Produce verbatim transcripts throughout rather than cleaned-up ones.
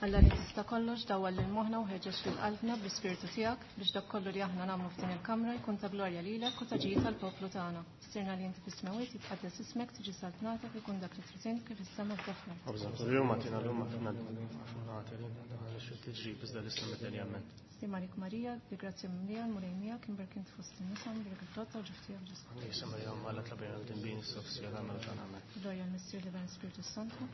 Alla li tista' kollox dawwal lil moħħna u ħeġġeġ lil qalbna bl-ispirtu tiegħek biex dak kollu li aħna nagħmlu f'din il-kamra jkun ta' glorja lilek u ta' ġid tal-poplu tagħna. Missierna li inti fis-smewwiet jitqaddes ismek tiġi saltnatek ikun dak li trid int kif is-sema fl-art. Sliem għalik Marija, bi grazzja mimlija l-Mulej miegħek, imberk int fost in-nisa, imberk il-frott tal-ġuf tiegħek Ġesù. Glorja l-Missier l-Iben Spiritu Santu.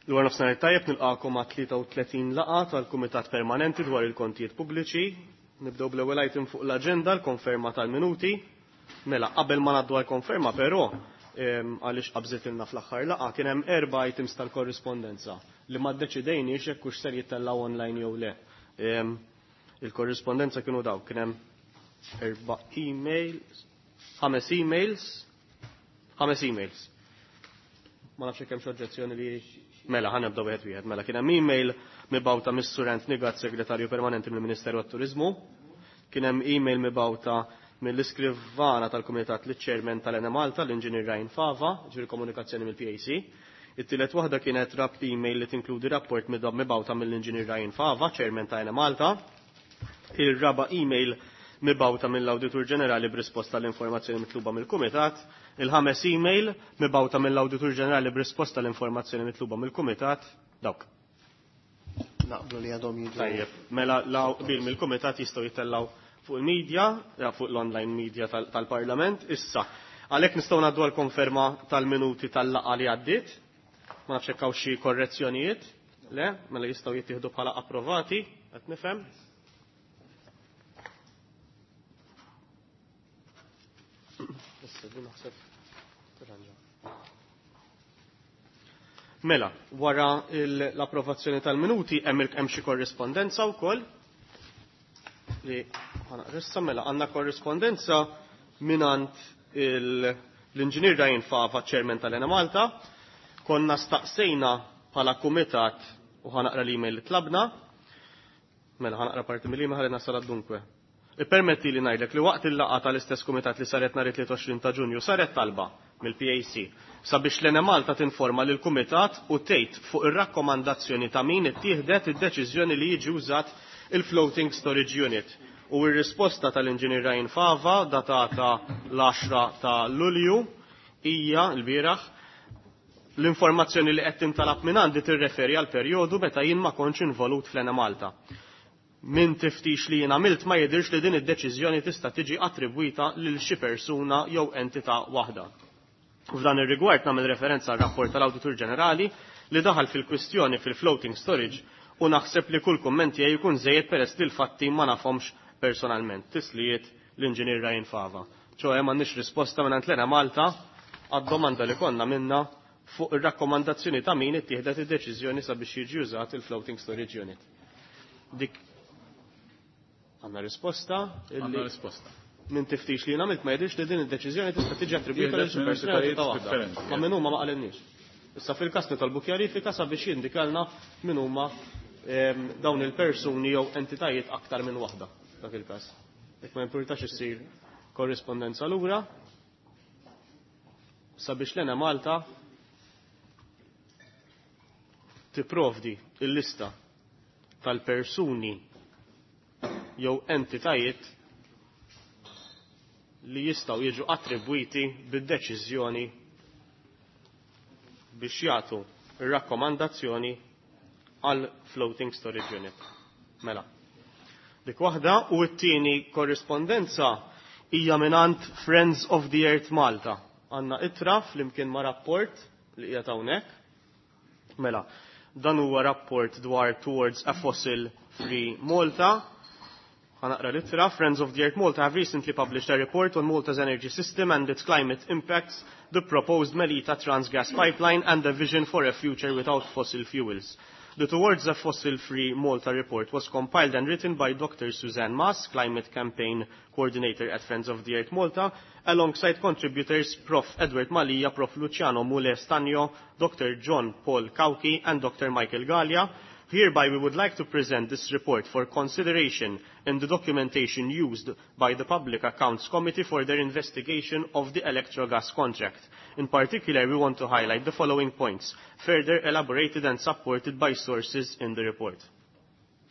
L-għar nofsinhar tajjeb nilqakom għat tlieta u tletin laqgħa tal-Kumitat Permanenti dwar il-Kontijiet Pubbliċi. Nibdew bl-ewwel item fuq l-aġenda, l-konferma tal-minuti. Mela, qabel ma ngħaddu għall-konferma però, għaliex qabżitilna fl-aħħar laqgħa, kien hemm erba' items tal-korrispondenza li ma ddeċidejniex jekk hux ser jittellgħu online jew le. Il-korrispondenza kienu daw, kien hemm erba' emails, ħames emails, ħames emails. Ma nafx hekk hemm xi oġġezzjoni li mela ħa nibdew wieħed wieħed. Mela kien hemm email mibgħuta mis-Sur Anthony Gatt, Segretarju Permanenti mill-Ministeru għat-Turiżmu. Kien hemm email mibgħuta mill-iskrivana tal-Kumitat liċ-Chairman tal-Ena Malta, l-Inġinier Ryan Fava, ġifieri komunikazzjoni mill-P A C. It-tielet waħda kienet rap email li tinkludi rapport mibgħuta mill-Inġinier Ryan Fava, Chairman ta' Ena Malta. Il-raba email mibgħuta mill-Awditur Ġenerali b'risposta l-informazzjoni mitluba mill-Kumitat. Il-ħames email mibgħuta mill-Awditur Ġenerali b'risposta l-informazzjoni mitluba mill-Kumitat. Dawk. Naqblu li għadhom jiġu. Tajjeb, mela la qbil mill-Kumitat jistgħu jittellgħu fuq il-media, ja, fuq l-online media tal-, tal-Parlament. Issa, għalhekk nistgħu ngħaddu għall-konferma tal-minuti tal-laqgħa li għaddiet. Ma nafx hekk hawn xi korrezzjonijiet. Le, mela jistgħu jittieħdu bħala approvati, qed nifhem. Issa, din naħseb tirranġa. Mela, wara il-, l-approvazzjoni tal-minuti hemm il-, hemm xi korrispondenza wkoll li ħanaqrissa. Mela għandna korrispondenza mingħand il-, l-Inġinier Ryan Fava, Chairman tal-Ena Malta. Konna staqsejna bħala kumitat u ħanaqra l-email li tlabna. Mela ħanaqra parti mill-email ħalli nasal dunkwe. Ippermetti li ngħidlek li waqt il-laqgħa tal-istess kumitat li saret nhar it-tlieta u għoxrin ta' Ġunju saret talba mill-P A C sabiex l-Ena Malta tinforma lil kumitat u tgħid fuq ir-rakkomandazzjoni ta' min ittieħdet id-deċiżjoni li jiġi użat il-Floating Storage Unit. U r-risposta tal-Inġinier Ryan Fava datata l-għaxra ta' Lulju hija l-bieraħ l-informazzjoni li qed tintalab minn għandi tirreferi għal perjodu meta jien ma kontx involut fl-Ena Malta. Min tiftix li jien għamilt ma jidhirx li din id-deċiżjoni tista' tiġi attribwita lil xi persuna jew entità waħda. F'dan ir-rigward nagħmel referenza għal rapport tal-Awditur Ġenerali li daħal fil-kwistjoni fil-floating storage u naħseb li kull kumment tiegħi jkun żejjed peress li l-fatti ma nafhomx personalment. Tislijiet l-Inġinier Ryan Fava. ċoħe m'għandniex risposta minn Ena Malta għad-domanda li konna minna fuq ir-rakkomandazzjoni ta' min ittieħdet id-deċiżjoni sabiex jiġi użat il-floating storage unit. Dik għandna risposta illi Għandna risposta. Minn tiftix li għamilt ma jidhirx li din id-deċiżjoni tista' tiġi attribwita lil xi Jidher persuna minn ta' waħda. differenti, Ma minn huma ma qalinniex. Issa fil-każ nitolbu kjarifika sabiex jindikalna min huma, ehm, dawn il-persuni jew entitajiet aktar minn waħda dak il-każ. Jekk ma jimpurtax issir korrispondenza lura sabiex l-Ena Malta tipprovdi il-lista tal-persuni jew entitajiet li jistgħu jiġu attribwiti bid-deċiżjoni biex jagħtu ir-rakkomandazzjoni għal floating storage unit. Mela. Dik waħda u t-tieni korrispondenza hija mingħand Friends of the Earth Malta. Għandna ittra flimkien ma' rapport li qiegħed hawnhekk. Mela, dan huwa rapport dwar Towards a Fossil Free Malta. Ħanaqra l-ittra. Friends of the Earth Malta have recently published a report on Malta's energy system and its climate impacts, the proposed Melita Transgas pipeline and the vision for a future without fossil fuels. The Towards a Fossil Free Malta report was compiled and written by Doctor Suzanne Maas, Climate Campaign Coordinator at Friends of the Earth Malta, alongside contributors Professor Edward Mallia, Professor Luciano Mule Stagno, Doctor John Paul Cauchi and Doctor Michael Galea. Hereby we would like to present this report for consideration in the documentation used by the Public Accounts Committee for their investigation of the Electrogas contract. In particular, we want to highlight the following points, further elaborated and supported by sources in the report.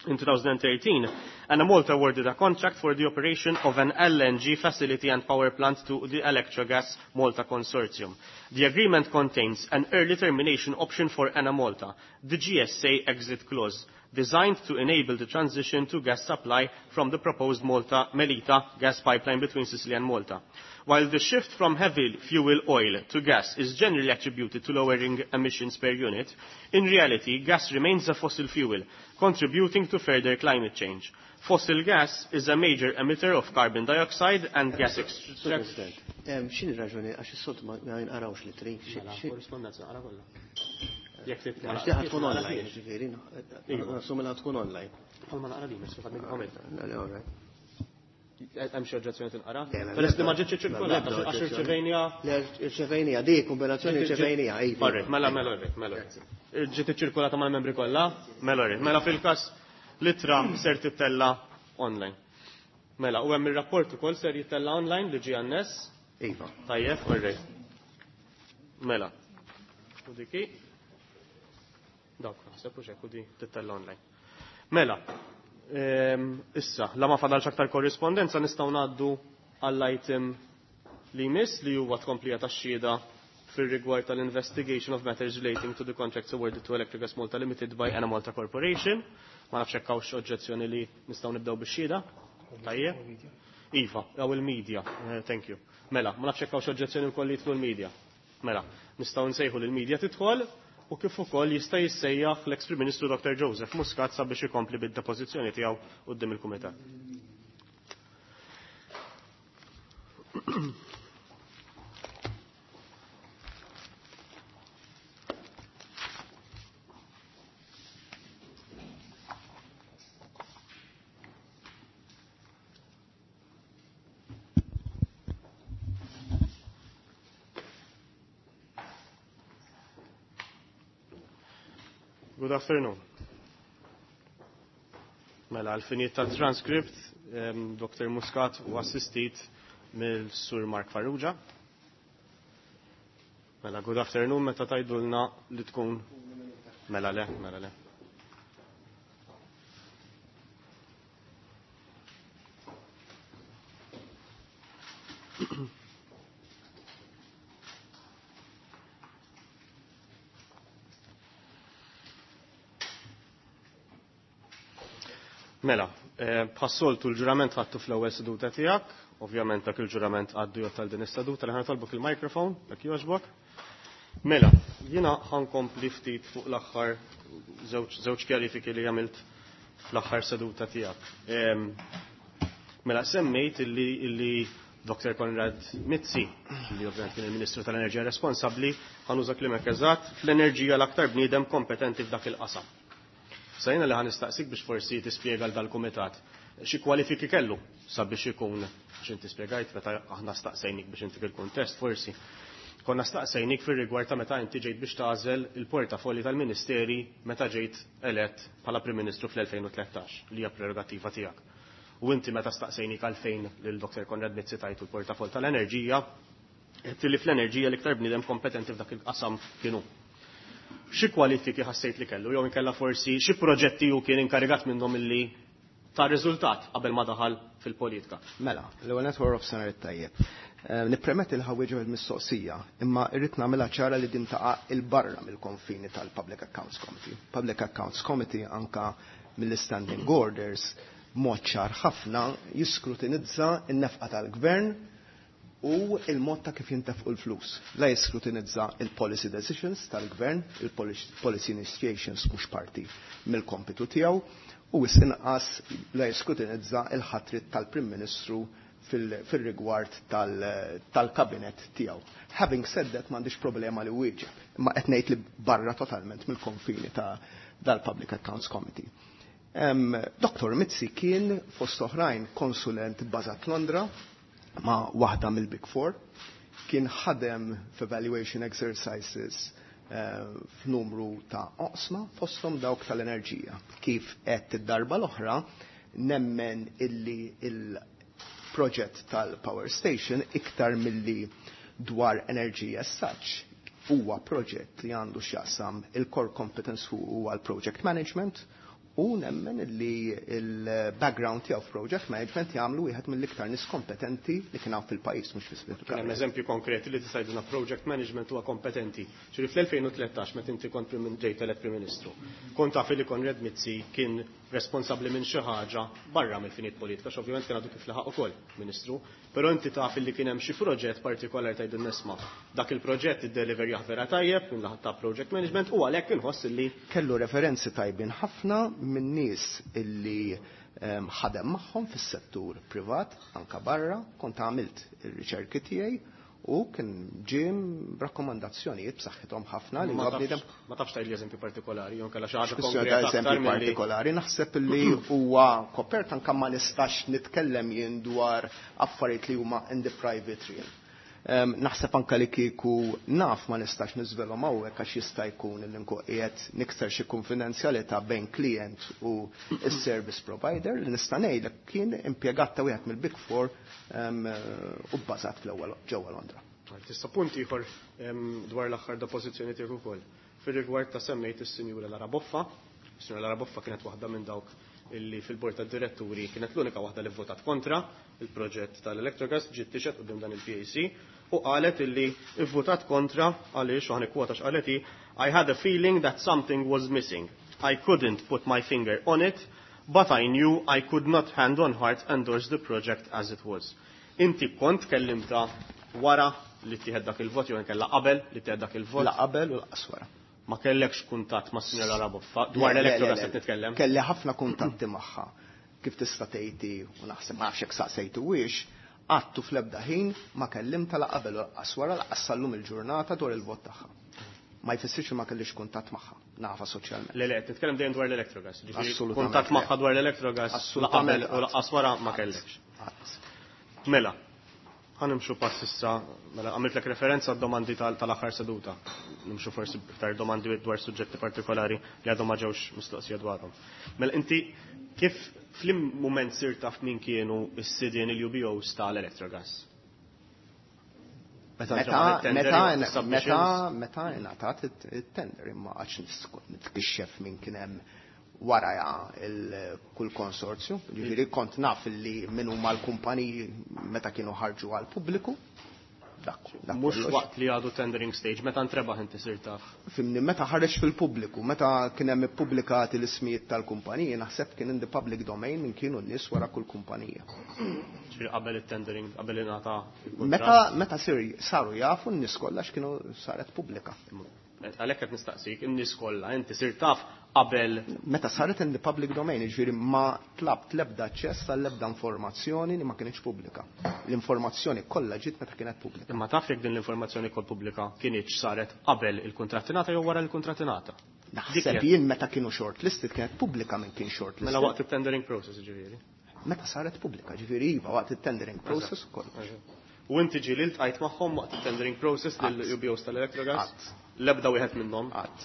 In twenty thirteen, Enemalta awarded a contract for the operation of an L N G facility and power plant to the Electrogas Malta Consortium. The agreement contains an early termination option for Enemalta, the G S A exit clause, designed to enable the transition to gas supply from the proposed Malta Melita gas pipeline between Sicily and Malta. While the shift from heavy fuel oil to gas is generally attributed to lowering emissions per unit, in reality, gas remains a fossil fuel, contributing to further climate change. Fossil gas is a major emitter of carbon dioxide and gas extraction. X'inhi raġuni għax is-soltu ma jinqarawx litri? Korrispondenza naqra kollha. Għax di tkun online, ġifieri, nassumi li tkun online. Bħalma naqra din, nisfa' għamilt. Hemm xi oġġezzjoni tinqara? Peress li ma ġietx iċċirkolata għax irċevejnija. Le irċevejnija, di kombinazzjoni irċevejnija, iva. Alright, mela mela alright, mela. Ġiet iċċirkolata mal-membri kollha? Mela alright. Mela fil-każ l-ittra ser tittella online. Mela, u hemm ir-rapport ukoll ser jittella online li ġie għan-nies. Iva. Tajjeb, alright. Mela. U diki. Dawk, naħseb u xekk u di tittella online. Mela. Issa, la ma fadalx aktar korrispondenza nistgħu ngħaddu għall-item li jmiss li huwa tkomplija tax-xhieda fir-rigward tal-investigation of matters relating to the contracts awarded to Electrogas Malta Limited by Enemalta Corporation. Ma nafx hekk hawnx oġġezzjoni li nistgħu nibdew bix-xhieda. Tajjeb. Iva, jew il-media, thank you. Mela, ma nafx hekk hawnx oġġezzjoni wkoll li jidħlu l-media. Mela, nistgħu nsejħu lill-media tidħol u kif ukoll jista' jissejjaħ l-ex Prim Ministru Doctor Joseph Muscat sabiex ikompli bid-depożizzjoni tiegħu quddiem il-Kumitat. Good afternoon. Mela, għal-finijiet tal-transcript, Doctor Muscat u assistit mill-Sur Mark Farrugia. Mela, good afternoon, meta tajdulna li tkun. Mela le, mela le. Mela, bħas-soltu l-ġurament ħadtu fl-ewwel seduta tiegħek, ovvjament dak il-ġurament għaddu jgħod tal din is-seduta li ħanitolbok il-mikrofon, dak jogħġbok. Mela, jiena ħankompli ftit fuq l-aħħar żewġ kjarifiki li għamilt fl-aħħar seduta tiegħek. Mela, semmejt illi illi Doctor Konrad Mizzi, li ovvjament kien il-Ministru tal-Enerġija responsabbli, ħanuża klimek eżatt, fl-enerġija l-aktar bniedem kompetenti f'dak il-qasam. Sajna li ħanistaqsik biex forsi tispjega l dal-kumitat xi kwalifiki kellu sabiex ikun, għax inti spjegajt meta aħna staqsejnik biex inti fil-kuntest forsi. Konna staqsejnik fir-rigward ta' meta inti ġejt biex tagħżel il-portafolli tal-Ministeri meta ġejt elett bħala Prim Ministru fl-elfejn u tlettax li hija prerogattiva tiegħek. U inti meta staqsejnik għalfejn lil Doctor Konrad Mizzi tajtu l-portafoll tal-enerġija, qed li fl-enerġija l-iktar bniedem kompetenti f'dak il-qasam kienu. Xi kwalifiki ħassejt li kellu, jew inkella forsi xi proġetti hu kien inkarigat minnhom illi ta' riżultat qabel ma daħal fil-politika. Mela, l-ewwel nett wara nofsinhar it-tajjeb. Nippermetti li ħawieġeb il-mistoqsija, imma rrid nagħmilha ċara li din taqa' il-barra mill-konfini tal-Public Accounts Committee. Public Accounts Committee anka mill-Standing Orders mod ċar ħafna jiskrutinizza n-nefqa tal-gvern u il-mod ta' kif jintefqu l-flus. La jiskrutinizza il-policy decisions tal-gvern, il-policy initiations mhux parti mill-kompitu tiegħu, u inqas la jiskrutinizza il-ħatrit tal-Prim Ministru fil-rigward tal-kabinet tiegħu. Having said that, m'għandix problema li wieġeb, imma qed ngħid li barra totalment mill-konfini ta' dal-Public Accounts Committee. Doctor Mizzi kien fost oħrajn konsulent bbażat Londra ma' waħda mill-Big Four, kien ħadem f'evaluation exercises f'numru ta' oqsma fosthom dawk tal-enerġija. Kif qed id-darba l-oħra nemmen illi il-proġett tal-power station iktar milli dwar enerġija as such huwa proġett li għandu x'jaqsam il-core competence huwa l-project management, u nemmen li il-background tiegħu f'project management jagħmlu wieħed mill-iktar nies kompetenti li kien hawn fil-pajjiż, mhux fi Kien hemm eżempju konkreti li tista' jgħidilna project management huwa kompetenti. Ġifieri fl-elfejn u tlettax meta inti kont ġejt elett Prim Ministru, kont taf li Konrad Mizzi kien responsabbli minn xi ħaġa barra mill-finit politika, x'ovvjament kien għadu kif laħaq ukoll Ministru, però inti taf li kien hemm xi proġett partikolari tgħidu nisma' dak il-proġett id-delivery vera tajjeb minn laħat ta' project management u għalhekk inħoss li kellu referenzi tajbin ħafna minn nies illi ehm, ħadem magħhom fis-settur privat anka barra, kont għamilt ir-riċerki tiegħi u kien ġie b'rakkomandazzjonijiet b'saħħithom ħafna li Ma huwa bniedem. tafx ma tafx tgħidli eżempju partikolari, jew kellha xi ħaġa Kwestjoni ta' konkreta aktar eżempju milli partikolari, naħseb li huwa kopert anke ma nistax nitkellem jien dwar affarijiet li huma in the private realm. Em, naħseb anke li kieku naf ma nistax niżvelhom hawnhekk għax jista' jkun li nkun qiegħed nikser xi konfidenzjalità bejn klient u s-service provider. Li nista' ngħidlek kien impjegat ta' wieħed mill-Big Four, em, u bbażat fl-ewwel ġewwa Londra. Tista' punt ieħor, em, dwar l-aħħar depożizzjoni tiegħek ukoll. Fir-rigward ta' semmejt is-Sinjura Lara Boffa, is-Sinjura Lara Boffa kienet waħda minn dawk illi fil-bord tad-diretturi kienet l-unika waħda li votat kontra il-proġett tal-Electrogas, ġiet tixhed quddiem dan il-P A C u qalet illi votat kontra għaliex, u ħanikkwota x'qalet hi, I had a feeling that something was missing. I couldn't put my finger on it, but I knew I could not hand on heart endorse the project as it was. Inti kont kellimta wara li tieħed dak il-vot jew inkella qabel li tieħed dak il-vot? La qabel u lanqas wara. Ma kellekx kuntatt ma' Sinjora Lara Boffa dwar Le, le, l-Electrogas le, le. qed nitkellem? Kelli ħafna kuntatti magħha. Kif tista' tgħidi u naħseb ma nafx hekk saqsejtu wiex, għattu fl-ebda ħin ma kellimta la qabel u lanqas wara, lanqas sal-lum il-ġurnata dwar il-vot tagħha. Ma jfissirx li ma kellix kuntatt magħha, nafa soċjalment. Le, le, qed nitkellem dejjem dwar l-Electrogas. Ġifieri Assolutament kuntatt le. magħha dwar l-Electrogas, la Assolutament qabel u lanqas wara ma kellekx. Qatt. Mela, ħanimxu pass issa, mela għamiltlek referenza għad-domandi tal-, tal-aħħar seduta. Nimxu forsi iktar domandi dwar suġġetti partikolari li għadhom ma ġewx mistoqsija dwarhom. Mela inti kif flim mument sir taf min kienu s-sidien il-U B Os tal-Electrogas? Meta Meta, ġew it-tender meta, jew is-submissions? meta, meta ingħatat it-tender, imma għax nitkixxef min kien hemm wara il-kull konsorzju, ġifieri kont naf li min huma l-kumpaniji meta kienu ħarġu għal pubbliku. Dak, dak Mhux kollox. waqt li għadu tendering stage, meta ntrebaħ inti sir taf. Fimni, meta ħareġ fil-pubbliku, meta kien hemm ippubblikati l-ismijiet tal-kumpaniji, naħseb kien in the public domain min kienu n-nies wara kull kumpanija. Ġifieri qabel it-tendering, qabel ingħata il-kuntratt. Meta, meta sir, saru jafu n-nies kollha x'kienu saret pubblika. Għalhekk qed nistaqsik, in-nies kollha inti sir taf qabel Meta saret in the public domain, ġifieri ma tlabt l-ebda aċċess għall-ebda informazzjoni li ma kienx pubblika. L-informazzjoni kollha ġiet meta kienet pubblika. Imma taf jekk din l-informazzjoni kol pubblika kienx saret qabel il-kuntratt ingħata jew wara l-kuntratt ingħata? Naħseb Dik jien meta kienu shortlisted kienet pubblika minn kien shortlisted. Mela waqt it-tendering process ġifieri. Meta saret pubblika, ġifieri iva waqt it-tendering process ukoll. U inti ġieli ltqajt magħhom waqt it-tendering process lil U B Os tal-Electrogas? Qatt. L-ebda wieħed minnhom? Qatt.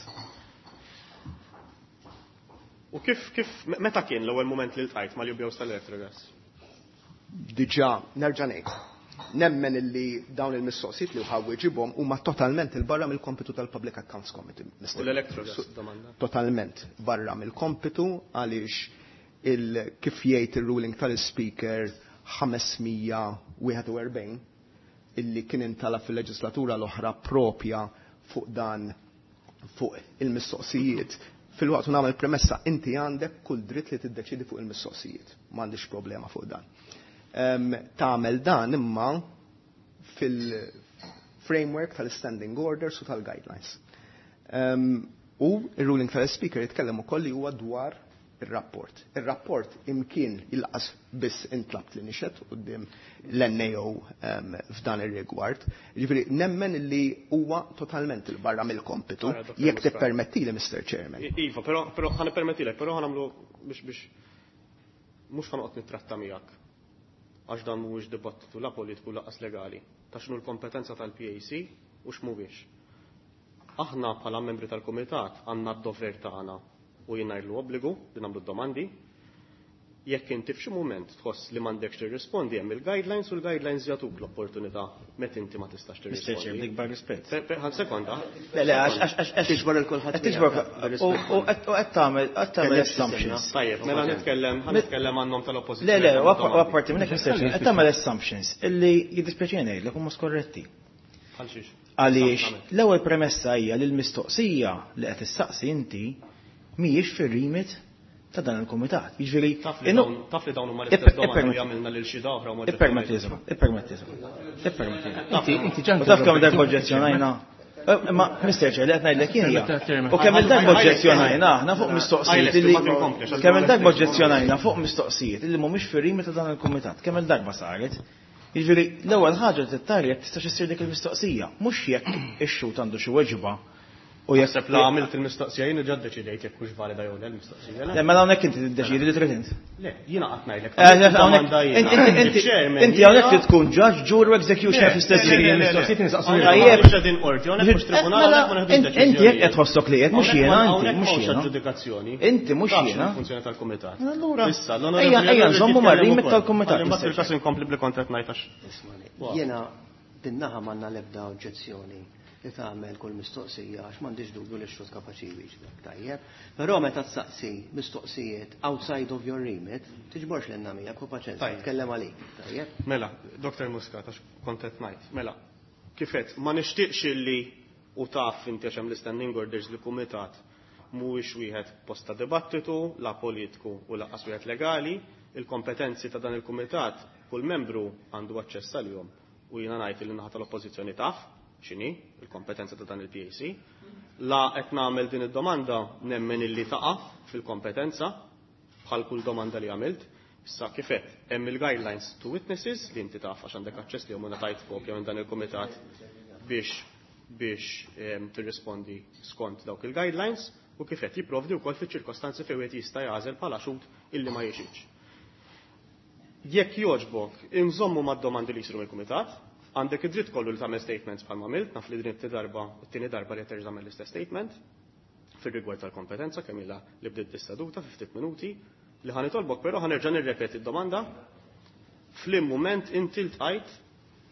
U kif, kif, meta kien l-ewwel mument li ltqajt mal-U B Os tal-Electrogas? Diġà, nerġa' ngħid. Nemmen illi dawn il-mistoqsijiet li ħa nwieġibhom huma totalment il-barra mill-kompitu tal-Public Accounts Committee. U l-Electrogas domanda? Totalment barra mill-kompitu għaliex il kif jgħid il-ruling tal-Speaker ħames mija wieħed u erbgħin illi kien intala fil-leġislatura l-oħra propja fuq dan fuq il-mistoqsijiet. Fil-waqt nagħmel premessa, inti għandek kull dritt li tiddeċidi fuq il-mistoqsijiet. M'għandix problema fuq dan. Em, tagħmel dan imma fil-framework tal-standing orders u tal-guidelines. Em, u il-ruling tal-Speaker jitkellem ukoll li huwa dwar il-rapport. Il-rapport imkien il-qas biss intlabt li nixhed quddiem l-N A O, em, f'dan ir-rigward. Ġifieri nemmen li huwa totalment il-barra mill-kompitu, Ara, Doktor jekk Muscat. tippermettili, Mister Chairman. I-, Iva, però, però ħa nippermettilek, però ħa nagħmlu biex, biex mhux ħa noqgħod nittratta miegħek. Għax dan mhuwiex dibattitu la politiku lanqas legali. Ta' x'inhu l-kompetenza tal-P A C u x'mhuwiex. Aħna bħala membri tal-kumitat għandna d-dover tagħna u jien ngħidlu obbligu li nagħmlu d-domandi. Jekk inti f'xi mument tħoss li m'għandekx tirrispondi hemm il-guidelines u l-guidelines jagħtuk l-opportunità meta inti ma tistax Mister Chair, tirrispondi. bl-ikbar rispett. Per- per- Ħan sekonda. Le, le, għax għax għax Tiġbor il kulħadd qed tiġbor u u qed u qed tagħmel qed tagħmel assumptions. Tajjeb, mela nitkellem ħa nitkellem għan-nom tal-oppożizzjoni. Le, le, u appa- u apparti minn hekk Mister Chair, qed tagħmel assumptions illi jiddispjaċini ngħidlek huma skorretti. Għal xiex? Għaliex l-ewwel premessa hija li l-mistoqsija li qed issaqsi inti mhijiex fir-remit ta' dan il-kumitat. Jiġifieri Taf li innu- dawn taf li dawn huma Ipper- l-istess domandi li ippermetti- għamilna lil xi oħra u ma Ippermetti iżma, ippermetti iżma, ippermetti. Inti inti ġan U taf kemm darba oġġezzjonajna? Eh, Ma Mister Chair, li qed ngħidlek jien hija. U kemm il-darba oġġezzjonajna aħna fuq mistoqsijiet li kemm il-darba oġġezzjonajna fuq mistoqsijiet li mhumiex fir-remit ta' dan il-kumitat. Kemm il-darba saret? Jiġifieri l-ewwel ħaġa li tittara jekk tistax issir dik il-mistoqsija, mhux jekk ix-xhud għandu xi weġba u jekk Naħseb la għamilt il-mistoqsija jien ġad deċidejt jekk hux valida jew le l-mistoqsija. Le, mela hawnhekk inti tiddeċidi li trid int. Le, jiena qatt ngħidlek. Eh, le, hawnhekk- Inti inti inti hawnhekk trid tkun judge, jury u executioner fl-istess Le, le, ħin. le, le. Mistoqsijiet nistaqsu Hawnhekk Tajjeb. mhux qegħdin qorti, hawnhekk mhux tribunal, Mela, hawnhekk ma neħdux Inti jekk qed deċiżjonijiet. tħossok li qed mhux Hawnhekk jiena ma- inti, hawnhekk mhux m'hawnx jiena. aġġudikazzjoni. Inti mhux Tafx jiena. il-funzjoni tal-kumitat. Allura, Issa, ejja l-onorevoli ejja Allura nżommu jitkellem mar-remit ukoll. tal-kumitat. Ħalli mbagħad Mister fil-każ Chair. inkompli bil-kontrat ngħid għax. Ismani, jiena bin-naħa m'għandna l-ebda oġġezzjoni li tagħmel kull mistoqsija għax m'għandix dubju li x-xhud kapaċi jwieġbek, tajjeb. Però meta tsaqsi mistoqsijiet outside of your remit, tiġborx lilna miegħek u paċenzja, Tajjeb. tkellem għalik, tajjeb. Mela, Doktor Muscat, għax kont qed ngħid. Mela, kifet, ma nixtieqx illi u taf inti għax hemm l-standing orders li kumitat mhuwiex wieħed posta dibattitu, la politiku u lanqas wieħed legali, il-kompetenzi ta' dan il-kumitat kull membru għandu aċċess għalihom u jiena ngħid li naħa tal-oppożizzjoni taf x'inhi il-kompetenza ta' dan il-P A C. La qed nagħmel din id-domanda nemmen illi taqa' fil-kompetenza bħal kull domanda li għamilt. Issa kifet, hemm il-guidelines to witnesses li inti taf għax għandek aċċess li huma ngħatajt kopja minn dan il-kumitat biex, biex, ehm, tirrispondi skont dawk il-guidelines u kifet jipprovdi wkoll fiċ-ċirkostanzi fejn wieħed jista' jagħżel bħala xhud illi ma jixitx. Jekk jogħġbok, inżommu mad-domandi li jsiru mill-kumitat, għandek id-dritt kollu li tagħmel statements bħal ma għamilt, naf li din it-tieni darba, it-tieni darba li terġa' tagħmel l-istess statement fir-rigward tal-kompetenza kemm ilha li bdiet dis-seduta fi ftit minuti li ħa nitolbok, però ħa nerġa' nirrepeti d-domanda. Flim mument inti ltqajt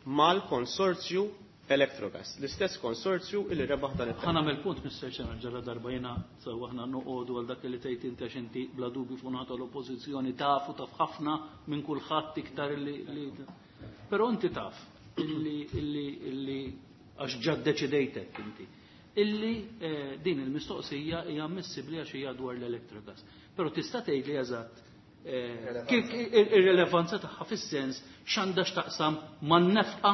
mal-konsorzju Electrogas, l-istess konsorzju illi rebaħ dan it-tender. Ħa nagħmel punt, Mister Chairman, ġara darba jiena sew aħna noqogħdu għal dak li tgħid inti għax inti bla dubju fuq naħa tal-oppożizzjoni tafu taf ħafna minn kulħadd iktar li, li però inti taf illi, illi, illi għax ġa ddeċidejtek inti illi, eh, din il-mistoqsija hija ammissibbli għax hija dwar l-Electrogas. Però tista' tgħidli eżatt, eh, kif ir-rilevanza tagħha fis-sens x'għandha x'taqsam man-nefqa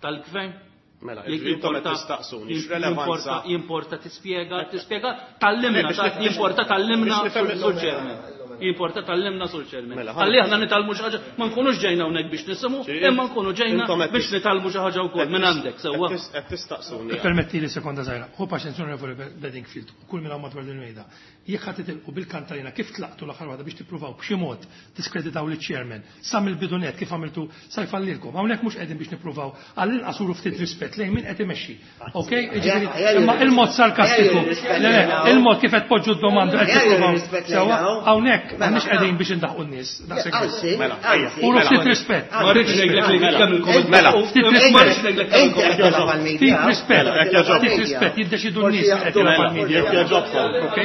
tal-gvern? Mela, Jekk intom qed jimporta- tistaqsuni, jim- x'relevanza? jimporta-, jimporta tispjega, tispjega tallimna, Le, biex nif- jimporta tallimna biex nifhem sur Chairman. Jimporta tallimna sur Chairman. Mela, Ħalli aħna nitalmu xi ħaġa, ma nkunux ġejna hawnhekk biex nisimgħu, Ġifieri, imma nkunu ġejna intom qed biex tis- nitalmu xi ħaġa wkoll qed minn tis- għandek, sewwa. qed tis-, qed tistaqsuni. Permetti li sekonda żgħira. Hu paċenzja Onorevoli Bedingfield, u kull minn hawn madwar din il-mejda. Jekk ħadd titilqu bil-kantalina kif tlaqtu l-aħħar waħda biex tippruvaw b'xi mod tiskreditaw liċ-chairman sa mill-bidunet kif għamiltu sa jfallilkom. Hawnhekk mhux qegħdin biex nippruvaw għall-inqas uru ftit rispett lejn min qed imexxi. Ok? Jiġifieri, imma il-mod sarkastiku. Le, le, il-mod kif qed poġġu d-domanda qed tippruvaw. Sewwa, hawnhekk m'aħniex qegħdin biex indaħqu n-nies. Daqshekk biss. Mela, ejja. Uru ftit rispett. Ma rridx ngħidlek li kemm il-komment. Mela. Ftit Ma rispett. rridx ngħidlek kemm Inti qed il-komment. tilgħab għall-media. Ftit rispett. Mela, jekk jogħġobkom. Ftit rispett, jiddeċidu n-nies qed tilgħab Mela, għall-media. jekk jogħġobkom. Ok?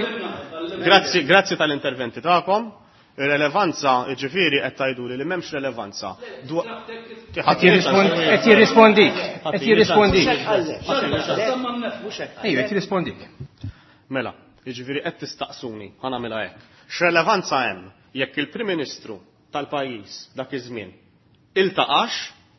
Grazzi, grazzi tal-interventi tagħkom. Ir-relevanza, jiġifieri qed tgħiduli li m'hemmx relevanza. Dwa- Qed jirrispondi, qed jirrispondik, qed jirrispondik. Ejja, qed jirrispondik. Mela, jiġifieri qed tistaqsuni, ħa nagħmilha hekk. X'relevanza hemm jekk il-Prim Ministru tal-pajjiż dak iż-żmien iltaqax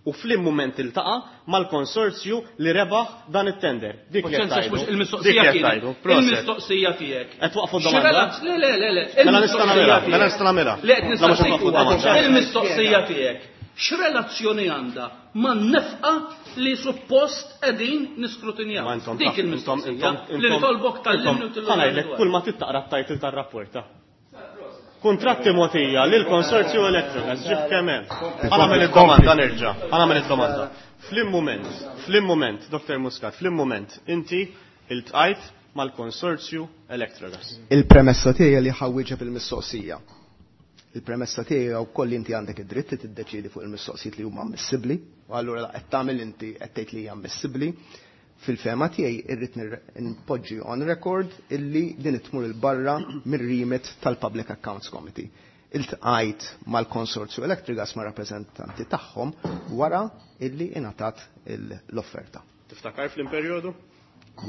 u fl-im mument iltaqa' mal-konsorzju li rebaħ dan it-tender. Dik li qed Paċenzja, tgħidu. mhux Dik il-mistoqsija li qed kienet. tgħidu. Proset. Il-mistoqsija tiegħek. Qed waqfu d-domanda? X'relaz-, le, le, le, le. Mela nista' nagħmilha, Il-mistoqsija mela nista' nagħmilha. Le, qed La mhux nistaqsik waqfu huwa. d-domanda. Il-mistoqsija tiegħek. X'relazzjoni għandha man-nefqa li suppost qegħdin niskrutinjaw? Ma intom Dik taf, intom, il-mistoqsija intom, li intom, nitolbok tal-limnu intom, tillu ħa ngħidlek dwar. kull ma tittaqra t-title tar-rapport, ta'. Kontratti mogħtija lil konsorzju Electrogas, ġib kemm hemm. Ħa nagħmel id-domanda nerġa', ħa nagħmel id-domanda. Flim mument, flim mument, Doktor Muscat, flim mument, inti Iltqajt mal-konsorzju Electrogas. Il-premessa tiegħi li ħa nwieġeb il-mistoqsija. Il-premessa tiegħi wkoll inti għandek id-dritt li tiddeċiedi fuq il-mistoqsijiet li huma ammissibbli, u allura qed tagħmel inti qed tgħid li hija ammissibbli. Fil-fehma tiegħi irrid npoġġi on record illi din tmur 'il barra mir-remit tal-Public Accounts Committee. Iltqajt mal-konsorzju Electrogas, ma' rappreżentanti tagħhom, wara illi ingħatat l-offerta. Tiftakar fl-imperjodu?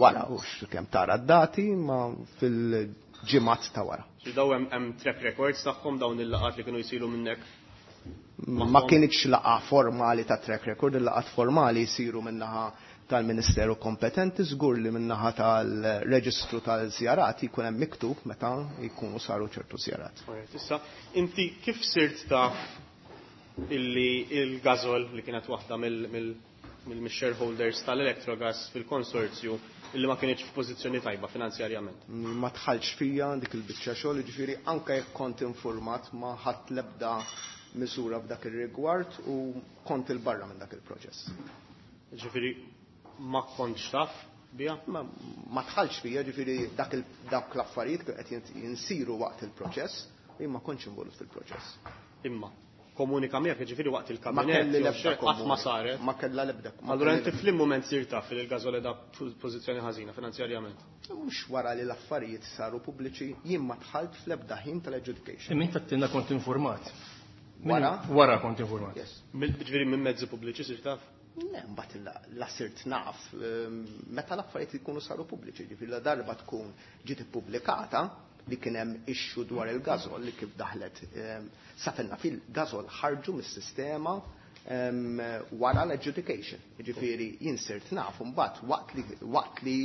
Wara, ux kemm tara d-dati, ma fil-ġimgħat ta' wara. Daw hemm track records tagħhom, dawn il-laqgħat li kienu jsiru minnek? Ma kienx laqgħa formali ta' track record, il-laqgħat formali jsiru minnaħa tal-Ministeru kompetenti, żgur li minnaħa tal-reġistru tal-żjarat jkun hemm miktub meta jkunu saru ċertu żjarat. Issa, inti kif sirt taf illi il-Gasol, li kienet waħda mill-shareholders tal-Electrogas fil-konsorzju, illi ma kienx f'pożizzjoni tajba finanzjarjament? Ma tħallx fija dik il-biċċa xogħol, jiġifieri anke jekk kont informat ma ħadd l-ebda miżura f'dak ir-rigward u kont 'il barra minn dak il-proċess. Ġifieri ma kontx taf bija? Ma, ma tħallx fija, ġifieri dak dak l-affarijiet qed jinsiru waqt il-proċess, u jien ma kontx involut fil-proċess. Imma komunika miegħek, ġifieri waqt il-kabinett, qatt ma saret? Ma kellha l-ebda. Allura inti fl mument sir taf li l-Gasol qiegħda f'pożizzjoni ħażina finanzjarjament? Mhux wara li l-affarijiet saru pubbliċi, jien ma dħalt fl-ebda ħin tal-adjudication. Imma inti għedtilna kont informat. Wara? Wara kont informat. Yes. Ġifieri minn mezzi pubbliċi sir taf? Le, mbagħad la sirt naf meta l-affarijiet ikunu saru pubbliċi, ġifieri la darba tkun ġiet ippubblikata li kien hemm issue dwar il-Gasol li kif daħlet safenna fil-Gasol ħarġu mis-sistema wara l-adjudication. Ġifieri jien sirt naf mbagħad waqt li waqt li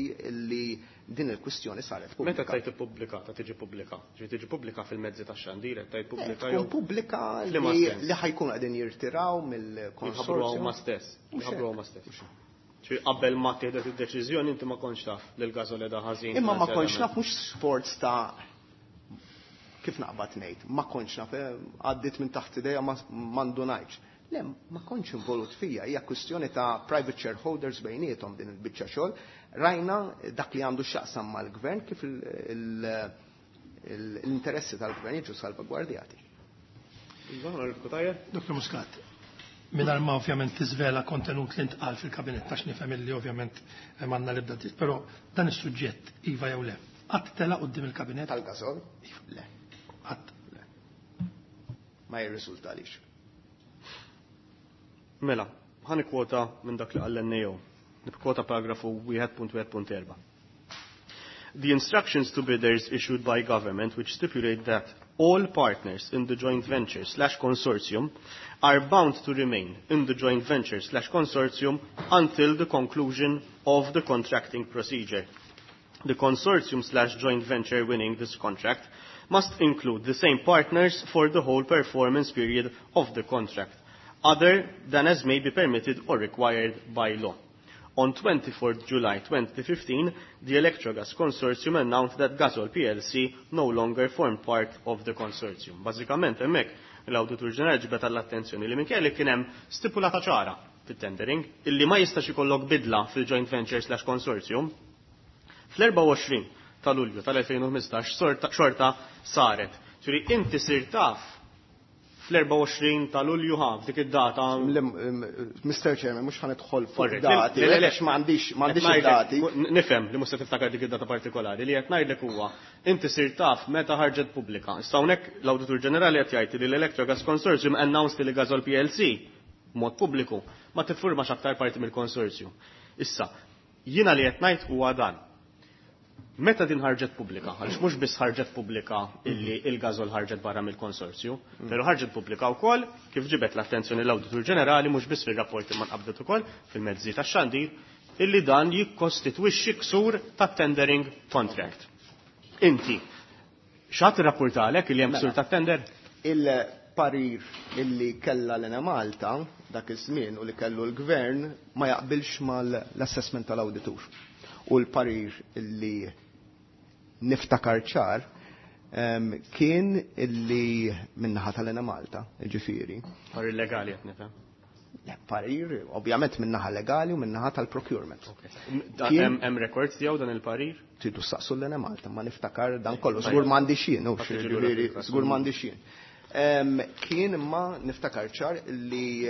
li din il-kwistjoni saret pubblika. Meta tgħid ippubblikata tiġi pubblika? Ġifieri tiġi pubblika fil-mezzi tax-xandir, qed tgħid pubblika jew pubblika li ħajkunu qegħdin jirtiraw mill-konsorzju. Huma stess. Jħabbru huma stess. Ġifieri qabel ma tieħdet id-deċiżjoni inti ma kontx taf li l-Gasol qiegħda ħażin. Imma ma kontx naf mhux sforz ta' kif naqbad ngħid, ma kontx naf, għaddiet minn taħt idejja, ma ndunajtx. Le, ma kontx involut fija, hija kwistjoni ta' private shareholders bejniethom din il-biċċa xogħol. Rajna dak li għandu x'jaqsam mal-gvern, kif l-interessi tal-gvern jiġu salvagwardjati. Doktor Muscat, mingħajr ma ovvjament tiżvela kontenut li ntqal fil-kabinett, għax nifhem li ovvjament m'għandna l-ebda dritt, però dan is-suġġett, iva jew le, qatt tela' quddiem il-kabinett? Tal-Gasol? Le. Qatt? Le. Ma jirriżultalix. Mela, ħa nikkwota minn dak li qal N A O. Nikkwota paragrafu wieħed punt wieħed punt erba'. The instructions to bidders issued by government, which stipulate that all partners in the joint venture slash consortium are bound to remain in the joint venture slash consortium until the conclusion of the contracting procedure. The consortium slash joint venture winning this contract must include the same partners for the whole performance period of the contract, other than as may be permitted or required by law. On twenty-fourth July twenty fifteen, the Electrogas Consortium announced that Gasol P L C no longer formed part of the consortium. Bażikament hemmhekk l-Awditur Ġenerali ġibet għall-attenzjoni li minkejja li kien hemm stipulata ċara fit-tendering illi ma jistax ikollok bidla fil-joint venture slash consortium, fl-erbgħa u għoxrin ta' Lulju tal-elfejn u ħmistax xorta saret. Ġifieri inti sir taf fl-erbgħa u għoxrin ta' Lulju ħa f'dik id-data. Mister Chairman, mhux ħa nidħol fuq dati, għax m'għandix m'għandix id-dati. Nifhem li mhux se tiftakar dik id-data partikolari, li qed ngħidlek huwa inti sir taf meta ħarġet pubblika. Issa hawnhekk l-Awditur Ġenerali qed jgħid li l-Electrogas Consortium announced li Gasol P L C mod pubbliku ma tiffurmax aktar parti mill-konsorzju. Issa, jiena li qed ngħid huwa dan. Meta din ħarġet pubblika, għaliex mhux biss ħarġet pubblika illi il-Gasol ħarġet barra mill-konsorzju, però ħarġet pubblika wkoll kif ġibet l-attenzjoni l-Awditur Ġenerali mhux biss fir-rapporti ma nqabdet ukoll fil-mezzi tax-xandir illi dan jikkostitwixxi ksur tat-tendering contract. Inti, x'għad irrapportalek illi hemm ksur tat-tender? Il-parir illi kella l-Enemalta dak iż-żmien u li kellu l-gvern ma jaqbilx mal-assessment tal-awditur. U l-parir illi niftakar ċar kien illi minnaħa tal-Enemalta, ġifieri. Parir legali qed nifhem. Parir, ovvjament min-naħa legali u min-naħa tal-procurement. Hemm records tiegħu dan il-parir? Tridu saqsu l-Enemalta, ma niftakar dan kollu. Żgur m'għandix jien, żgur m'għandix jien. Kien imma niftakar ċar li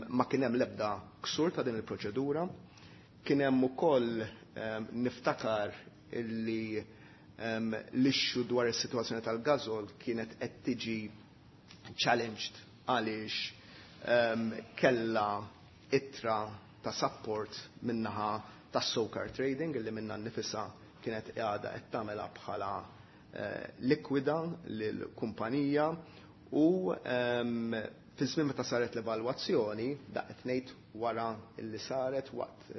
ma kien hemm l-ebda ksur ta' din il-proċedura. Kien hemm ukoll niftakar li l-issue dwar is-sitwazzjoni tal-gażol kienet qed tiġi challenged għaliex kella ittra ta' support minnaħa ta' SOCAR Trading illi minna nifisa kienet qiegħda qed tagħmilha bħala likwida lill-kumpanija u fi żmien meta saret l-evalwazzjoni da qed ngħid wara illi saret waqt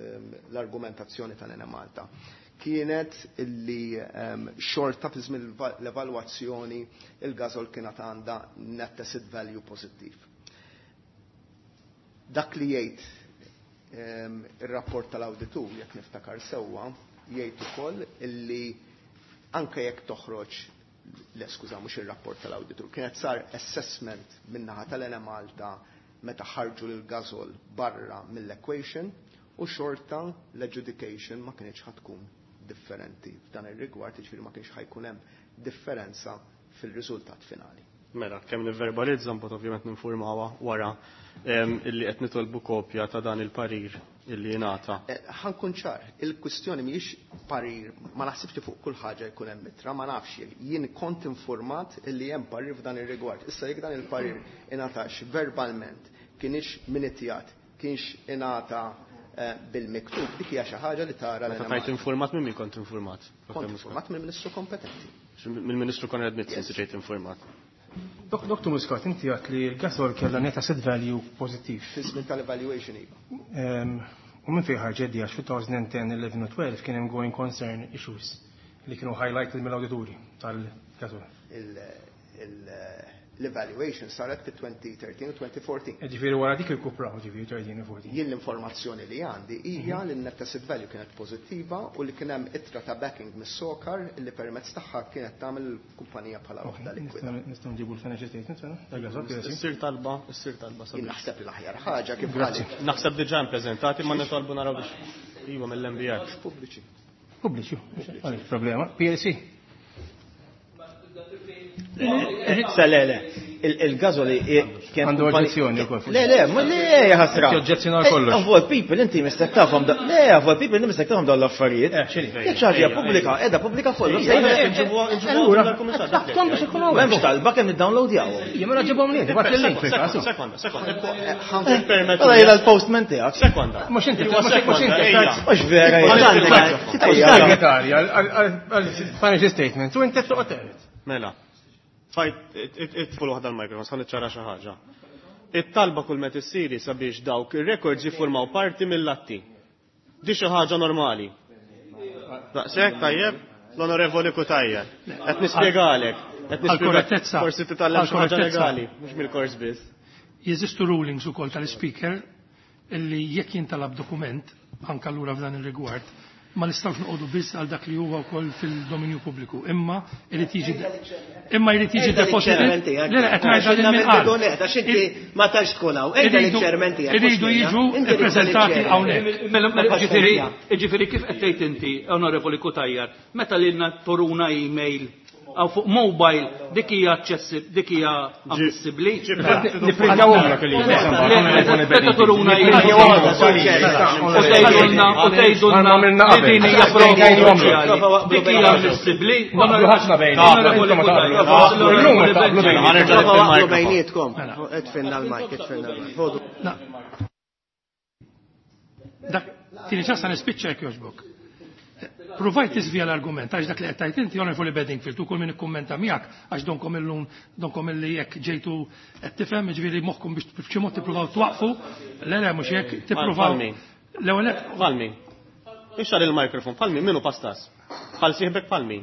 l-argumentazzjoni tal-Enemalta kienet illi xorta fi żmien l-evalwazzjoni il-gażol kienet għandha net asset value pożittiv. Dak li jgħid ir-rapport tal-awditur, jekk niftakar sewwa, jgħid ukoll illi anke jekk toħroġ, le skuża mhux ir-rapport tal-awditur, kienet sar assessment min-naħa tal-Enemalta meta ħarġu lil gażol barra mill-equation u xorta l-adjudication ma kienx ħatkun differenti f'dan ir-rigward, jiġifieri ma kienx ħajkun hemm differenza fil-riżultat finali. Mela, kemm nivverbalizza mbagħad ovvjament ninformawha wara illi qed nitolbu kopja ta' dan il-parir illi jingħata. Ħankun ċar, il-kwistjoni mhijiex parir, ma naħsibx li fuq kull ħaġa jkun hemm ittra, ma nafx jien kont informat illi hemm parir f'dan ir-rigward. Issa jekk dan il-parir ingħatax verbalment, kienx minitjat, kienx ingħata bil-miktub, dik hija xi ħaġa li tara. Meta tajt informat minn min kont informat? Kont informat mill-Ministru kompetenti. Mill-Ministru Konrad Mizzi inti ġejt informat. Doktor Muscat, inti għat li l-gasol kellha net asset value pożittiv. Fi-żmien tal-evaluation iva. U minn fejn ħarġet di għax fi twenty ten, eleven u twelve kien hemm going concern issues li kienu highlighted mill-awdituri tal-gasol. L-evaluation saret fi twenty thirteen u twenty fourteen. Ġifieri wara dik irkupraw ġifieri thirteen u fourteen. Jien l-informazzjoni li għandi hija li n-net asset value kienet pożittiva u li kien hemm ittra ta' backing mis-SOCAR li permezz tagħha kienet tagħmel il-kumpanija bħala waħda likwida. Nistgħu nġibu l-financial statements mela? Tal-gasol kienet Issir talba, issir talba sabiex. Jien naħseb li l-aħjar ħaġa kif qalet. Naħseb diġà ippreżentati ma nitolbu naraw biex iva mill-M B R. Pubbliċi. Pubbliċi, għaliex problema. P L C. Sa le le, il-gażoli kien għandu oġġezzjoni wkoll. Le le, ma le ħasra. Oġġezzjoni kollox. Of all people inti mistek tafhom da. Le, of all people inti mistek tafhom dawn l-affarijiet. Jekk xi ħaġa pubblika, qiegħda pubblika fuq. Allura, m'hemmx talba kemm iddownloadjawhom. Jien ma ġibhom lil, bagħat il-link fil-każ. Sekonda, sekonda. Mela jiena l-postman tiegħek. Sekonda. Mhux inti, mhux inti. Mhux vera. Segretarja għal-financial statements u inti toqgħod. Mela. Fajt, itful waħda l-mikrofon, sa niċċara xi ħaġa. It-talba kull meta issiri sabiex dawk ir-records jiffurmaw parti mill-atti. Di xi ħaġa normali. Daqshekk tajjeb, l-Onorevoli Cutajar. Qed nispjegalek, qed nispjegalek. Forsi titgħallem xi ħaġa legali, mhux mill-kors biss. Jeżistu rulings ukoll tal-speaker illi jekk jintalab dokument anke allura f'dan ir-rigward ma nistgħux noqogħdu biss għal dak li huwa wkoll fil-dominju pubbliku, imma irid jiġi imma jrid jiġi deposited. Le le qed ngħidha lil min qal. Għax inti ma tantx tkun hawn. Ejda liċ-chairman tiegħek. Iridu jiġu ippreżentati hawnhekk. Mela ġifieri ġifieri kif qed tgħid inti, Onorevoli Cutajar, meta lilna toruna email għaw fuq mobile dik hija aċċessibbli, dik hija ammissibbli. Nipprintawhomlek il-email. Meta turuna email. U tgħidulna u tgħidulna li din hija prova uffiċjali. Dik hija ammissibbli. Naqblu ħafna bejnietkom. Bejnietkom. Itfinna l-mic, itfinna l-mic. Dak tieni ċassa nispiċċa jekk jogħġbok. Provajt tiżvija l-argument, għax dak li qed tgħid inti Onorevoli Bedingfield u kull min ikkummenta miegħek għax donkom illum donkom illi jekk ġejtu qed tifhem, jiġifieri moħħkom biex b'xi mod tippruvaw twaqfu, le le mhux hekk tippruvaw. L-ewwel Palmi. Ixxar il-mikrofon, Palmi minnu pastas. Bħal sieħbek Palmi.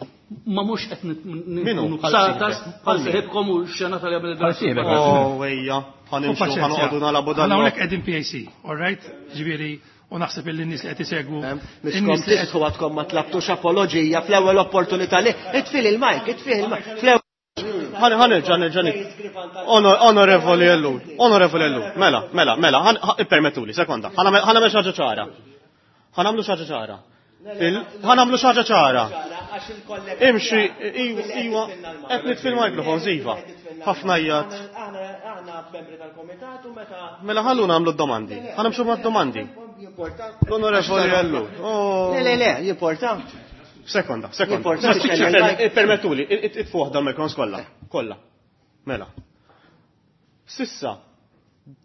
Ma mhux qed nkunu bsatas bħal sieħibkom u x-xena tal-jagħmel Bħal sieħbek. Oh ejja, ħanimxu ħanoqogħdu nagħlabu dan. Hawnhekk qegħdin P A C, all right? Ġifieri u naħseb illi n-nies li qed isegwu. Miskom tistħu għadkom ma tlabtux apoloġija fl-ewwel opportunità li itfil il-mic, itfil il-mic. Ħa nerġa' nerġa' Onorevoli Ellul, Onorevoli Ellul, mela, mela, mela, ippermettuli, sekonda. Ħa nagħmel xi ħaġa ċara. Ħa nagħmlu xi ħaġa ċara. Ħa nagħmlu xi ħaġa ċara. Imxi, iwa, qed nitfi l-microphones, iva. Ħafna jgħat. Aħna membri tal-komitat u meta. Mela ħallu nagħmlu d-domandi. Ħa nimxu mad-domandi. L-Onorevoli Ellul. Le, le, le, jimporta. Sekonda, sekonda. Permettuli, itfu waħda l-microphones kollha, kollha. Mela. Sissa,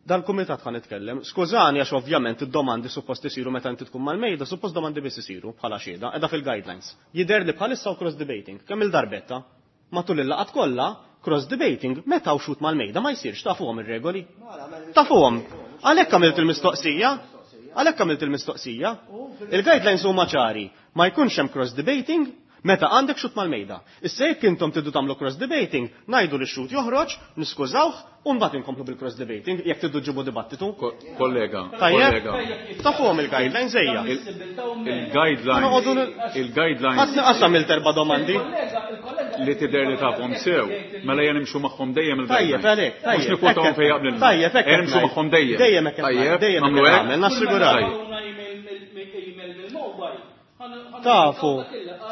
dal-kumitat ħa nitkellem, skużani għax ovvjament id-domandi suppost isiru meta inti tkun mal-mejda, suppost domandi biss isiru bħala xhieda, qiegħda fil-guidelines. Jidher li bħalissa u cross debating, kemm il-darbetta, matul il-laqgħat kollha, cross debating meta u xut mal-mejda ma jsirx, tafuhom ir-regoli. Tafuhom. Għalhekk għamilt il-mistoqsija. Għalhekk għamilt il-mistoqsija. Il-guidelines huma ċari, ma jkunx hemm cross debating meta għandek xut mal-mejda. Issa jekk intom tiddu tagħmlu cross debating, ngħidu li x-xut joħroġ, niskużawh, u mbagħad inkomplu bil-cross debating jekk tiddu ġibu dibattitu. Kollega, Tajjeb? kollega. Tafuhom il-guidelines ejja. Il-guidelines, il-guidelines Ħadd qasam il-terba domandi. li tidher li tafhom sew, mela jien nimxu magħhom dejjem Tajjeb, il-guidelines. għalhekk, Mhux tajjeb. nikkwotahom fejn jaqblilna. Tajjeb, hekk Ejja nimxu qed magħhom dejjem. Dejjem hekk qed Tajjeb, dejjem hekk nagħmlu qed hekk? nagħmel, nassigurak. Tajjeb. Tafu,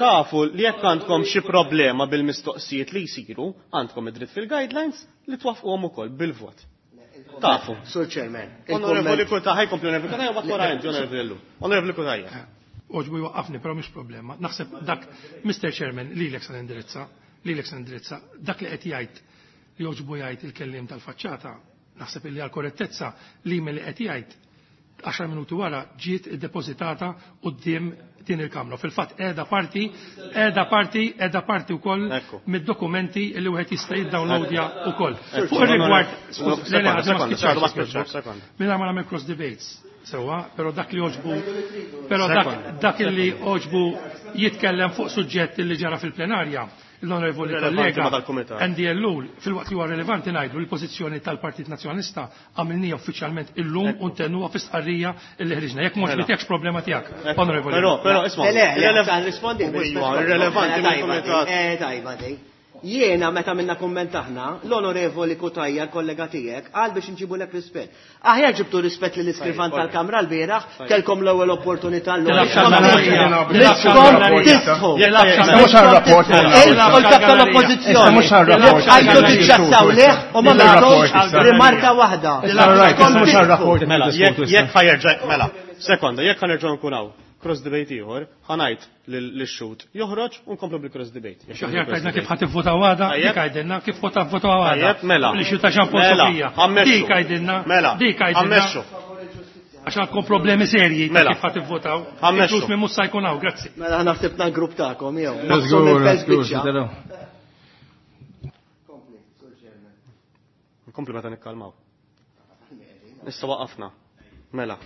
tafu li jekk għandkom xi problema bil-mistoqsijiet li jsiru, għandkom id-dritt fil-guidelines li twaffquhom ukoll bil-vot. Tafu. Sur Chairman. Onorevoli Cutajar, ħajkompli Onorevoli Cutajar, u wara inti Onorevoli Ellul. Onorevoli Cutajar. Oġbu jwaqqafni, però mhix problema. Naħseb dak, Mister Chairman, lilek se nindirizza, lilek se nindirizza, dak li qed jgħid li oġbu jgħid il-kelliem tal-faċċata, naħseb illi għal korrettezza l-email li qed jgħid għaxar minuti wara ġiet iddepożitata quddiem din il-Kamra. Fil-fatt qiegħda parti, qiegħda parti, qiegħda parti wkoll Ekku. mid-dokumenti li wieħed jista' jiddownloadja wkoll. Ekku. Fuq ir-rigward, Sekonda, le, le, sekonda, ma sekonda, spiċċax, sekonda. Mingħajr ma nagħmel cross debates, sewwa, però dak li oġbu, però dak, dak li oġbu jitkellem fuq suġġett li ġara fil-plenarja, l-onorevoli Rilevanti kollega ma dal-kumitat. Andy Ellul, fil-waqt li huwa rilevanti ngħidu l-pożizzjoni tal-Partit Nazzjonalista għamilnija uffiċjalment illum u ntennuha fi stqarrija li ħriġna. Jekk mhux Mela. tiegħekx problema tiegħek, onorevoli. Però, però, isma' Le, le, le, irrelev- sa nrispondi. Iva, irrelevanti mill-kumitat. Eh, tajba di. Jiena meta minna kumment aħna, l-onorevoli Cutajar, kollega tiegħek, qal biex nġibulek rispett. Aħjar ġibtu rispett lill iskrivan Tajjeb, tal-Kamra l-bieraħ, kelkom l-ewwel opportunità l-ewwel. Tilabx għal-gallerija. Miskom tistħu. Tilabx Issa mhux għar-rapport. Il kap tal-oppożizzjoni. Issa mhux għar-rapport. Għajtu tiċċassaw leħ u ma Issa nagħtux r-rapport issa. rimarka waħda. Issa right, issa mhux għar-rapport. Mela, jekk Niddiskutu issa. jekk ħajerġa' mela, sekonda, jekk ħanerġgħu nkun hawn cross debate ieħor, ħanajt lix-xut joħroġ u nkomplu bil-cross debate. Jekk Xaħjar cross tajna kif debate. ħa tivvota għada, Tajjeb. dik għajdilna, kif ħa tivvota għada. Tajjeb, mela. Li xi ta' Jean Paul Mela, Sofia. ħammexxu. Dik għajdilna, Mela, dik għajdilna. ħammexxu. Għax għandkom problemi serji ta' Mela. kif ħa tivvotaw. Ħammexxu. Inkluż minn Musa jkun hawn, grazzi. Mela ħana ħsibna l-grupp tagħkom jew. Żgur, żgur, taraw. Nkomplu meta nikkalmaw. Issa waqafna. Mela.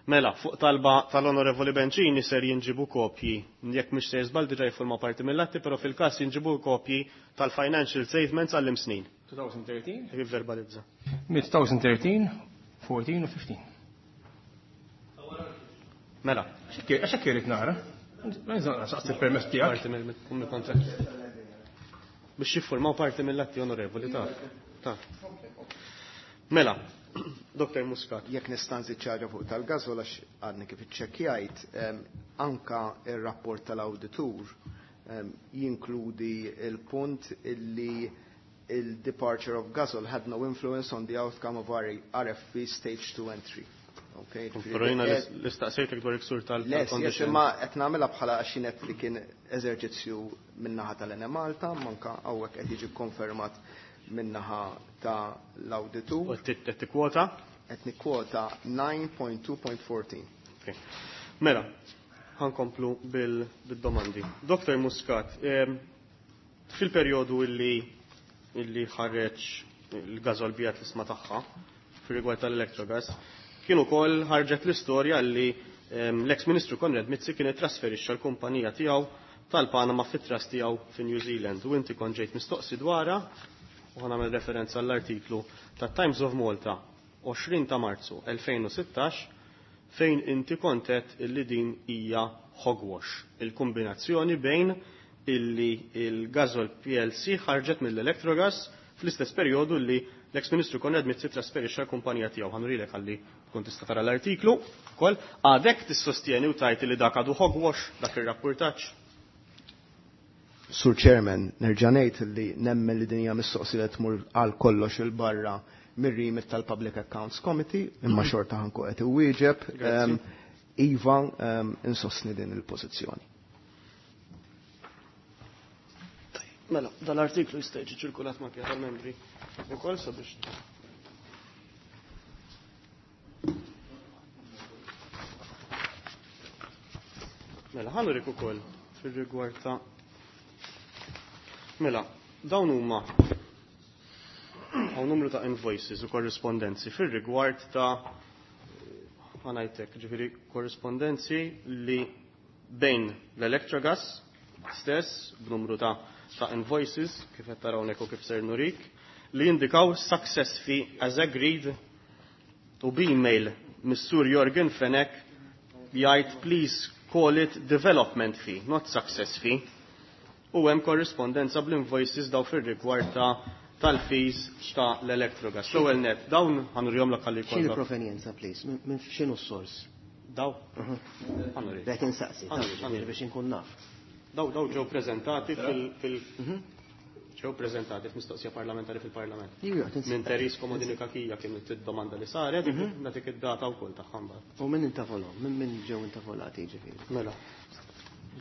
Mela, fuq talba tal-Onorevoli Bencini ser jinġibu kopji, jekk mhix se żball diġà jiffurma parti mill-atti, però fil-każ jinġibu kopji tal-financial statements għall-imsnin. twenty thirteen, Kif verbalizza. mid-twenty thirteen, fourteen u fifteen. Mela, Għax hekk irid nara. Saqsi permess tiegħek. Parti mill-kontratt. Biex jiffurmaw parti mill-atti, onorevoli, ta' ta' Mela, Doktor Muscat. Jekk nista' nżid xi ħaġa fuq tal-Gasol għax għadni kif iċċekkjajt, em, anka ir-rapport tal-awditur em, jinkludi il-punt illi il-departure of Gasol had no influence on the outcome of R F P stage two and three. Okay, Però jiena l-istaqsejtek dwar iksur Les, yes, tal-condition. imma qed nagħmilha bħala għaxinet li kien eżerċizzju min-naħa tal-Enemalta, manka hawnhekk qed jiġi konfermat min-naħa ta' l-awditur. U qed tikkwota? Qed nikkwota nine point two point fourteen. Okay. Mela, ħankomplu bil- bil-domandi. Doktor Muscat, em, fil-perjodu illi illi ħareġ il-Gasol biegħet l-ishma tagħha fir-rigward tal-Electrogas, kien ukoll ħarġet l-istorja li em, l-ex-ministru Konrad Mizzi kien trasferixxa l-kumpanija tiegħu tal-Panama fit-trust tiegħu fi New Zealand u inti kont ġejt mistoqsi dwarha u ħa nagħmel referenza għall-artiklu ta' Times of Malta għoxrin ta' Marzu elfejn u sittax fejn inti kontet illi din hija hogwash, il-kombinazzjoni bejn illi il-Gasol P L C ħarġet mill-Electrogas fl-istess perjodu li l-ex-ministru Konrad Mizzi trasferixxa l-kumpanija tiegħu. Ħanurilek ħalli tkun tista' tara l-artiklu ukoll. Għadek tissostjeni u tajt li dak għadu hogwash dak ir-rapportaġġ? Sur Chairman, nerġa' ngħid li nemmen li din hija mistoqsija li tmur għal kollox il-barra mir-remit tal-Public Accounts Committee, imma xorta ħanku qed iwieġeb. Iva, insostni din il-pożizzjoni. Mela, dal-artiklu jista' jiġi ċirkulat ma' kien tal-membri ukoll sabiex. Mela, ħanurik ukoll fir-rigward ta' Mela, dawn huma hawn numru ta' invoices u korrispondenzi fir-rigward ta' ħanajtek, ġifieri korrispondenzi li bejn l-Electrogas stess b'numru ta' ta' invoices, kif qed taraw hawnhekk u kif ser nurik, li jindikaw success fee as agreed u b'email mis-Sur Jorgen Fenech jgħid please call it development fee, not success fee. U hemm korrispondenza bl-invoices daw fir-rigward ta' tal-fees ta' l-Electrogas. L-ewwel net, dawn ħanurihom lok ħalli jkollok. X'inhi provenjenza, please? Minn x'inhu s-sors? Daw. Ħanurik. Qed insaqsi, biex inkun naf. Daw daw ġew preżentati fil ġew preżentati f'mistoqsija parlamentari fil-Parlament. Minn Therese Comodini Cachia kien id-domanda li saret, nagħtik id-data wkoll tagħha mbagħad. U min intavolhom? Minn min ġew intavolati ġifieri? Mela.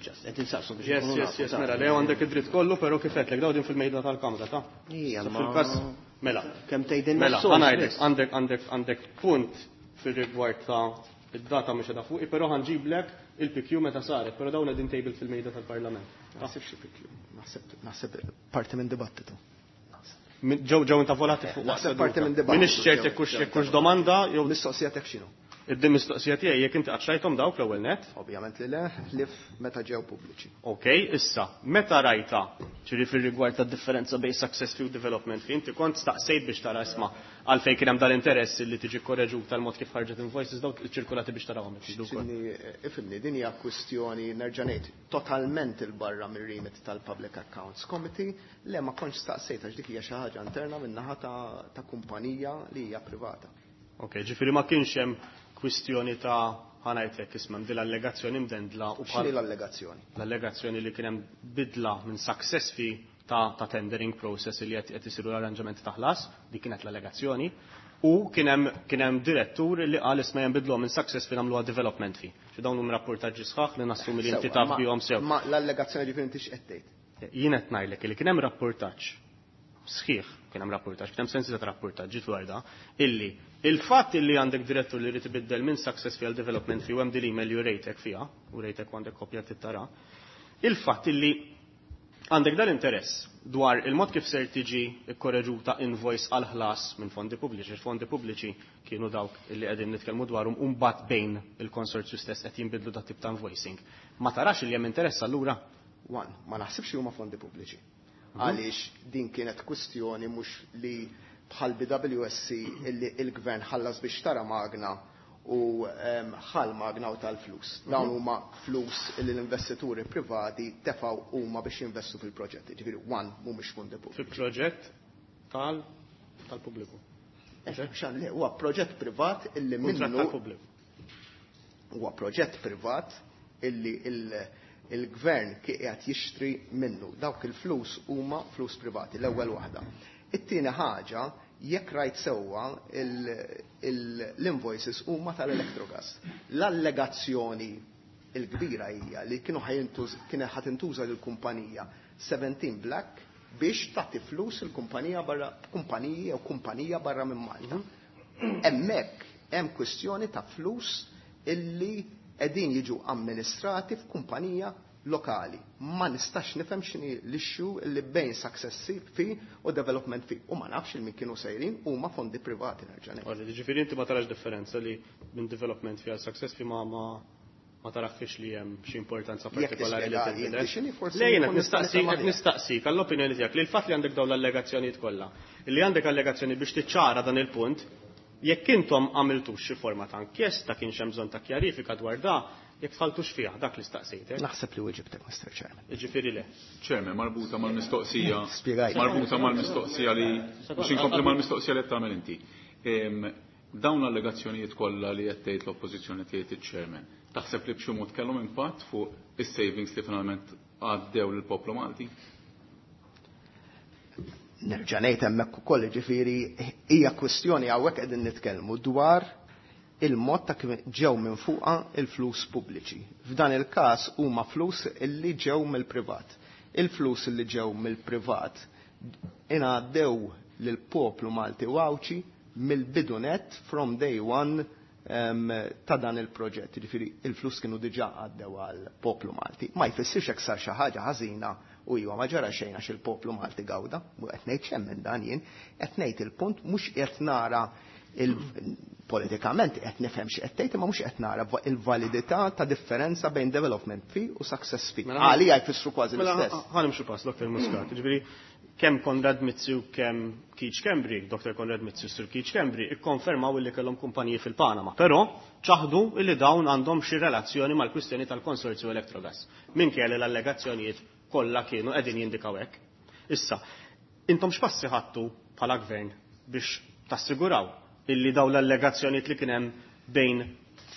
Just, qed insaqsu biex Yes, yes, yes, mela, le għandek id-dritt kollu, però kif qedlek daw din fil-mejda tal-Kamra, ta' Ija, ma fil-każ mela. Kemm tgħidilna Mela, s-sors, ħanajdlek, biss. għandek, għandek, għandek punt fir-rigward ta' id-data mhux qiegħda fuqi, però ħanġiblek il-P Q meta saret, però dawn qegħdin table fil-mejda tal-Parlament. Naħseb xi P Q, naħseb, naħseb parti minn dibattitu. Ġew ġew intavolati fuq Naħseb waqt parti minn seduta. dibattitu. M'iniex ċert jekk hux jekk hux domanda jew mistoqsija tiegħek x'inhu. Id-din mistoqsija tiegħi jekk inti qatt dawk l-ewwel net? Ovvjament li le, ħlief meta ġew pubbliċi. Ok, issa, meta rajta, ġifieri fir-rigward tad-differenza bejn success fee u development fee, inti kont staqsejt biex tara isma' għalfejn kien hemm dal-interess li tiġi korreġuta tal-mod kif ħarġet invoices dawk iċ-ċirkulati biex tarawhom jekk ukoll. X'inhi, ifhimni, din hija kwistjoni nerġa' ngħid totalment il-barra mir-remit tal-Public Accounts Committee, le ma kontx staqsejt għax dik hija xi ħaġa interna min-naħa ta', ta' kumpanija li hija privata. Ok, ġifieri ma kienx hemm kwistjoni ta' ħanajtek isma' din l-allegazzjoni mdendla u bħal X'inhi l-allegazzjoni? L-allegazzjoni li kien hemm bidla minn success fee ta', ta' tendering process li qed, qed isiru l-arranġamenti ta' ħlas, dik kienet l-allegazzjoni, u kien hemm, kien hemm direttur li qal isma' jinbidlu minn success fee nagħmluha development fee. Xi dawn huma rapportaġġi sħaħ li nassumi li inti Sewwa, taf ma- bihom sew. Ma l-allegazzjoni ġifieri inti x'qed tgħid? Jien qed ngħidlek li kien hemm rapportaġġ sħiħ, kien hemm rapportaġġ, kien hemm sensi ta' rapportaġġ dwar da, illi il-fatt illi għandek direttur li jrid ibiddel minn success fee għal development fee u hemm din l-email li rejtek fiha, u rejtek u għandek kopja tittara, il-fatt illi għandek dal-interess dwar il-mod kif ser tiġi kkorreġuta invoice għal ħlas minn fondi pubbliċi. Il-fondi pubbliċi kienu dawk illi qegħdin nitkellmu dwarhom u mbagħad bejn il-konsorzju stess qed jinbidlu dat tip ta' invoicing. Ma tarax li hemm interess allura? One, ma naħsibx li huma fondi pubbliċi. Għaliex din kienet kwistjoni mhux li bħal B W S C illi il-gvern ħallas biex tara magna u, ehm, ħal magna u tal-flus. Dawn Mhm. huma flus illi l-investituri privati tefgħu huma biex jinvestu fil-proġetti. Ġifieri one mhumiex fondi pubbliċi. Fil-proġett tal-, tal-pubbliku. Eh, xan, le, huwa proġett privat illi Kuntratt minnu tal-pubbliku. Huwa proġett privat illi il-, il-gvern qiegħed jixtri minnu. Dawk il-flus huma flus privati, l-ewwel waħda. It-tieni ħaġa, jekk rajt sewwa il-, il-, l-invoices huma tal-Electrogas. L-allegazzjoni l-kbira hija li kienu ħajintuż, kien ħadd intuża lill-kumpanija seventeen Black biex tagħti flus il-kumpanija barra, kumpaniji jew kumpanija barra minn Malta. Hemmhekk hemm kwistjoni ta' flus illi qegħdin jiġu amministrati f'kumpanija lokali. Ma nistax nifhem x'inhi l-issue li bejn success fee u development fee. U ma nafx il min kienu sejrin huma fondi privati nerġa' ngħid. Għalli, ġifieri inti ma tarax differenza li minn development fee għal success fee ma, ma, ma tarax li hemm xi importanza Jekk partikolari li tispjega tinbidel. inti x'inhi forsi Le, jiena nkun nista' nistaqsi, nifhem qed aħjar. nistaqsik għall-opinjoni tiegħek li l-fatt li għandek dawn l-allegazzjonijiet kollha, li għandek allegazzjoni biex tiċċara dan il-punt, Jekk intom għamiltux xi forma ta' inkjesta kienx hemm bżonn ta' kjarifika dwar da, jekk tħaltux fiha dak li staqsejtek. Naħseb li weġibtek, Mister Chairman. Jiġifieri le. Chairman, marbuta mal-mistoqsija. Spjegajt. Marbuta mal-mistoqsija li biex inkompli mal-mistoqsija li qed tagħmel inti. Dawn l-allegazzjonijiet kollha li qed tgħid l-oppożizzjoni tgħid iċ-chairman, taħseb li b'xi mod kellhom impatt fuq is-savings li finalment għaddew lill-poplu Malti? Nerġa' ngħid hemmhekk ukoll, jiġifieri hija kwistjoni hawnhekk qegħdin nitkellmu dwar il-mod ta' kif ġew minn fuqha il-flus pubbliċi. F'dan il-każ huma flus illi ġew mill-privat. Il-flus illi ġew mill-privat ingħaddew lill-poplu Malti u Għawdxi mill-bidu net from day one um, ta' dan il-proġett. Jiġifieri il-flus kienu diġà għaddew għall-poplu Malti. Ma jfissirx hekk sar xi ħaġa ħażina u iwa ma ġara xejn għax il-poplu Malti gawda, u qed ngħid xejn minn dan jien, qed ngħid il-punt mhux qed nara il-politikament qed nifhem xi qed tgħid, imma mhux qed nara il-validità ta' differenza bejn development fee u success fee. Mela, Għalija jfissru kważi Mela, l-istess. ħa nimxu pass, Doktor Muscat. Jiġifieri kemm Konrad Mizzi u kemm Keith Schembri, Doktor Konrad Mizzi u Sir Keith Schembri, ikkonfermaw illi kellhom kumpaniji fil-Panama. Però ċaħdu illi dawn għandhom xi relazzjoni mal-kwistjoni tal-konsorzju Electrogas. Minkejja li l-allegazzjonijiet kollha kienu qegħdin jindikaw hekk. Issa, intom x'passi ħadtu bħala gvern biex tassiguraw illi dawn l-allegazzjonijiet li kien hemm bejn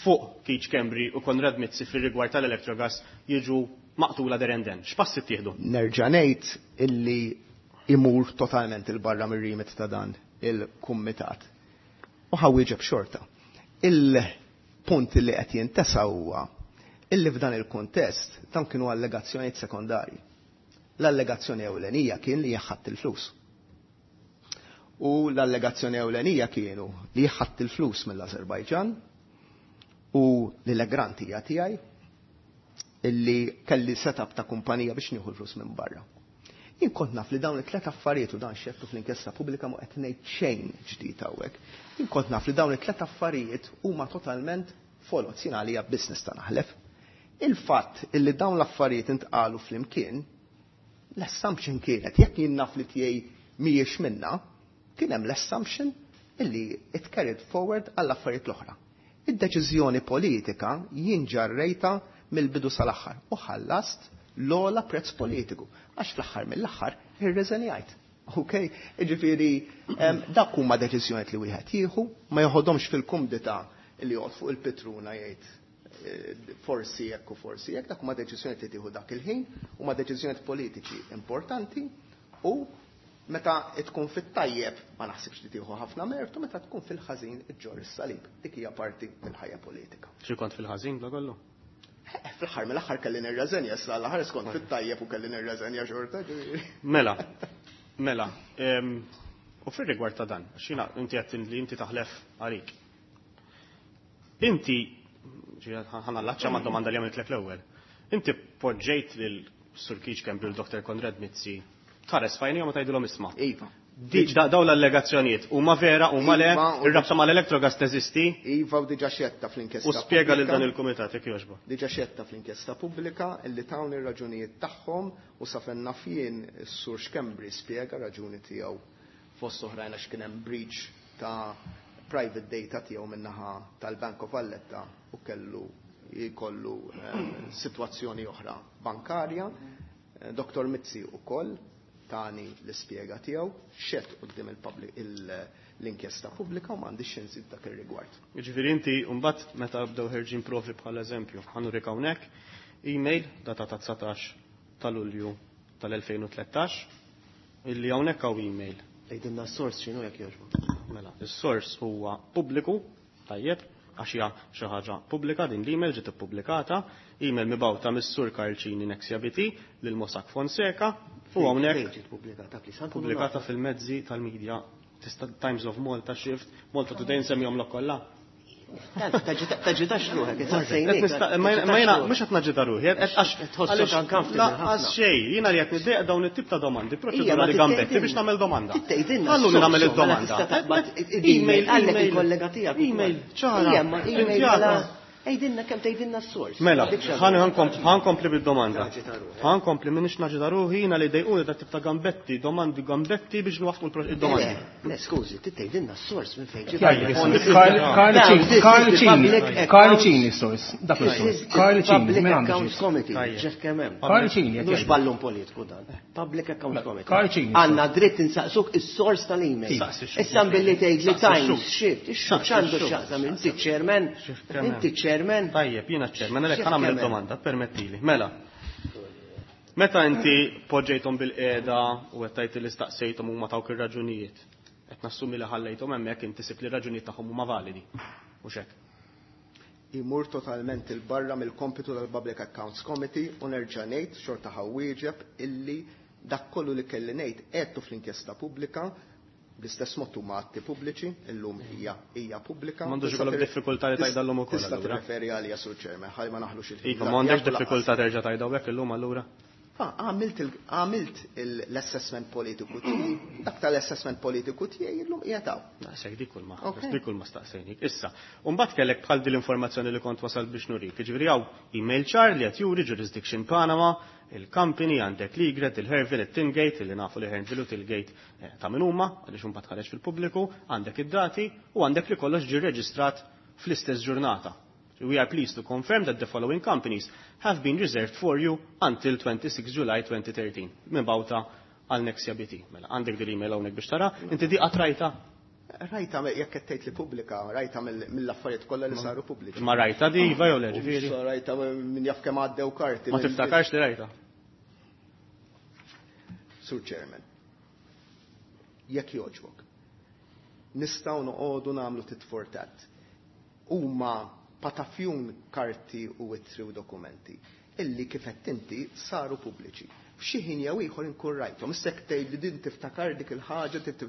fuq Keith Schembri u Konrad Mizzi fir-rigward tal-Electrogas jiġu maqtula derenden? X'passi ttieħdu? Nerġa' ngħid illi imur totalment il-barra mir-remit ta' dan il-kumitat. U ħa nwieġeb xorta. Il-punt li qed jintesa huwa illi f'dan il-kuntest dawn kienu allegazzjonijiet sekondarji. L-allegazzjoni ewlenija kien li ħadt il-flus. U l-allegazzjoni ewlenija kienu li ħadt il-flus mill-Azerbajġan u li l-Egrant hija tiegħi illi kelli setup ta' kumpanija biex nieħu l-flus minn barra. Jien kont naf li dawn it-tlet affarijiet u dan xedtu fl-inkjesta pubblika ma qed ngħid xejn ġdid hawnhekk. Jien kont naf li dawn it-tlet affarijiet huma totalment foloz, jien għalija business ta' naħlef. Il-fatt illi dawn l-affarijiet intqalu flimkien, l-assumption kienet, jekk jien naf li tiegħi mhijiex minna, kien hemm l-assumption illi it carried forward għall-affarijiet l-oħra. Id-deċiżjoni politika jien ġarrejta mill-bidu sal-aħħar u ħallast l-ogħla prezz politiku, għax fl-aħħar mill-aħħar irreżenjajt. Ok, jiġifieri dak huma deċiżjonijiet li wieħed jieħu, ma joħodhomx fil-kumdità li joqgħod fuq il-pitruna jgħid eh, forsi hekk u forsi hekk, dak huma deċiżjonijiet li tieħu dak il-ħin, huma deċiżjonijiet politiċi importanti u meta tkun fit-tajjeb ma naħsibx li tieħu ħafna mertu, meta tkun fil-ħażin iġġorr is-salib. Dik hija parti mill-ħajja politika. Xi kont fil-ħażin bla kollu? Eh, fl-aħħar mill-aħħar kelli nirreżenja, issa l-aħħar skont fit-tajjeb u kelli nirreżenja xorta, ġifieri. Mela, mela, em, u fir-rigward ta' dan, għax jiena inti qed li inti taħlef għalik. Inti, ħa nallaċċa ma' domanda li għamiltlek l-ewwel. Inti poġġejt lil Sur Keith Schembri u Doktor Konrad Mizzi tħares f'għajnejhom u tgħidilhom isma'. Iva. Di, da, dawn l-allegazzjonijiet huma vera, huma le, Iva, u ir-rabta mal-Electrogas teżisti? Iva, u diġà xedta fl-inkjesta U spjega lil pubblika. dan il-kumitat jekk jogħġbok. Diġà xedta fl-inkjesta pubblika illi tawni r-raġunijiet tagħhom u sa fejn naf jien is-Sur Schembri spjega raġuni tiegħu fost oħrajn għax kien hemm breach ta' private data tiegħu min-naħa tal-Bank of Valletta u kellu jkollu eh, sitwazzjoni oħra bankarja. Eh, Doktor Mizzi ukoll tani l-ispjega tiegħu, xehed quddiem il-public il- l-inkjesta pubblika u m'għandix xi nżid dak ir-rigward. Jiġifieri inti mbagħad meta bdew ħerġin provi bħal eżempju, ħa nurik hawnhekk email data ta' dsatax ta' Lulju tal-elfejn u tlettax illi hawnhekk hawn email. Għidilna s-sors x'inhu jekk jogħġbok. Mela, is-sors huwa pubbliku, tajjeb, għax hija xi ħaġa pubblika din l-email ġiet ippubblikata, email mibgħuta mis-Sur Karl Cini Nexia B T lil Mossack Fonseca u hawnhekk Fejn ġiet pubblikata, please? Ħa nkunu pubblikata nafu. fil-mezzi tal-media. Tista' Times of Malta, Shift, Malta Today, nsemmihom l kollha. Taġitax ruħek, Qed nista- Ma ma jiena mhux qed naġita ruħi, qed għax Tħossok għaliex uncomfortable Lanqas ħafna. xejn, jiena li qed niddejjaq dawn it-tip ta' domandi, Ija, ma proċedurali gambetti biex nagħmel domanda. Tgħidilna Ħalluni nagħmel s-sors, mela id-domanda. tista' taqbad Email, għallek email. il-kollega tiegħek ukoll. Email, ċara. Ija, ma email Printjata. mela Għidilna kemm tgħidilna s-sors. Mela, ħa nkompli bid-domanda. Ħa nkompli minix naġita ruħi jiena li dejquni dat tip ta' gambetti, domandi gambetti biex nwaffqu id-domandi. Le, skużi, tgħidilna s-sors minn fejn ġiet. Karl Cini, Karl Cini s-sors, dak is-sors. Karl Cini, Public Accounts Committee, ġef kemm hemm. Karl Cini, Mhux ballun politiku dan. Public Accounts Committee. Karl Cini. Għandna dritt insaqsuk is-sors tal-email. Issa billi tgħid li Times shift, x'għandu x'jaqsam inti chairman, inti chairman. Tajjeb, jiena chairman, għalhekk ħa nagħmel domanda, permettili. Mela. Meta inti poġġejthom bil-qiegħda u qed tgħid li staqsejthom huma tawk ir-raġunijiet, qed nassumi li ħallejthom hemmhekk inti sib li r-raġunijiet tagħhom huma validi. U x'hekk. Imur totalment il-barra mill-kompitu tal-Public Accounts Committee u nerġa' ngħid xorta ħa nwieġeb illi dak kollu li kelli ngħid għedtu fl-inkjesta pubblika bl-istess mod huma atti pubbliċi, illum hija hija pubblika. M'għandux ikollok diffikultà li tgħidha ukoll. Tista' tirreferi għalija Sur Chairman, ħalli ma naħlux il-ħin. Iva, m'għandekx diffikultà terġa' tgħidha hekk illum allura. Għamilt għamilt l-assessment politiku tiegħi, dak tal-assessment politiku tiegħi illum qiegħed hawn. Naqsek dik kull ma dik kull ma staqsejnik. Issa, u mbagħad kellek bħal din l-informazzjoni li kont wasal biex nurik. Jiġifieri hawn email ċar li qed juri jurisdiction Panama, il-company għandek l-Egret, il-Herville, il-Tingate, li nafu li Herville u Tilgate ta' min huma, għaliex imbagħad ħareġ fil-pubbliku, għandek id-dati u għandek li kollox ġie reġistrat fl-istess ġurnata. We are pleased to confirm that the following companies have been reserved for you until twenty-six July twenty thirteen. Minn bawta għal Nexia B T. Mela, għandek din l-email hawnhekk biex tara, inti di qatt rajta? Rajta jekk qed tgħid li pubblika, rajta mill-affarijiet kollha li saru pubbliċi. Ma rajta di iva jew le, ġifieri? Rajta minn jaf kemm għaddew karti. Ma tiftakarx li rajta? Sur Chairman, jekk jogħġbok, nistgħu noqogħdu nagħmlu tit for tat. Huma patafjun karti u ittri u dokumenti illi kif qed inti saru pubbliċi. F'xi ħin jew ieħor inkun rajthom. Issa jekk tgħid li din tiftakar dik il-ħaġa, qed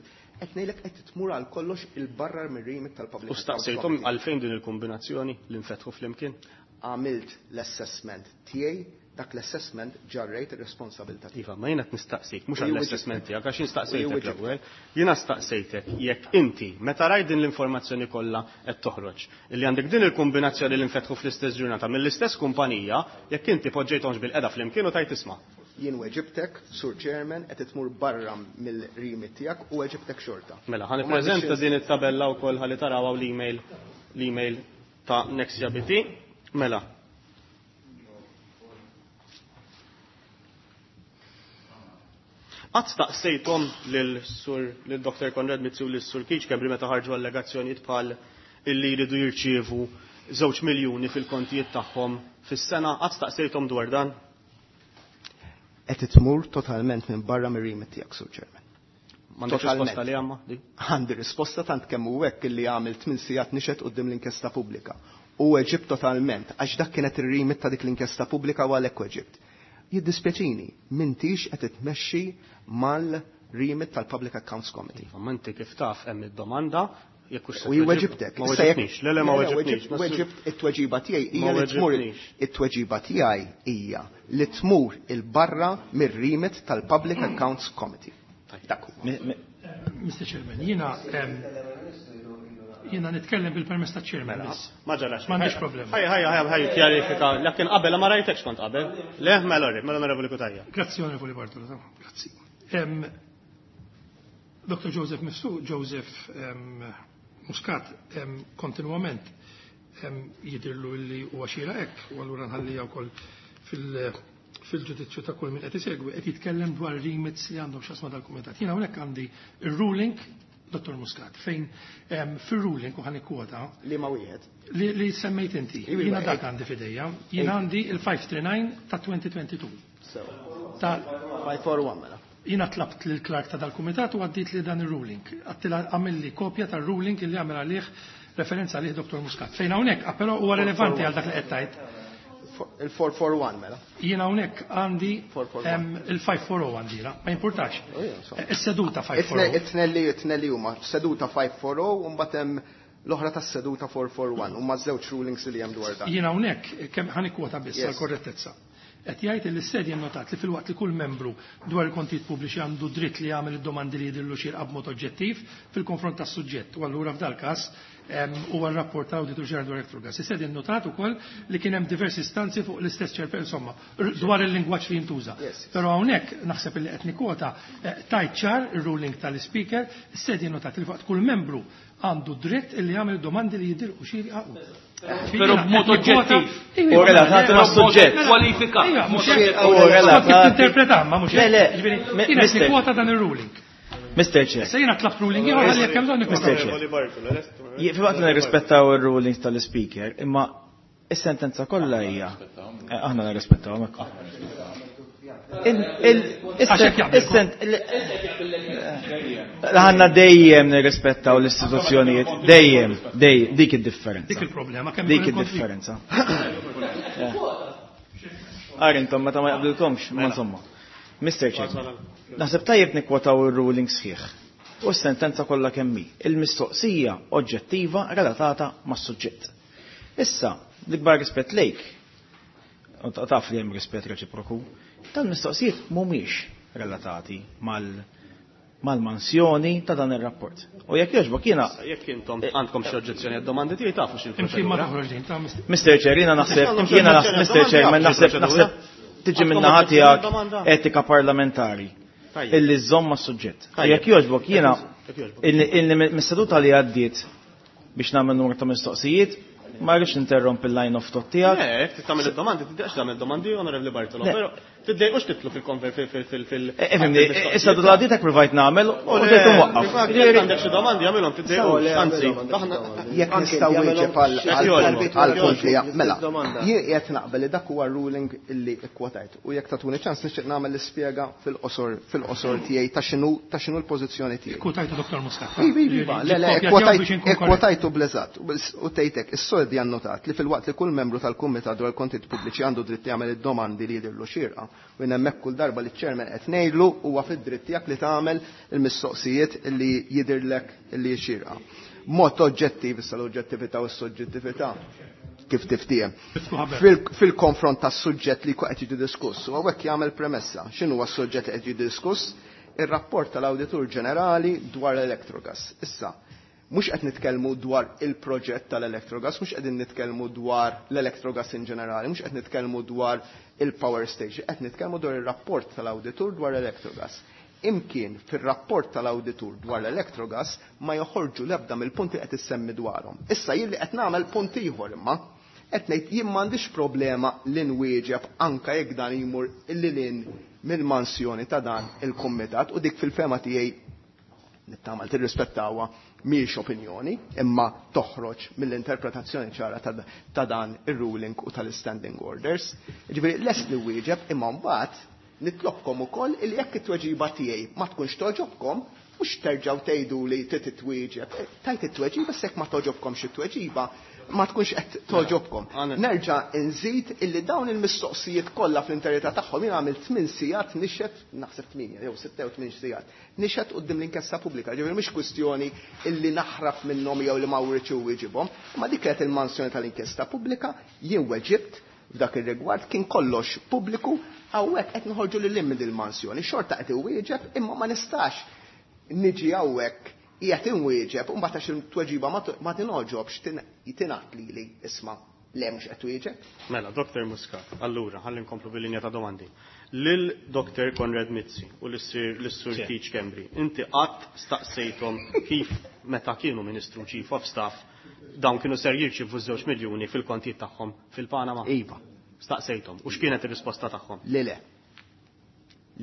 ngħidlek qed tmur għal kollox il-barra mir-remit tal-Public U staqsejthom għalfejn din il-kombinazzjoni li nfetħu flimkien? Għamilt l-assessment tiegħi, dak l-assessment ġarrejt ir-responsabilità tiegħi. Iva, ma jiena qed nistaqsik, mhux U għall-assessment tiegħek, għax jien staqsejtek U l-ewwel. Jiena staqsejtek jekk inti meta rajt din l-informazzjoni kollha qed toħroġ, illi għandek din il-kombinazzjoni li nfetħu fl-istess ġurnata mill-istess kumpanija, jekk inti poġġejthomx bil-qeda flimkien u tajt isma'. Jien weġibtek, Sur Chairman, qed tmur barra mill-remit tiegħek u weġibtek xorta. Mela, ħa U ma nippreżenta nixxiex din it-tabella wkoll ħalli taraw l-email, l-email ta' Nexia B T. Mela. Qatt staqsejthom lil Sur lil Doktor Konrad Mizzi u lil Sur Keith Schembri meta ħarġu allegazzjonijiet bħal illi jridu jirċievu żewġ miljuni fil-kontijiet tagħhom fis-sena, qatt staqsejthom dwar dan? Qed tmur totalment minn barra mir-remit tiegħek, Sur Chairman. M'għandekx Totalment. risposta li għamma, di? Għandi risposta tant kemm hu hekk illi għamil tmien sigħat nixed quddiem l-inkjesta pubblika. U weġibt totalment, għax dak kienet ir-remit ta' dik l-inkjesta pubblika u għalhekk weġibt. Jiddispjaċini, m'intix qed titmexxi mal-remit tal-Public Accounts Committee. Iva, ma inti kif taf hemm id-domanda, jekk hux se U jien tweġib- weġibtek. Ma Issa jekk- weġibtnix, le, le, ma Le, le, weġibtnix. weġib- weġibt it-tweġiba tiegħi hija Ma li tmur weġibtnix. it-tweġiba tiegħi hija li tmur il-barra mir-remit tal-Public Accounts Committee. Dak huwa. Mi-, mi- Mister Chairman, jiena, ehm, jiena nitkellem bil-permess ta' Chairman biss. Ma ġarax. M'għandix problema. Ħaj, ħaj, ħaj, ħaj, kjarifika. Lakin qabel ma rajtekx kont qabel. Le, mela, mela, Onorevoli Cutajar. Grazzi, Onorevoli Bartolo, tamam, grazzi. Ehm, Doktor Joseph Mifsud, Joseph, ehm, Muscat, ehm, kontinuament, ehm, jidirlu li huwa xira hekk, u allura nħallija wkoll fil-, fil-ġudizzju ta' kull min qed isegwi, qed jitkellem dwar remits li għandhom x'asma dal-kumitat. Jiena hawnhekk għandi ir-ruling Dottor Muscat, fejn, ehm, fir-ruling u ħan ikkwota Li ma wieħed. Li, li semmejt inti. Iwi, Jiena iwa, dak ej. għandi f'idejja. Jiena Ej. għandi il-five three nine ta' twenty twenty-two. So. Ta' five four one mela. Jiena tlabt lil clerk ta' dal-kumitat u għaddit li dan ir-ruling. Għattila għamilli kopja tar-ruling illi għamel għalih referenza għalih Dottor Muscat. Fejn hawnhekk, ah, però huwa relevanti għal dak li qed tgħid. Il-four four one mela. Jiena hawnhekk għandi, Four four one. ehm, il-five four oh għandi, la, ma jimpurtax. Oh, yeah, so. Is-seduta five four oh. It-tnelli, it-tnelli huma seduta five four oh u mbagħad hemm l-oħra tas-seduta four four one huma żewġ rulings li hemm dwar dan. Jiena hawnhekk kemm ħa nikkwota biss Yes. għall-korrettezza. Qed jgħid li s-sedja notat li filwaqt li kull membru dwar il-kontijiet pubbliċi għandu dritt li jagħmel id-domandi li jidhirlu xierqa b'mod oġġettiv fil-konfront tas-suġġett. U allura f'dal każ huwa r-rapport tal-Awditur Ġenerali dwar Electrogas. Is-sedja notat ukoll li kien hemm diversi istanzi fuq l-istess ċerpe, insomma, dwar il-lingwaġġ li jintuża. Però hawnhekk naħseb li qed nikkwota tajt ċar ir-ruling tal-Speaker, is-sedja notat li fuq kull membru għandu dritt li jagħmel domandi li jidhirlu xierqa. Però b'mod oġġettiv. U relatati ma' suġġett. Kwalifika. U relatati. Interpreta, ma mhux. Le, le. Jiena qed nikkwota dan ir-ruling. Mister Chair. Issa jiena tlabt ruling ieħor għalli jekk hemm bżonn Mister Chair. Filwaqt li nirrispettaw ir-rulings tal-Speaker, imma is-sentenza kollha hija. Aħna nirrispettaw hekk. Aħna dejjem nirrispettaw l-istituzzjonijiet, dejjem, dejjem, dik id-differenza. Dik il-problema, kemm Dik id-differenza. Għar intom meta ma jaqblilkomx, ma insomma. Mister Chair, naħseb tajjeb nikwotaw ir-ruling sħiħ u s-sentenza kollha kemm hi. Il-mistoqsija oġġettiva relatata mas-suġġett. Issa, l-ikbar rispett lejk, u taf li hemm rispett reċiproku, tal-mistoqsijiet mhumiex relatati mal- mal-mansjoni ta' dan ir-rapport. U jekk jogħġbok jiena Jekk intom għandkom xi oġġezzjoni għad-domandi tiegħi tafu x'il Imkien ma toħroġ din ta' Mister Mister Chair, jiena naħseb, jiena naħseb, Mister Chair, ma naħseb, naħseb tiġi minn naħa tiegħek etika parlamentari illi żżomm mas-suġġett. Jekk jogħġbok jiena illi mis-seduta li għaddiet biex nagħmel numru ta' mistoqsijiet, ma rridx interromp il-line of thought tiegħek. Le, jekk tagħmel id-domandi, tiddejqx tagħmel domandi, Onorevoli Bartolo, però tiddejqux titlu fil-konver fil fil Ifhimni, issa d għaddiet hekk provajt nagħmel u ġejt imwaqqaf. Jekk għandek xi domandi agħmilhom tiddejqux, anzi, jekk nistgħu wieġeb għall-punt li mela. Jien qiegħed naqbel li dak huwa ruling illi kkwotajt u jekk tagħtuni ċans nixtieq nagħmel l-ispjega fil-qosor fil-qosor tiegħi ta' x'inhu ta' x'inhu l-pożizzjoni tiegħi. Kkwotajtu Dottor Muscat. Iva, le, le, kkwotajtu bl-eżatt u tgħidlek is-soldi annotat li fil-waqt li kull membru tal-Kumitat dwar il-kontijiet pubbliċi għandu dritt jagħmel id-domandi li jidhirlu xierqa u jien hemmhekk kull darba li ċ-chairman qed ngħidlu huwa fid-dritt tiegħek li tagħmel il-mistoqsijiet li jidhirlek li xierqa. Mod oġġettiv, issa l-oġġettività u s-soġġettività kif tiftiehem. Fil-konfront tas-suġġett li qed jiġi diskuss, u hawnhekk jagħmel premessa. X'inhu huwa s-suġġett li qed jiġi diskuss? Ir-rapport tal-Awditur Ġenerali dwar l-Electrogas. Issa, mhux qed nitkellmu dwar il-proġett tal-Electrogas, mhux qegħdin nitkellmu dwar l-Electrogas in ġenerali, mhux qed nitkellmu dwar il-power station, qed nitkellmu dwar ir-rapport tal-Awditur dwar l-Electrogas. Imkien fir-rapport tal-Awditur dwar l-Electrogas ma joħorġu l-ebda mill-punti qed issemmi dwarhom. Issa jien li qed nagħmel punt ieħor imma qed ngħid jien m'għandix problema li nwieġeb anke jekk dan jmur lil mill-mansjoni ta' dan il-kumitat u dik fil-fema tiegħi nittamal tirrispettawha mhijiex opinjoni, imma toħroġ mill-interpretazzjoni ċara ta' dan ir-ruling u tal-standing orders. Ġifieri lest li wieġeb imma mbagħad nitlobkom ukoll illi jekk it-tweġiba tiegħi ma tkunx toġobkom, mhux terġgħu tgħidu li trid titwieġeb. Tajt it-tweġiba s'hekk ma toġobkomx it-tweġiba, ma tkunx qed toġobkom. Nerġa' nżid illi dawn il-mistoqsijiet kollha fl-interità tagħhom jien għamilt tmien sigħat nixed, naħseb tmienja jew sitta jew tmien sigħat, nixed quddiem l-inkjesta pubblika. Ġifieri mhix kwistjoni illi naħraf minnhom jew li ma writx wieġibhom, imma dik kienet il-mansjoni tal-inkjesta pubblika, jien weġibt f'dak ir-rigward kien kollox pubbliku, hawnhekk qed noħorġu lil hinn il-mansjoni, xorta qed iwieġeb imma ma nistax niġi hawnhekk qiegħed inwieġeb u mbagħad għax il-tweġiba ma tinogħġobx tingħad lili isma' le mhux qed twieġeb. Mela, Doktor Muscat, allura ħalli nkomplu bil-linja ta' domandi. Lil Doktor Konrad Mizzi u lis-Sur Keith Schembri, inti qatt staqsejthom kif meta kienu Ministru Chief of Staff dawn kienu ser jirċievu żewġ miljuni fil-kontijiet tagħhom fil-Panama? Iva. Staqsejthom. U x'kienet ir-risposta tagħhom? Le, le.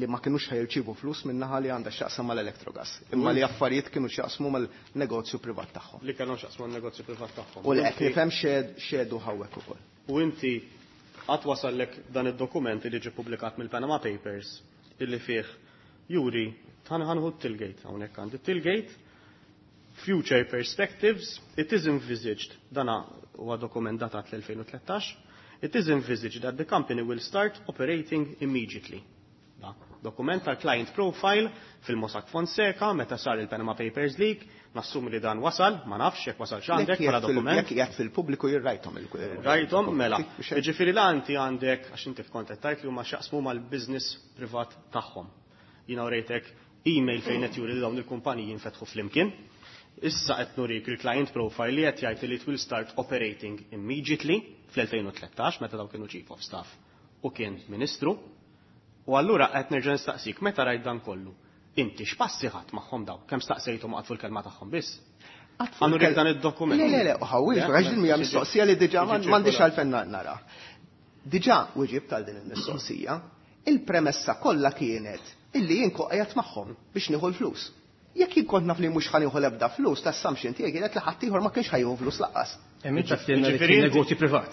Li ma kinux ħajrċievu flus min-naħa li għandha x'jaqsam mal-Electrogas, imma li affarijiet kienu x'jaqsmu mal-negozju privat tagħhom. Li kienu x'jaqsmu mal-negozju privat tagħhom. U li qed nifhem xedu hawnhekk ukoll. U inti qatt wasallek dan id-dokument li ġie ppubblikat mill-Panama Papers illi fih juri ħanħu Tillgate hawnhekk għandi Tillgate Future Perspectives, it is envisaged, dana huwa dokument datat l-elfejn u tlettax, it is envisaged that the company will start operating immediately. Da. Dokument tal-client profile fil-Mossack Fonseca meta sar il-Panama Papers Leak, nassumi li dan wasal, ma nafx jekk wasal x'għandek bħala dokument. Jekk qiegħed fil-pubbliku jirrajthom il Rajthom, mela. Jiġifieri la inti għandek, għax inti kont qed tgħid li huma x'jaqsmu mal-business privat tagħhom. Jiena urejtek email fejn qed juri li dawn il-kumpaniji jinfetħu flimkien. Issa qed nurik il-client profile li qed jgħid li it will start operating immediately fl-elfejn u tlettax meta dawn kienu chief of staff u kien ministru. U allura qed nerġa' nistaqsik meta rajt dan kollu. Inti x'passi ħadd magħhom daw? Kemm staqsejthom qatfu l-kelma tagħhom biss? Għandu rik dan id-dokument. Le, le, le, ħawwil, għax din hija mistoqsija li diġà m'għandix għalfejn nara. Diġà wieġib tal din il-mistoqsija, il-premessa kollha kienet illi jien qiegħed magħhom biex nieħu l-flus. Jekk jien kont naf li mhux ħa nieħu l-ebda flus, l-assumption tiegħi kienet li ħadd ieħor ma kienx ħa jieħu flus lanqas. Hemm inti tgħidilna li kien negozju privat.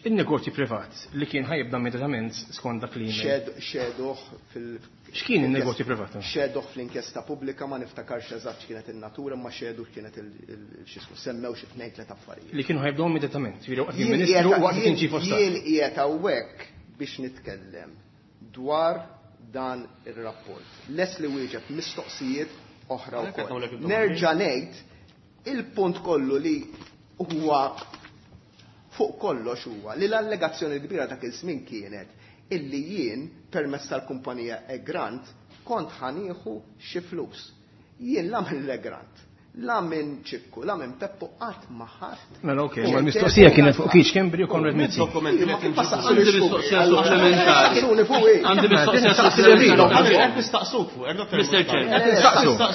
Il-negozju privat li kien ħajibda immedjatament skont dak li email. Xeduh fil- X'kien il-negozju privat? Xeduh fl-inkjesta pubblika, ma niftakarx eżatt x'kienet in-natura, ma xeduh kienet il-xismu, semmew xi tnejn tliet affarijiet. Li kienu ħajbdew immedjatament, jiġifieri waqt kien ministru u waqt kien chief of staff. Jien qiegħed hawnhekk biex nitkellem dwar dan ir-rapport. Les li wieġeb mistoqsijiet oħra wkoll. Nerġa' ngħid il-punt kollu li huwa fuq kollox huwa li l-allegazzjoni kbira dak iż-żmien kienet illi jien permezz tal-kumpanija Egrant kont ħanieħu xi flus. Jien la minn l-Egrant, la minn Ċikku, la minn Peppu qatt ma ħadd. Mela okej, ma l-mistoqsija kienet fuq Keith Schembri u Konrad Mizzi. Għandi mistoqsija supplementari. Għandi mistoqsija supplementari. Qed nistaqsuk fuq, Mister Chair.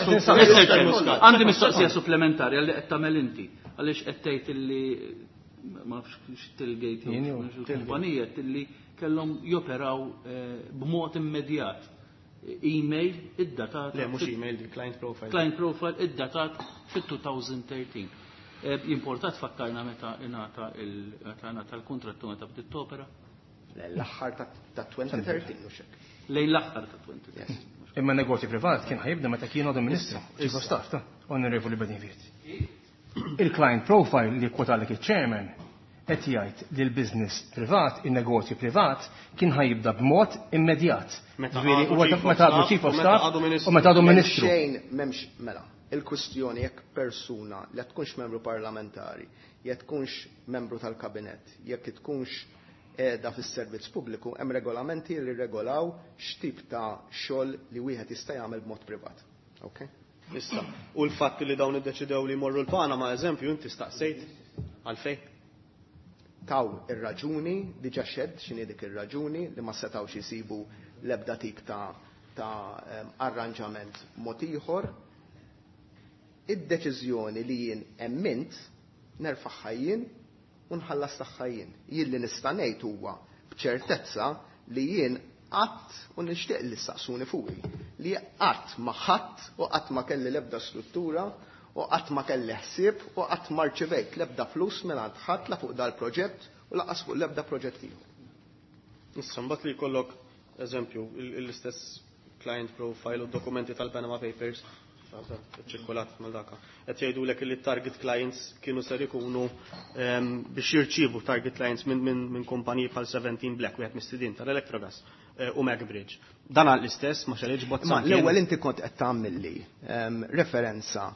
Mister Chair, għandi mistoqsija supplementari għalli qed tagħmel inti. Għaliex qed tgħid illi ma nafx x'Tillgate jew il-kumpanija illi kellhom joperaw b'mod immedjat. Email id-datat. Le, mhux email, di client profile. Client profile id-datat fit-two thousand thirteen. Importat fakkarna meta ingħata il-, meta ingħata l-kontrattu meta bdiet topera? L-aħħar ta' twenty thirteen, mhux hekk. Lejn l-aħħar ta' twenty thirteen. Imma negozju privat kien ħajibda meta kien għadu ministru, chief of staff ta' Onorevoli Bedingfield. Il-client profile li kwotalek il-chairman qed jgħid li l-business privat, il-negozju privat, kien ħajibda b'mod immedjat. Meta Ġifieri, għadu huwa chief of meta għadu staff chief of u meta staff għadu ministru. u meta għadu ministru. Xejn m'hemmx, mela, il-kwistjoni jekk persuna li tkunx membru parlamentari, jekk tkunx membru tal-kabinett, jekk tkunx qiegħda fis-servizz pubbliku, hemm regolamenti li regolaw x'tip ta' xogħol li wieħed jista' jagħmel b'mod privat. Okay? Issa, u l-fatt li dawn iddeċidew li jmorru l-Panama, eżempju, inti staqsejt għalfejn? Taw ir-raġuni, diġà xed x'inhi dik ir-raġuni li ma setgħux isibu l-ebda tip ta', ta', em, arranġament mod ieħor. Id-deċiżjoni li jien emmint nerfaħħa jien u nħallas tagħha jien. Jien li nista' ngħid huwa b'ċertezza li jien qatt, u nixtieq li saqsuni fuqi, li qatt ma ħadd u qatt ma kelli l-ebda struttura u qatt ma kelli ħsieb u qatt ma rċevejt l-ebda flus mingħand ħadd la fuq dal-proġett u lanqas fuq l-ebda proġett ieħor. Issa mbagħad li jkollok eżempju il-, l-istess client profile u dokumenti tal-Panama Papers ċirkolat mal daka. Qed jgħidulek li target clients kienu ser ikunu, ehm, biex jirċievu target clients minn, minn, minn kumpaniji bħal seventeen Black, wieħed mis-sidien tal-Electrogas, eh, u MacBridge. Dan għal l-istess ma xaliex bozza. Ma l-ewwel inti kont qed tagħmilli, ehm, referenza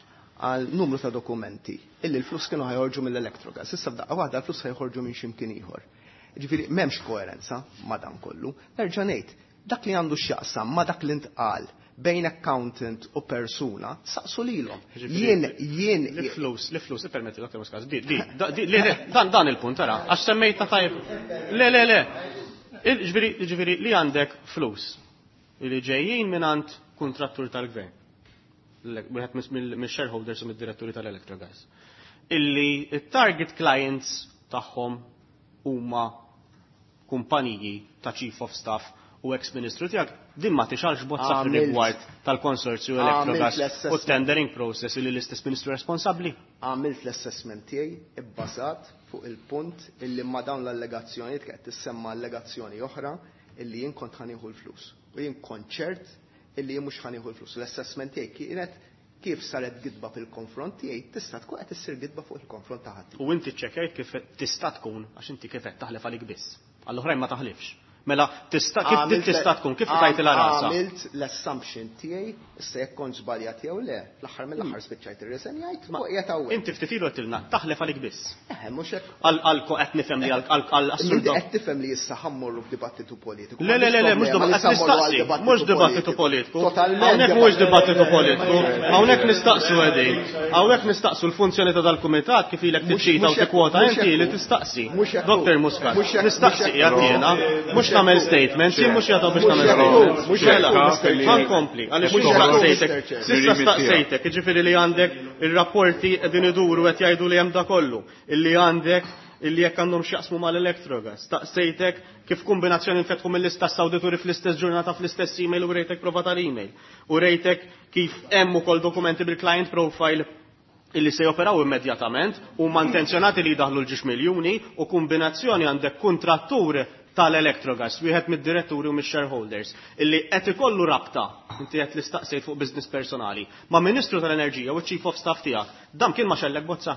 għal numru ta' dokumenti illi l-flus kienu ħajħorġu mill-Electrogas. Issa f'daqqa waħda l-flus ħajħorġu minn x'imkien ieħor. Ġifieri m'hemmx koerenza ma' dan kollu. Nerġa' ngħid, dak li għandu x'jaqsam ma' dak li ntqal bejn accountant u persuna, saqsu lilhom. Ġifieri, Jien, jien Li flus, li flus, ippermetti Doktor Muscat, di, di, da, di, le, le, dan, dan il-punt, tara, għax semmejta tajb. Le, le, le. Il-, ġifieri, ġifieri, li għandek flus li ġejjin mingħand kontrattur tal-gvern. Wieħed mis-, mill-, mill-shareholders u mid-diretturi tal-Electrogas. Illi il-target clients tagħhom huma kumpaniji ta' chief of staff u ex-ministru tiegħek, din ma tixgħelx bozza Għamilt- fir-rigward tal-konsorzju Għamilt Electrogas u l-assessment. tendering process li l-istess ministru responsabbli. Għamilt l-assessment tiegħi ibbażat fuq il-punt illi ma dawn l-allegazzjonijiet qed tissemma allegazzjoni oħra illi jien kont ħa nieħu l-flus. U jien kont ċert illi jien mhux ħa nieħu l-flus. L-assessment tiegħi kienet kif saret gidba fil-konfront tiegħi tista' tkun qed issir gidba fuq il-konfront ta' ħadd. U inti ċċekkjajt kif tista' tkun, għax inti kif qed taħlef għalik biss. Għall-oħrajn ma taħlifx. Mela tista' kif tista' tkun kif tajtilha rasha? Għamilt l-assumption tiegħi issa jekk kont żbaljat jew le, fl-aħħar mill-aħħar spiċċajt irriżenjajt u qiegħed hawnhekk. Inti ftit ilu għedtilna taħlef għalik biss. Eħe, mhux hekk. Għal qed nifhem li għal assurd. Qed tifhem li issa ħammorru f'dibattitu politiku. Le le le le mhux dibattitu mhux dibattitu politiku. Hawnhekk mhux dibattitu politiku. Hawnhekk nistaqsu qegħdin. Hawnhekk nistaqsu l-funzjoni ta' dal-kumitat kif ilek tiċċita u tikkwota inti li tistaqsi. Doktor Muscat, nistaqsi qiegħed jiena, mhux nagħmel statements, jien mhux jagħtu biex nagħmel statements. Mela, ħankompli, għaliex staqsejtek. S'issa staqsejtek, jiġifieri li għandek ir-rapporti qegħdin iduru qed jgħidu li hemm da kollu, illi għandek illi jekk għandhom x'jaqsmu mal-Electrogas. Staqsejtek kif kombinazzjoni nfetħu mill-istess awdituri fl-istess ġurnata fl-istess email u rejtek prova tal-email. U rejtek kif hemm ukoll dokumenti bil-client profile illi se joperaw immedjatament u ma intenzjonati li jdaħlu l-ġiex miljuni u kombinazzjoni għandek kontrattur tal-Electrogas, wieħed mid-diretturi u mix-shareholders, illi qed ikollu rabta, inti qed li staqsejt fuq business personali, ma' Ministru tal-Enerġija u Chief of Staff tiegħek, dan kien ma xellek bozza.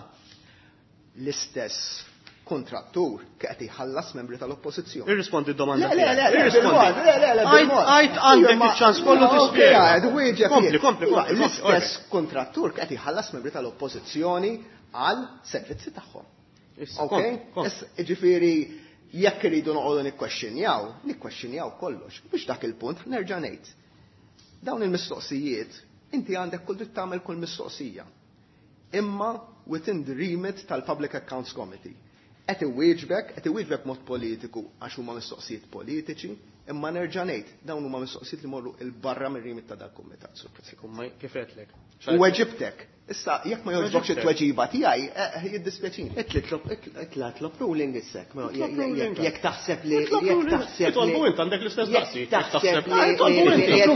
L-istess kontrattur qed iħallas membri tal-oppożizzjoni. Irrispondi d-domanda. Le, le, le, le, le, le, Għajt għandek iċ-ċans kollu tispjega. Kompli, kompli, kompli. L-istess kontrattur qed iħallas membri tal-oppożizzjoni għal servizzi tagħhom. Ok? Ġifieri jekk iridu noqogħdu nikkwestjonjaw, nikkwestjonjaw kollox. Biex dak il-punt nerġa' ngħid. Dawn il-mistoqsijiet, inti għandek kull dritt tagħmel kull mistoqsija. Imma within the remit tal-Public Accounts Committee. Qed iwieġbek, qed iwieġbek mod politiku għax huma mistoqsijiet politiċi, imma nerġa' ngħid dawn huma mistoqsijiet li morru il barra mir-remit ta' dal-kumitat. Sur President. Kif qedlek? U weġibtek. Issa jekk ma jogħġbokx it-tweġiba tiegħi, jiddispjaċini. Itla tlob ruling issek. Jekk taħseb li jekk taħseb li Tolbu int għandek l-istess daqsi. Taħseb li Tolbu int jekk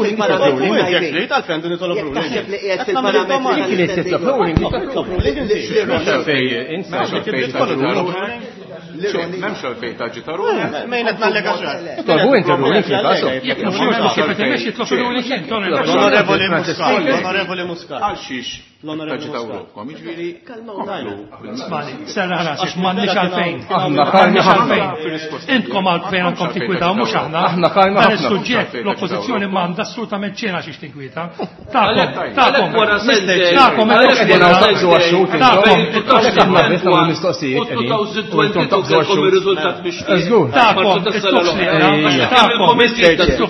trid għalfejn din nitolob ruling. Taħseb li qiegħed fil-parametri. M'hemmx għalfejn taġita ruħek. Mejn qed nallega xejn. Tolbu inti ruling fil-każ. Jekk mhux jippretendi jitlob ruling int. L-Onorevoli Muscat, l-Onorevoli Muscat. Għal xiex taġita ruħkom, jiġifieri. Smani, serra rasek, m'għandniex għalfejn. M'għandniex għalfejn. Intkom għalfejn għandkom tinkwitaw mhux aħna. Aħna kalma Dan is-suġġett l-oppożizzjoni m'għandha assolutament xejn għax tinkwita. Tagħkom, tagħkom, tagħkom, tagħkom,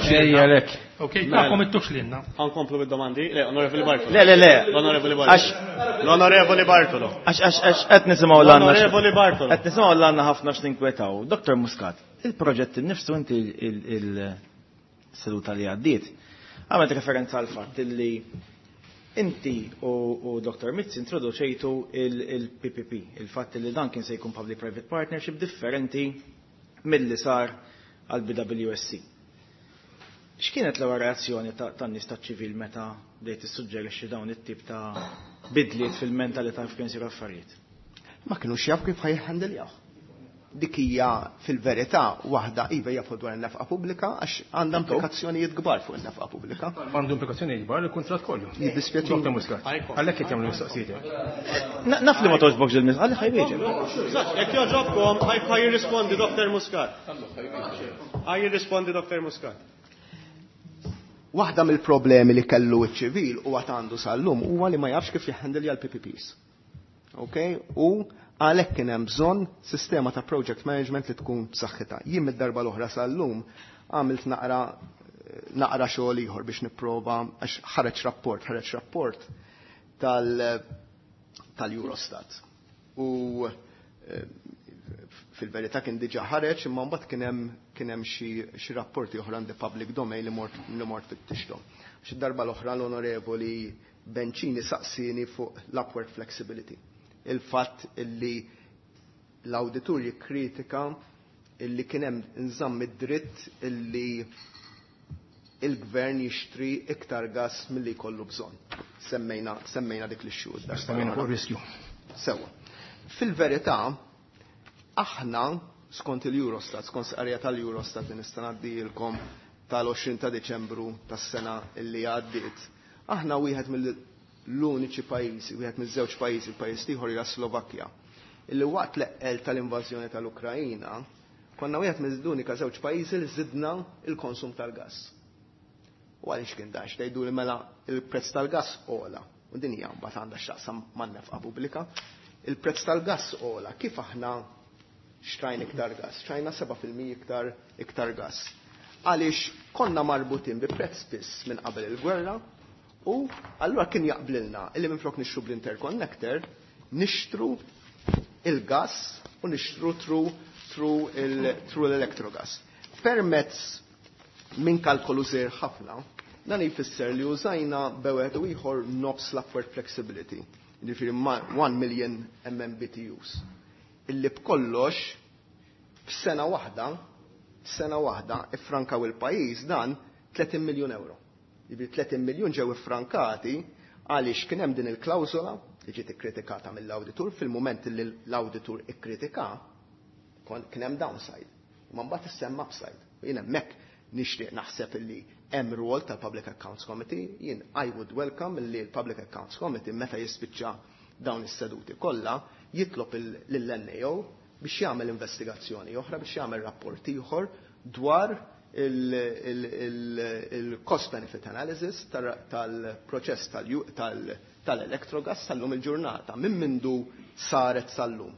tagħkom, Ok, tagħkom ittux lilna. Ħankomplu bid-domandi. Le, Onorevoli Bartolo. Le, le, le. L-Onorevoli Bartolo. L-Onorevoli Bartolo. Għax għax għax qed nisimgħu l-għandna. L-Onorevoli Bartolo. Qed nisimgħu l-għandna ħafna x'ninkwetaw. Doktor Muscat, il-proġett innifsu inti il-seduta li għaddiet għamilt referenza għal fatt li inti u Doktor Mizzi introduċejtu il-P P P, il-fatt li dan kien se jkun public-private partnership differenti milli sar għal B W S C. X'kienet l-ewwel reazzjoni tan-nies taċ-ċivil meta bdejt tissuġġerixxi dawn it-tip ta' bidliet fil-mentalità kif kienu jsiru affarijiet? Ma kinux jafu kif ħajħandeljaw. Dik hija fil-verità waħda iva jafu dwar in-nefqa pubblika għax għandha implikazzjonijiet kbar fuq in-nefqa pubblika. Għandu implikazzjonijiet kbar il-kuntratt kollu. Jiddispjaċini. Doktor Muscat, għalhekk qed jagħmlu mistoqsijiet. Naf li ma togħġbokx il-mistoqsijiet, għalli ħajwieġeb. Jekk jogħġobkom, ħaj jirrispondi Doktor Muscat. Ħaj jirrispondi Doktor Muscat. Waħda mill-problemi li kellu ċ-ċivil u għad għandu sal-lum huwa li ma jafx kif jihhandilja l-P P Ps. Ok? U għalhekk kien hemm bżonn sistema ta' project management li tkun b'saħħitha. Jien mid-darba l-oħra sal-lum għamilt naqra, naqra xogħol ieħor biex nipprova għax ħareġ rapport, ħareġ rapport tal, tal-Eurostat. U, eh, fil-verità kien diġà ħareġ, imma mbagħad kien hemm, kien hemm xi, xi rapporti oħra in the public domain li mort, li mort fittixhom. Xi darba l-oħra l-Onorevoli Bencini saqsini fuq l-upward flexibility. Il-fatt illi l-awditur jikkritika illi kien hemm nżamm id-dritt illi il-gvern jixtri iktar gas milli jkollu bżonn. Semmejna, semmejna dik l-xhur. Semmejna fuq riskju. Sewwa. Fil-verità, aħna skont il-Eurostat, skont sqarrija tal-Eurostat li nista' ngħaddilkom tal-għoxrin ta' Deċembru tas-sena li għaddiet, aħna wieħed mill-uniċi pajjiżi, wieħed miż-żewġ pajjiżi, il-pajjiż ieħor hija Slovakkja, illi waqt l-eqqel tal-invażjoni tal-Ukrajina Konna wieħed mill-unika żewġ pajjiżi li żidna il-konsum tal-gass. U għaliex kien dax tgħidu li mela il-prezz tal-gass ogħla. U din hija mbagħad għandha x'taqsam man-nefqa pubblika. Il-prezz tal-gass ogħla, kif aħna xtrajna iktar gass? Xtrajna seba' fil-mija iktar, iktar gass. Għaliex konna marbutin bi prezz fiss minn qabel il-gwerra u allura kien jaqblilna illi minflok nixtru bl-interconnector nixtru il-gas u nixtru through, through il, through l-electrogas. Permezz minn kalkolu żgħir ħafna, dan jfisser li użajna bewet u ieħor nofs l-upward flexibility, jiġifieri one million M M B T Us. Illi b'kollox f'sena waħda, f'sena waħda iffrankaw il-pajjiż dan tletin miljun euro. Jiġifieri tletin miljun ġew iffrankati għaliex kien hemm din il-klawżola li ġiet ikkritikata mill-awditur fil-mument li l-awditur ikkritika kien hemm downside. Ma mbagħad issemma upside. U jien hemmhekk nixtieq naħseb illi hemm rwol tal-Public Accounts Committee, jien I would welcome illi l-Public Accounts Committee meta jispiċċa dawn is-seduti kollha jitlob lill-N A O biex jagħmel investigazzjoni oħra, biex jagħmel rapport ieħor dwar il-cost benefit analysis tal-proċess tal-electrogas sal-lum il-ġurnata, minn mindu saret sal-lum.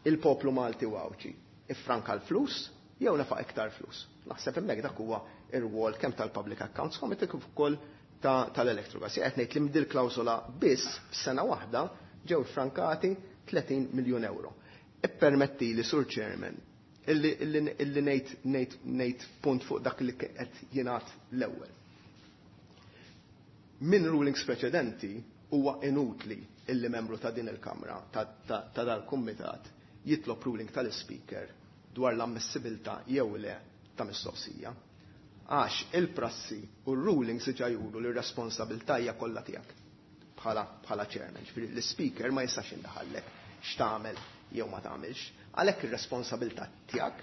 Il-poplu Malti u Għawdxi iffranka l-flus jew nefaq iktar flus. Naħseb hemmhekk dak huwa ir-rwol kemm tal-Public Accounts Committee kif ukoll tal-Electrogas. Qed ngħid li mdil klawsola biss f'sena waħda ġew iffrankati tletin miljun euro. Ippermetti li, Sur Chairman, illi, illi, illi ngħid, ngħid, ngħid punt fuq dak li qed jingħad l-ewwel. Min rulings preċedenti huwa inutli illi membru ta' din il-Kamra, ta', ta, ta' dal-Kumitat, jitlob ruling tal-Speaker dwar l-ammissibilità jew le ta' mistoqsija. Għax il-prassi u r-rulings diġà juru li r-responsabilità hija kollha tiegħek bħala, bħala chairman. Ġifieri l-Speaker ma jistax jindaħallek x'tagħmel jew ma tagħmilx. Għalhekk ir-responsabilità tiegħek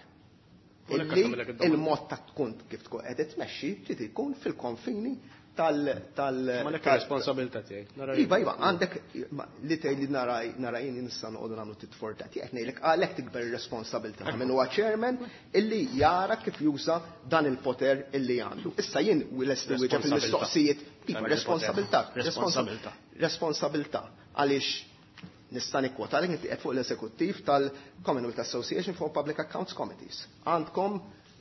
U l-hekk illi għamilek id-domanda. il-mod ta' tkun kif tkun qed tmexxi trid ikun fil-konfini tal-, tal-, Ma l-hekk tal- ir-responsabilità tiegħek. Nara Iva, iva, għandek, ma, li tgħid li nara, nara jien nista' noqogħdu nagħmlu tit for tat. Qed ngħidlek għalhekk tikber ir-responsabilità ta' min huwa chairman illi jara kif juża dan il-poter illi għandu. Issa jien lest li wieġeb il-mistoqsijiet. Iva, responsabilità. Responsabilità. Responsabilità. Għaliex nista' nikkwota għalhekk inti qed fuq l-eżekuttiv tal-Commonwealth Association for Public Accounts Committees. Għandkom,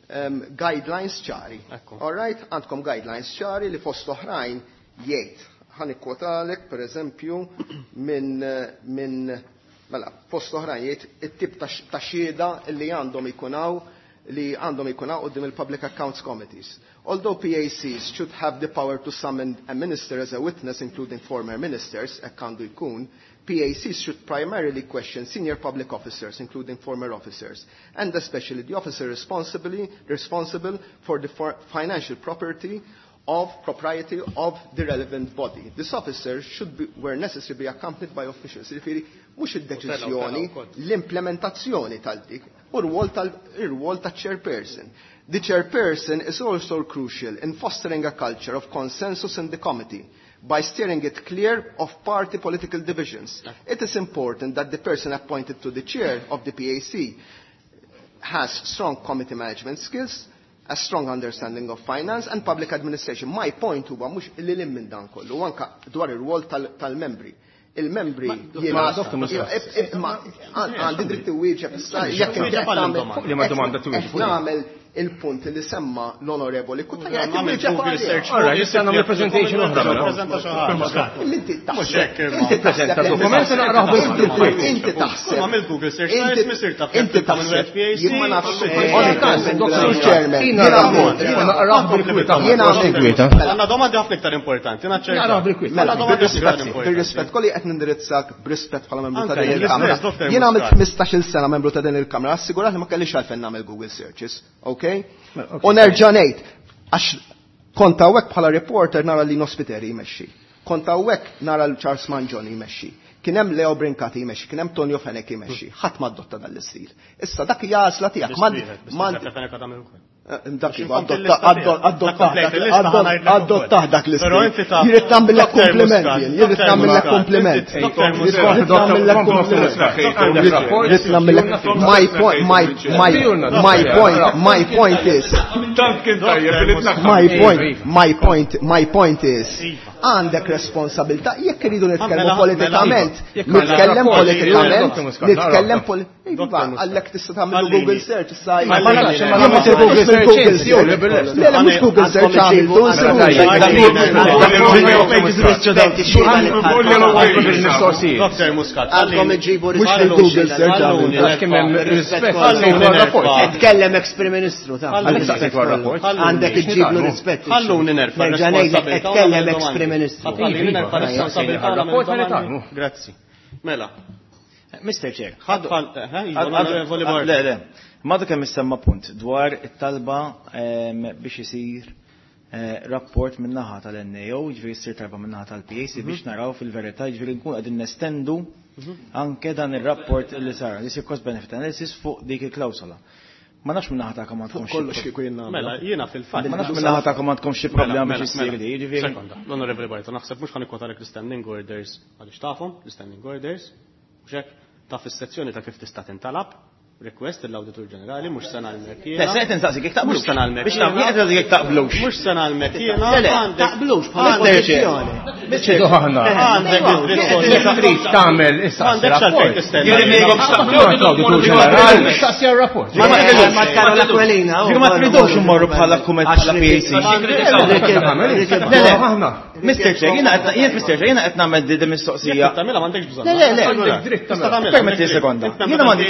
ehm, guidelines ċari. Ekku. All right, għandkom guidelines ċari li fost oħrajn jgħid. Ħa nikkwotalek, per eżempju, minn, minn, mela, fost oħrajn jgħid it-tip ta' x-, ta' xhieda li għandhom ikunaw li għandhom ikunaw quddiem il-Public Accounts Committees. Although P A Cs should have the power to summon a minister as a witness, including former ministers, hekk għandu jkun, P A Cs should primarily question senior public officers, including former officers, and especially the officer responsibly, responsible for the for financial property of propriety of the relevant body. This officer should be, where necessary, be accompanied by officials. Jiġifieri, mhux id-deċiżjoni, l-implementazzjoni tal-dik, u r-rwol tal-, ir-rwol tal-chairperson. The chairperson is also crucial in fostering a culture of consensus in the committee by steering it clear of party political divisions. It is important that the person appointed to the chair of the P A C has strong committee management skills, a strong understanding of finance and public administration. My point huwa mhux li lil minn dan kollu, anka dwar ir-rwol tal-, tal-membri. Il-membri Ma, jiena ma, Doktor, Iva, ma, ib-, ib-, ma, għan-, għandi dritt iwieġeb issa, Wieġeb jekk inti għal qed tagħmel domanda. Li ma domanda twieġeb. qed nagħmel il-punt li semma l-onorevoli Cutajar, qed Għamil iwieġeb Google għalih. search. All right, issa nagħmel presentation oħra, mela. Preżenta xi ħaġa. Inti Mhux taħseb, hekk, imma. inti taħseb Preżenta li dokument inti naqrah bil-kwiet. Inti taħseb. Għamil Google search, Inti nara ismi sir taf inti jekk il-Commonwealth taħseb. P A C, Jien ma nafx. Għamil Eh, Google Doktor search. Chairman, Jien jiena naqrah għamil- bil-kwiet. Naqrah bil-kwiet. Jiena għamil Bil-kwiet, eh? Mela, Għandna domandi ħafna iktar importanti, naċċerta. Naqrah bil-kwiet. Mela, Għandna domandi ħafna iktar bir-rispett, importanti. bir-rispett, kolli qed nindirizzak b'rispett bħala membru ta' Anke din jien il-Kamra. l-istess, Doktor Jien għamilt Muscat. ħmistax-il sena membru ta' din il-Kamra, assigurat li ma kellix għalfejn nagħmel Google searches, okay? Mela, ok. U nerġa' ngħid, għax kont hawnhekk bħala reporter nara li Nospiteri jmexxi. Kont hawnhekk nara l Charles Mangion jmexxi. Kien hemm Leo Brincati jmexxi, kien hemm Tonio Fenech jmexxi. Ħadd ma adotta dan l-istil. Issa dak hija għażla tiegħek. Biss Ma- wieħed, biss ma- wieħed Fenech għad għamel ukoll. Dak addottah dak l-istil. Jrid nagħmillek kompliment jien, jrid nagħmillek kompliment. Jrid nagħmillek kompliment. Jrid nagħmillek my point my my my point my point is my point my point my point is għandek responsabilità jekk iridu nitkellmu politikament, nitkellem politikament, nitkellem politikament. Għallek tista' tagħmel Google search issa. Ma nafx ma nagħmel Google search. Le le mhux Google search għamiltu. Doktor Muscat, għandkom iġibu mhux Google search għamiltu. Tkellem ex-Prim Ministru ta' għandek iġġiblu rispett. Ħalluni nerfa' responsabilità. Tkellem ex-Prim Ministru. Grazzi. Mela. Mister Chair, le, le, madu kemm issemma punt dwar it-talba biex isir rapport min-naħa tal-N A O, jiġifieri ssir talba min-naħa tal-P A C biex naraw fil-verità, jiġifieri nkun qegħdin nestendu anke dan ir-rapport li sar, li jsir cost benefit analysis fuq dik il-klawsola. Ma nafx min-naħa tagħkom għandkom xi kollox kieku jien nagħmel. Mela, jiena fil-fatt. Ma nafx min-naħa tagħkom għandkom xi problema biex issir di, jiġifieri. Sekonda, l-Onorevoli Bartolo, naħseb mhux ħanikwotalek l-standing orders għaliex tafhom, l-standing orders, mhux hekk, taf is-sezzjoni ta' kif tista' tintalab, request l-Awditur Ġenerali, mhux se nagħlmek jiena. Le, se qed insaqsik jekk taqblux. Mhux se nagħlmek. Biex nagħmel qed insaqsik jekk taqblux. Mhux se nagħlmek jiena. Le, le, taqblux bħala pożizzjoni. Għandek trid tagħmel issa. Għandek xalfejn tistenna. Issaqsi rapport. Ma Karol Aquilina. Ma tridux immorru bħala kumet bħala P A C. Le, le, Mister Chair, jiena qed jien Mister Chair, jiena qed nagħmel di mistoqsija. Tagħmilha m'għandekx bżonn. Le, le, le. Permetti sekonda. Jiena m'għandi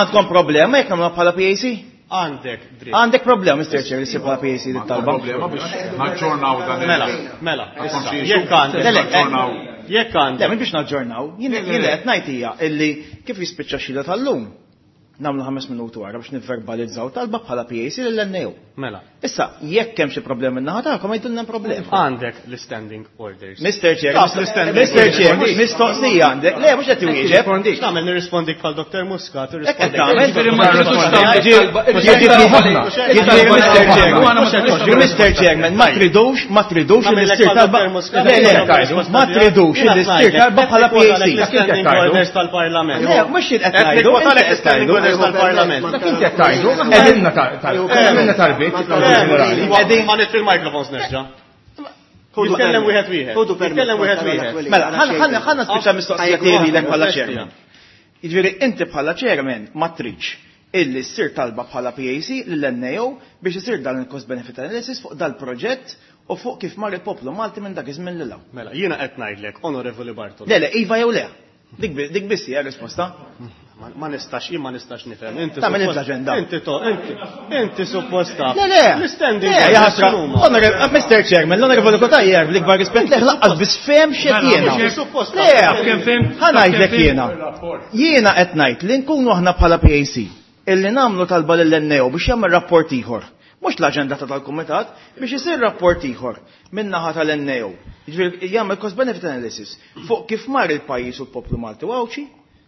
għandkom problema jekk nagħmluha bħala P A C? Għandek dritt. Għandek problema, Mister Chair, li ssir bħala P A C dit talba. Problema biex naġġornaw dan il- Mela, mela, issa, jekk għandek. Le, le, Jekk għandek. Le, mhux biex naġġornaw. Jien jien qed ngħid hija illi kif jispiċċa xhieda tal-lum. Nagħmlu ħames minuti wara biex nivverbalizzaw talba bħala P A C lill N A O. Mela. Issa, jekk hemm xi problemi min-naħa tagħkom, għidulna hemm problema. Għandek l-standing orders. Mister Chair, Taf l-standing Mister orders. Chair, mistoqsija għandek. Le, mhux qed iwieġeb. X'nagħmel nirrispondik bħal Doktor Muscat, Hekk qed irrispondik. tagħmel. Ġifieri ma tridux tagħmel talba. Ġifieri Mister Chair, Mister Chairman, ma tridux, ma tridux li ssir talba. Le, le, ma tridux li ssir talba bħala P A C. L-standing orders tal-Parlament. Le, mhux qed ngħidu, Qed l-standing orders tal-Parlament. Dak inti qed tgħidu, aħna għamilna talbiet. Qegħdin ħa nitfi l-microphones nerġa'. Jitkellem wieħed wieħed. Jitkellem wieħed wieħed. Mela, ħanna spiċċa mistoqsija tiegħi lilek bħala chairman. Jiġifieri inti bħala chairman ma tridx illi ssir talba bħala P A C lill N A O biex isir dan il-cost benefit analysis fuq dal-proġett u fuq kif mar il-poplu Malti minn dak iż-żmien lil hawn. Mela, jiena qed ngħidlek, Onorevoli Bartolo. Le, le, iva jew le. Dik bi-, dik biss hija risposta. Ma, ma nistax, jien ma nistax nifhem. Inti Tagħmel suppost- l-aġenda. Inti to, inti, inti suppost taf. Le, le. L-standing Le, orders ja ħasra. x'inhuma? Onorevoli, Mister Chairman, l-Onorevoli Cutajar, bl-ikbar rispett leh laqqas biss fehem x'qed Mela, jiena. mhux suppost Le, taf. Kemm fhem? ħa ngħidlek Kemm fhem? jiena. Jiena qed ngħid li nkunu aħna bħala P A C illi nagħmlu talba lill N A O biex jagħmel rapport ieħor. Mhux l-aġenda ta' tal-kumitat biex isir rapport ieħor min-naħa tal-N A O. Jiġifieri jagħmel cost benefit analysis fuq kif mar il-pajjiż u l-poplu Malti u Għawdxi,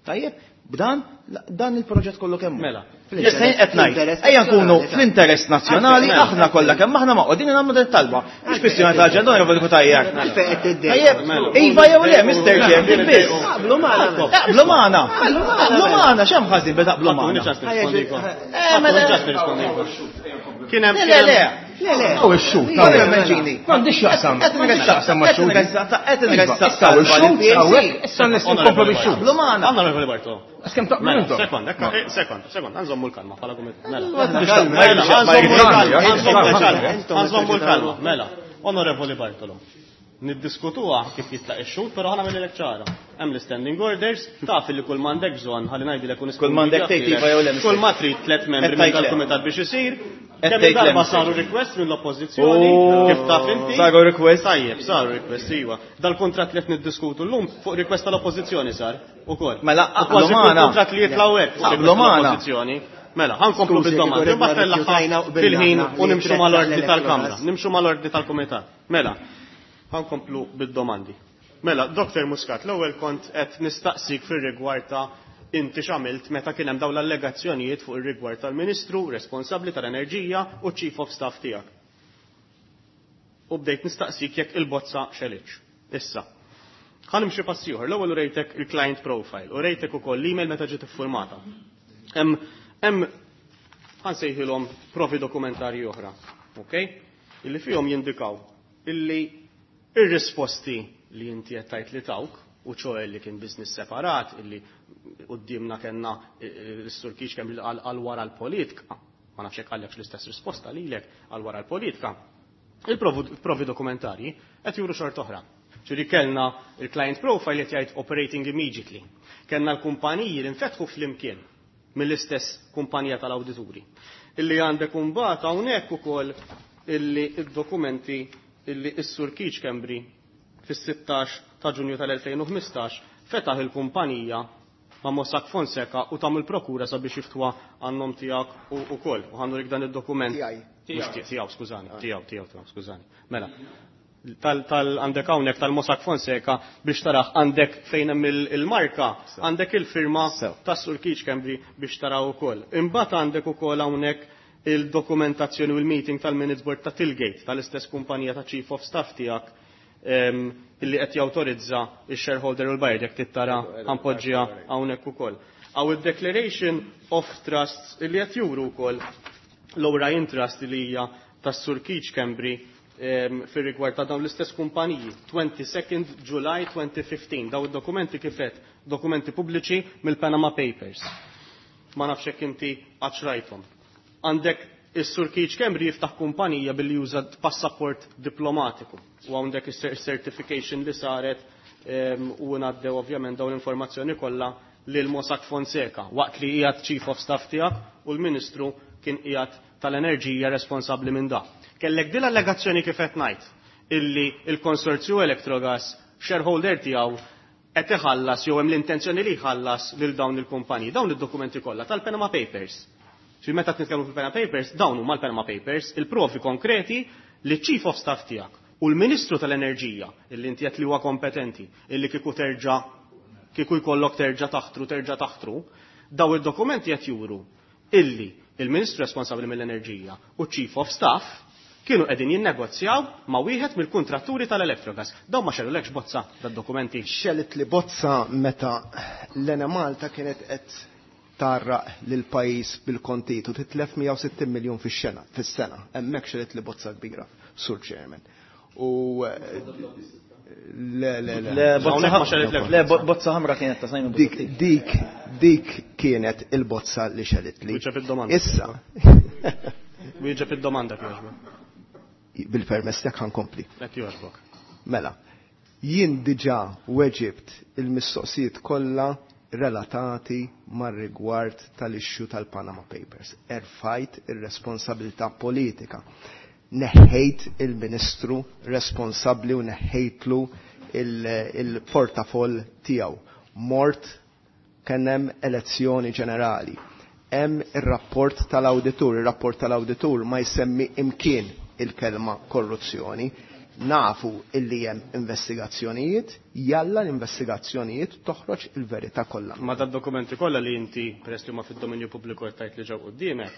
tajjeb, b'dan dan il-proġett kollu kemm hu. Mela. Issa jien qed ngħid, ejja nkunu fl-interess nazzjonali, aħna kollha kemm aħna maqgħodin nagħmlu din it-talba. Mhux kwistjoni ta' aġenda, Onorevoli Cutajar. Għalfejn qed tiddejjaq? Tajjeb, iva jew le, Mister Chair, dik biss. Taqblu magħna. Taqblu magħna. Taqblu magħna, x'hemm ħażin biex taqblu magħna? Ħadd ċans nirrispondikom. Eh, mela. Ħadd ċans nirrispondikom. Kien hemm Le, le, le. Le, le. Aw ix-xut, Ija, hawnhekk. Mancini. M'għandix x'jaqsam. Qed M'għandix x'jaqsam ma' qed xhud. nressaq, qed nressaq Issa hawn ix-xhud, talba lil hawnhekk, P A C. issa nistgħu nkomplu bix-xhud. Taqblu magħna. Onorevoli Bartolo. Kemm taqblu Mela, intom? sekonda, ekka, eh, sekonda, sekonda, nżommu l-kalma bħala kumitat. Mela. Mela, Mela, nżommu l-kalma, nżommu l-kalma, Intom nżommu l-kalma. Mela, Onorevoli Bartolo. Niddiskutuha kif jitlaq ix-xhud, però ħana mill ċara. Hemm l-standing orders, taf li kull m'għandek bżonn, ħalli ngħidilek u Kull m'għandek tgħid iva jew le, Mister Kull ma trid tliet membri Qed minn tgħid le. tal-kumitat biex isir. Qed Kemm tgħid le, darba Mister saru request mill-oppożizzjoni, Oh, kif taf inti? Saru request. Tajjeb, saru request, iva. Dal-kuntratt li qed niddiskutu llum fuq request tal-oppożizzjoni sar ukoll. Mela, U aqblu kważi kull magħna. kuntratt li jitlgħu hekk fuq Aqblu request magħna. tal-oppożizzjoni. Mela, ħankomplu Skużi, bid-domandi. kieku Imbagħad rifjutajna fl-aħħar u qbilna fil-ħin aħna u li nimxu mal-ordni tressaq tal-Kamra, l-Electrogas. nimxu mal-ordni tal-Kumitat. Mela, ħankomplu bid-domandi. Mela, Doktor Muscat, l-ewwel kont qed nistaqsik fir-rigward ta' inti x'għamilt meta kien hemm dawn l-allegazzjonijiet fuq ir-rigward tal-Ministru responsabbli tal-Enerġija u Chief of Staff tiegħek. U bdejt nistaqsik jekk il-bozza xelitx. Issa. Ħa nimxi pass ieħor. L-ewwel urejtek il-client profile, u rejtek ukoll l-email meta ġiet iffurmata. Hemm hemm ħa nsejħilhom provi dokumentarji oħra, ok? Illi fihom jindikaw illi ir-risposti li inti qed tgħid li tawk, u ċoè li kien business separat, illi quddiemna kellna l-Sur Keith kemm għal wara l-politika, ma nafx hekk għallek l-istess risposta lilek għal wara l-politika. Il-provi dokumentarji qed juru xort oħra. Ġifieri kellna il-client profile qed jgħid operating immediately. Kellna l-kumpaniji li nfetħu flimkien mill-istess kumpanija tal-awdituri. Illi għandek imbagħad hawnhekk ukoll illi id-dokumenti illi s-Sur Keith Schembri fis-sittax ta' Ġunju tal-elfejn u ħmistax fetaħ il-kumpanija ma' Mossack Fonseca u tam il-prokura sabiex jiftwa għannom tiegħek u ukoll. U ħannu dan id-dokument. Tiegħi. Mhux tiegħu, skużani, tiegħu, tiegħu, tiegħu, skużani. Mela, tal, tal għandek hawnhekk tal-Mossack Fonseca biex taraħ għandek fejn hemm il-marka, għandek il-firma tas-Sur Keith Schembri biex taraw ukoll. Imbagħad għandek ukoll hawnhekk il-dokumentazzjoni u l-meeting tal-Minutes Board ta' Tillgate tal-istess kumpanija ta' Chief of Staff tiegħek illi qed jawtorizza il-shareholder u l-buyer jekk tittara ħanpoġġiha hawnhekk ukoll. Aw il-Declaration of Trusts illi qed juru wkoll l-Orion Trust li hija tas-Sur Keith Schembri fir-rigward ta' dawn l-istess kumpaniji. twenty-second July twenty fifteen. Daw id-dokumenti kif qed dokumenti pubbliċi mill-Panama Papers. Ma nafx hekk inti qatt rajthom. Għandek is-Sur Keith Schembri jiftaħ kumpanija billi juża passaport diplomatiku. U għandek is-certification li saret u ngħaddew ovvjament dawn l-informazzjoni kollha lil Mossack Fonseca waqt li qiegħed Chief of Staff tiegħek u l-Ministru kien qiegħed tal-Enerġija responsabbli minn da. Kellek din l-allegazzjoni kif qed ngħid illi il-konsorzju Electrogas shareholder tiegħu qed iħallas jew hemm l-intenzjoni li jħallas lil dawn il-kumpaniji, dawn id-dokumenti kollha tal-Panama Papers. Xi meta nitkellmu fil-Panama Papers, dawn huma l-Panama Papers, il-provi konkreti li Chief of Staff tiegħek u l-Ministru tal-Enerġija illi inti qed li huwa kompetenti, illi kieku terġa' kieku jkollok terġa' taħtru, terġa' taħtru, daw id-dokumenti qed juru illi il-Ministru responsabbli mill-Enerġija u Chief of Staff kienu qegħdin jinnegozjaw ma' wieħed mill-kuntratturi tal-Electrogas. Dawn ma xellulekx bozza dad-dokumenti. Xellit li bozza meta l-Enemalta kienet qed tarraq lil pajjiż bil-kontitu titlef mija u sittin miljun fix-xena, fis-sena. Hemmhekk xellit li bozza kbira, Sur Chairman. U le, le, le. Le, bozza Hawnhekk ma xellitlekx le, bo-, bozza ħamra kienet ta' Simon Dik, Busuttil. dik, dik kienet il-bozza li xellit li. Wieġeb id-domanda. Issa. Wieġeb id-domanda kieġbok. Bil-permess tiegħek ħankompli. Qed jogħġbok. Mela, jien diġà weġibt il-mistoqsijiet kollha relatati mar-rigward tal-issue tal-Panama Papers. Erfajt ir-responsabilità politika. Neħħejt il-ministru responsabbli u neħħejtlu il-, il-portafoll tiegħu. Mort kien hemm elezzjoni ġenerali. Hemm ir-rapport tal-awditur. Ir-rapport tal-awditur ma jsemmi imkien il-kelma korruzzjoni. Nafu illi hemm investigazzjonijiet, jalla l-investigazzjonijiet toħroġ il-verità kollha. Ma dad-dokumenti kollha li inti peress li huma fid-dominju pubbliku qed tgħid li ġew quddiemek,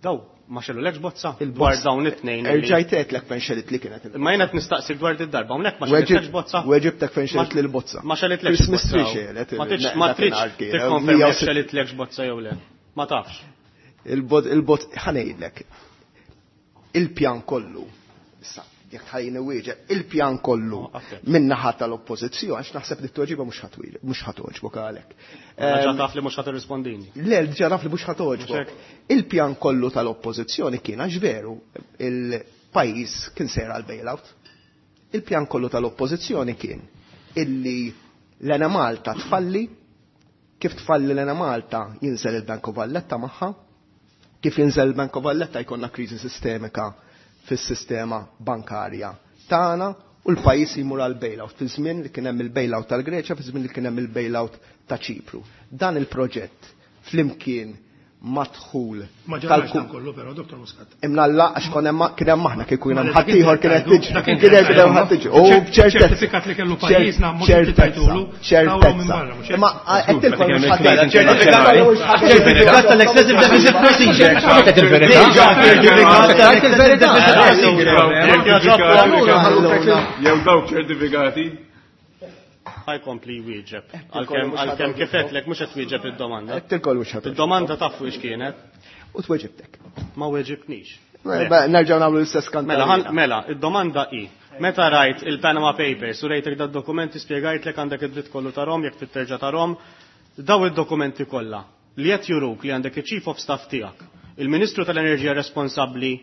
daw ma xellulekx bozza Il-bozza. dwar dawn it-tnejn li Erġajt għedtlek fejn xellit li kienet il-bozza. Ma jiena qed nistaqsik dwar id-darba, hawnhekk ma xellitlekx bozza. Weġibtek fejn xellit li l-bozza. Ma xellitlekx Christmas bozza. tree xelet Ma tridx, il- ma dak tridx il-nhar kien, tikkonferma mija u jekk sitt- xellitlekx bozza jew le. Ma tafx. Il-bot, il-bot, ħanejdlek. Il-pjan kollu, issa, jekk tħallini wieġeb, il-pjan kollu Oh, affett. min-naħa tal-oppożizzjoni, għax naħseb li t-tweġiba mhux ħatwil, mhux ħatogħġbok għalhekk. Ġa Ehm, taf li mhux ħatirrispondini. Le, ġa taf li mhux ħatogħġbok. Mhux hekk. Il-pjan kollu tal-oppożizzjoni kien għax veru il-pajjiż kien sejra għal bailout. Il-pjan kollu tal-oppożizzjoni kien illi l-Enemalta tfalli, kif tfalli l-Enemalta jinżel il-Bank of Valletta magħha, kif jinżel il-Bank of Valletta jkollna kriżi sistemika fis-sistema bankarja tagħna u l-pajjiż jmur għal bailout fi żmien li kien hemm il-bailout tal-Greċja, fi żmien li kien hemm il-bailout ta' Ċipru. Dan il-proġett flimkien mad-dħul. Ma ġarax dan kollu però, Dottor Muscat. Imnalla għax kon hemm kien hemm aħna kieku jien hemm ħaddieħor kienet tiġi. Kien hemm ħadd tiġi. U b'ċertezza. Ċertifikat li kellu pajjiżna mhux inti tajtulu. Ċertezza. Imma qed tilkom mhux ħadd. Ċertifikat tal-excessive deficit procedure. Ċertifikat tal-excessive deficit procedure. Jew dawk ċertifikati. Ħajkompli jwieġeb. Għalkemm għalkemm kif qedlek mhux qed twieġeb id-domanda. Qed mhux ħadd. Id-domanda taf fuq x'kienet. U tweġibtek. Ma weġibtnix. Nerġgħu nagħmlu l-istess kanta. Mela, mela, id-domanda hi. Meta rajt il-Panama Papers u rejtek dad-dokumenti spjegajtlek għandek id-dritt kollu tarhom jekk trid terġa' tarhom, daw id-dokumenti kollha li qed juruk li għandek iċ-Chief of Staff tiegħek, il-Ministru tal-Enerġija responsabbli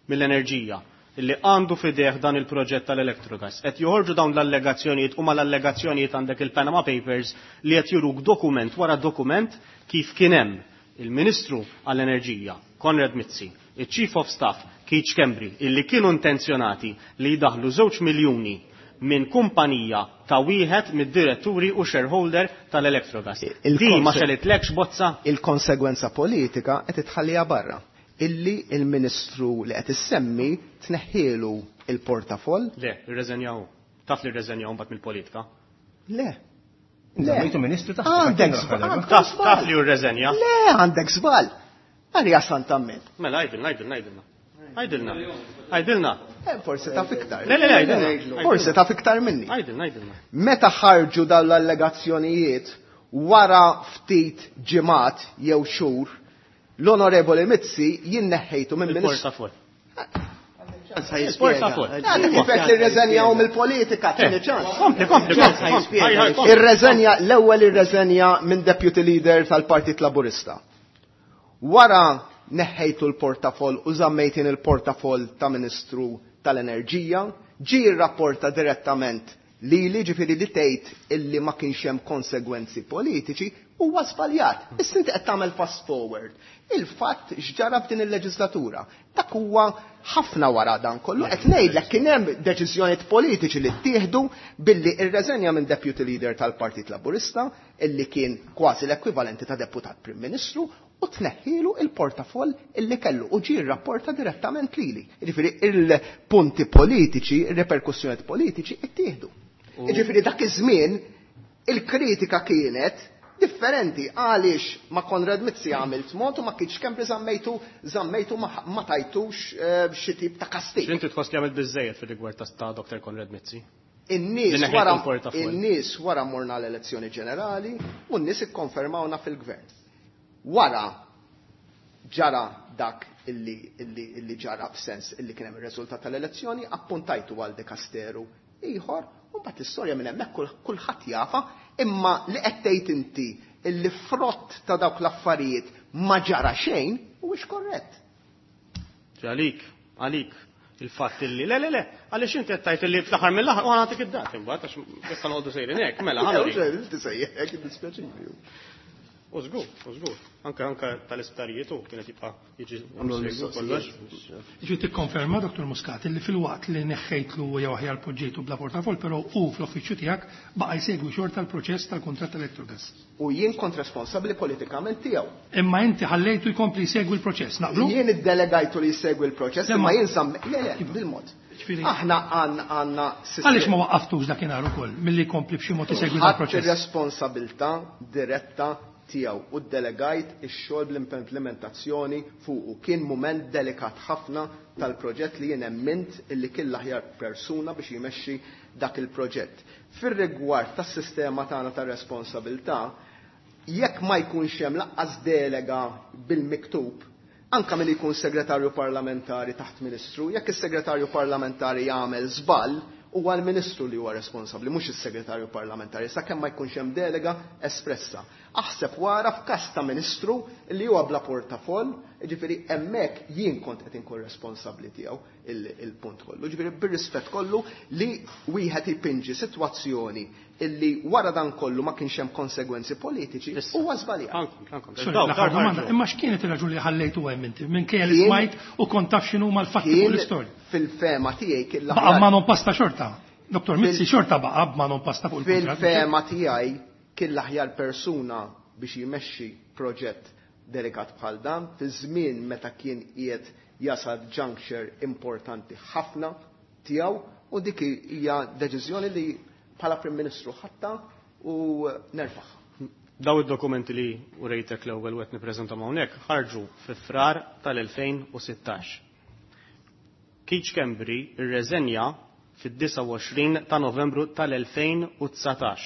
mill-enerġija, illi għandu fideh dan il-proġett tal-Electrogas. Qed joħorġu dawn l-allegazzjonijiet u mal-allegazzjonijiet għandek il-Panama Papers li qed juruk dokument wara dokument kif kien hemm il-Ministru għall-Enerġija, Konrad Mizzi, il-Chief of Staff, Keith Schembri, illi kienu intenzjonati li jdaħlu żewġ miljuni minn kumpanija ta' wieħed mid-diretturi u shareholder tal-Electrogas. Di ma xelitlekx bozza? Il-konsegwenza politika qed itħallija barra. Illi il-ministru li qed issemmi tneħħielu il-portafoll. Le, irreżenjaw. Taf li rreżenjaw mbagħad mill-politika? Le. Le. Ministru taħt. Għandek żball. Taf taf li rreżenja. Le, għandek żball. Għalija santammin. Mela, għidilna, għidilna, għidilna. Għidilna. Għidilna. Forsi taf iktar. Le, le, le, għidilna. Forsi taf iktar minni. Għidilna, għidilna. Meta ħarġu dawn l-allegazzjonijiet wara ftit ġimgħat jew xhur, l-Onorevoli Mizzi jien neħħejtu minn ministru. Il-portafoll. Kif qed irreżenjaw mill-politika, tieni ċans. Kompli, kompli, kompli. Irreżenja, l-ewwel irreżenja minn deputy leader tal-Partit Laburista. Wara neħħejtu l-portafoll u żammejtin il-portafoll ta' Ministru tal-Enerġija, ġie rrapporta direttament li li ġifieri li tgħid illi ma kienx hemm konsegwenzi politiċi huwa żbaljat. Issa inti qed tagħmel fast forward. Il-fatt x'ġara f'din il-leġislatura. Dak huwa ħafna wara dan kollu. Qed ngħidlek kien hemm deċiżjonijiet politiċi li ttieħdu billi rreżenja minn deputy leader tal-Partit Laburista illi kien kważi l-ekwivalenti ta' deputat Prim Ministru u tneħħilu il-portafoll illi kellu u ġie rrapporta direttament lili. Jiġifieri il-punti politiċi, ir-reperkussjonijiet politiċi ttieħdu. Jiġifieri dak iż-żmien il-kritika kienet differenti għaliex ma Konrad Mizzi għamilt mod u ma kienx Schembri żammejtu żammejtu ma tajtux xi tip ta' kastig. Inti tħoss li għamilt biżżejjed fir-rigward ta' Doktor Konrad Mizzi? In-nies wara in-nies wara morna l-elezzjoni ġenerali u n-nies ikkonfermawna fil-gvern. Wara ġara dak illi illi illi ġara f'sens illi kien hemm ir-riżultat tal-elezzjoni, appuntajtu għal dikasteru ieħor. U mbagħad l-istorja minn hemmhekk kulħadd jafa, imma li qed tgħid inti illi frott ta' dawk l-affarijiet ma ġara xejn huwiex korrett. Għalik, għalik il-fatt illi le le le, għaliex inti qed tgħid illi fl-aħħar mill-aħħar u nagħtik id-dat imbagħad għax issa noqogħdu sejrin hekk, mela ħa. Inti sejjer hekk iddispjaċini. U żgur, u żgur. Anke anke tal-isptarijiet u kienet jibqa' jiġi kollox. Ġi tikkonferma, Doktor Muscat, li fil-waqt li neħħejtlu jew aħjar poġġejtu bla portafoll, però hu fl-uffiċċju tiegħek baqa' jsegwi xorta l-proċess tal-kuntratt Electrogas. U jien kont responsabbli politikament tiegħu. Imma inti ħallejtu jkompli jsegwi l-proċess, naqblu? Jien iddelegajtu li jsegwi l-proċess, imma jien sam le le bil-mod. Aħna għandna sistema. Għaliex ma waqqaftux dakinhar ukoll milli jkompli b'xi mod isegwi l-proċess? Ħadd ir-responsabilità diretta tiegħu u ddelegajt ix-xogħol bl-implementazzjoni fuqu. Kien mument delikat ħafna tal-proġett li jien emmint illi kien l-aħjar persuna biex jmexxi dak il-proġett. Fir-rigward tas-sistema tagħna tar-responsabilità, jekk ma jkunx hemm laqqas delega bil-miktub, anka min jkun segretarju parlamentari taħt ministru, jekk is-segretarju parlamentari jagħmel żball, huwa l-ministru li huwa responsabbli, mhux is-segretarju parlamentari, sakemm ma jkunx hemm delega espressa. Aħseb wara f'każ ta' ministru li huwa bla portafoll, jiġifieri hemmhekk jien kont qed inkun responsabbli tiegħu il-punt kollu. Jiġifieri bir-rispett kollu li wieħed ipinġi sitwazzjoni illi wara dan kollu ma kienx hemm konsegwenzi politiċi huwa żbaljat. Imma x'kienet ir-raġuni li ħallejtu hemm inti minkejja li smajt u kont taf x'inhu mal-fatti fuq l-istorja? Fil-fema tiegħi kien l-aħjar. Baqa' ma non pasta xorta. Doktor Mizzi xorta baqa' ma non pasta fuq il-kuntratt. Fil-fema tiegħi kien l-aħjar persuna biex jmexxi proġett delikat bħal dan, fi żmien meta kien qiegħed jasal juncture importanti ħafna tiegħu, u dik hija deċiżjoni li bħala Prim Ministru ħatta u nerfaħ. Daw id-dokumenti li urejtek l-ewwel u qed nippreżentahom hawnhekk ħarġu fi Frar tal-elfejn u sittax. Keith Schembri rreżenja fid-disgħa u għoxrin ta' Novembru tal-elfejn u dsatax.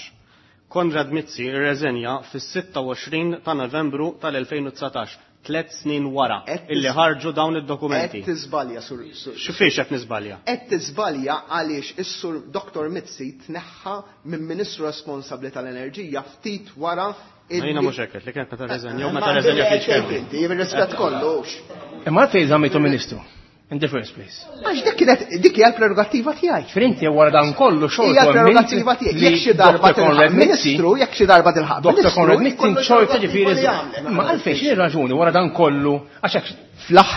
Konrad Mizzi rreżenja fis-sitta u għoxrin ta' Novembru tal-elfejn u dsatax, tliet snin wara Qed illi ħarġu dawn id-dokumenti. Qed tiżbalja, sur, sur, X'fiex qed niżbalja? Qed tiżbalja għaliex is-sur Doktor Mizzi tneħħa minn Ministru responsabbli tal-Enerġija ftit wara Ma jiena mhux hekk, li kienet meta rreżenja u meta Ma rreżenja qed Keith Schembri. Inti, bir-rispett kollu. Imma għalfejn żammejtu Ministru in the first place. Għax dik kienet, dik hija l-prerogattiva tiegħi. Frinti wara dan kollu xorta Hija l-prerogattiva tiegħi. Jekk xi darba tilħaq Ministru, jekk xi darba tilħaq Doktor Ministru, Konrad Mizzi jkollu xorta l-prerogattiva ġifieri li jagħmel. Ma għalfejn x'inhi raġuni wara dan kollu għax hekk Fl-aħ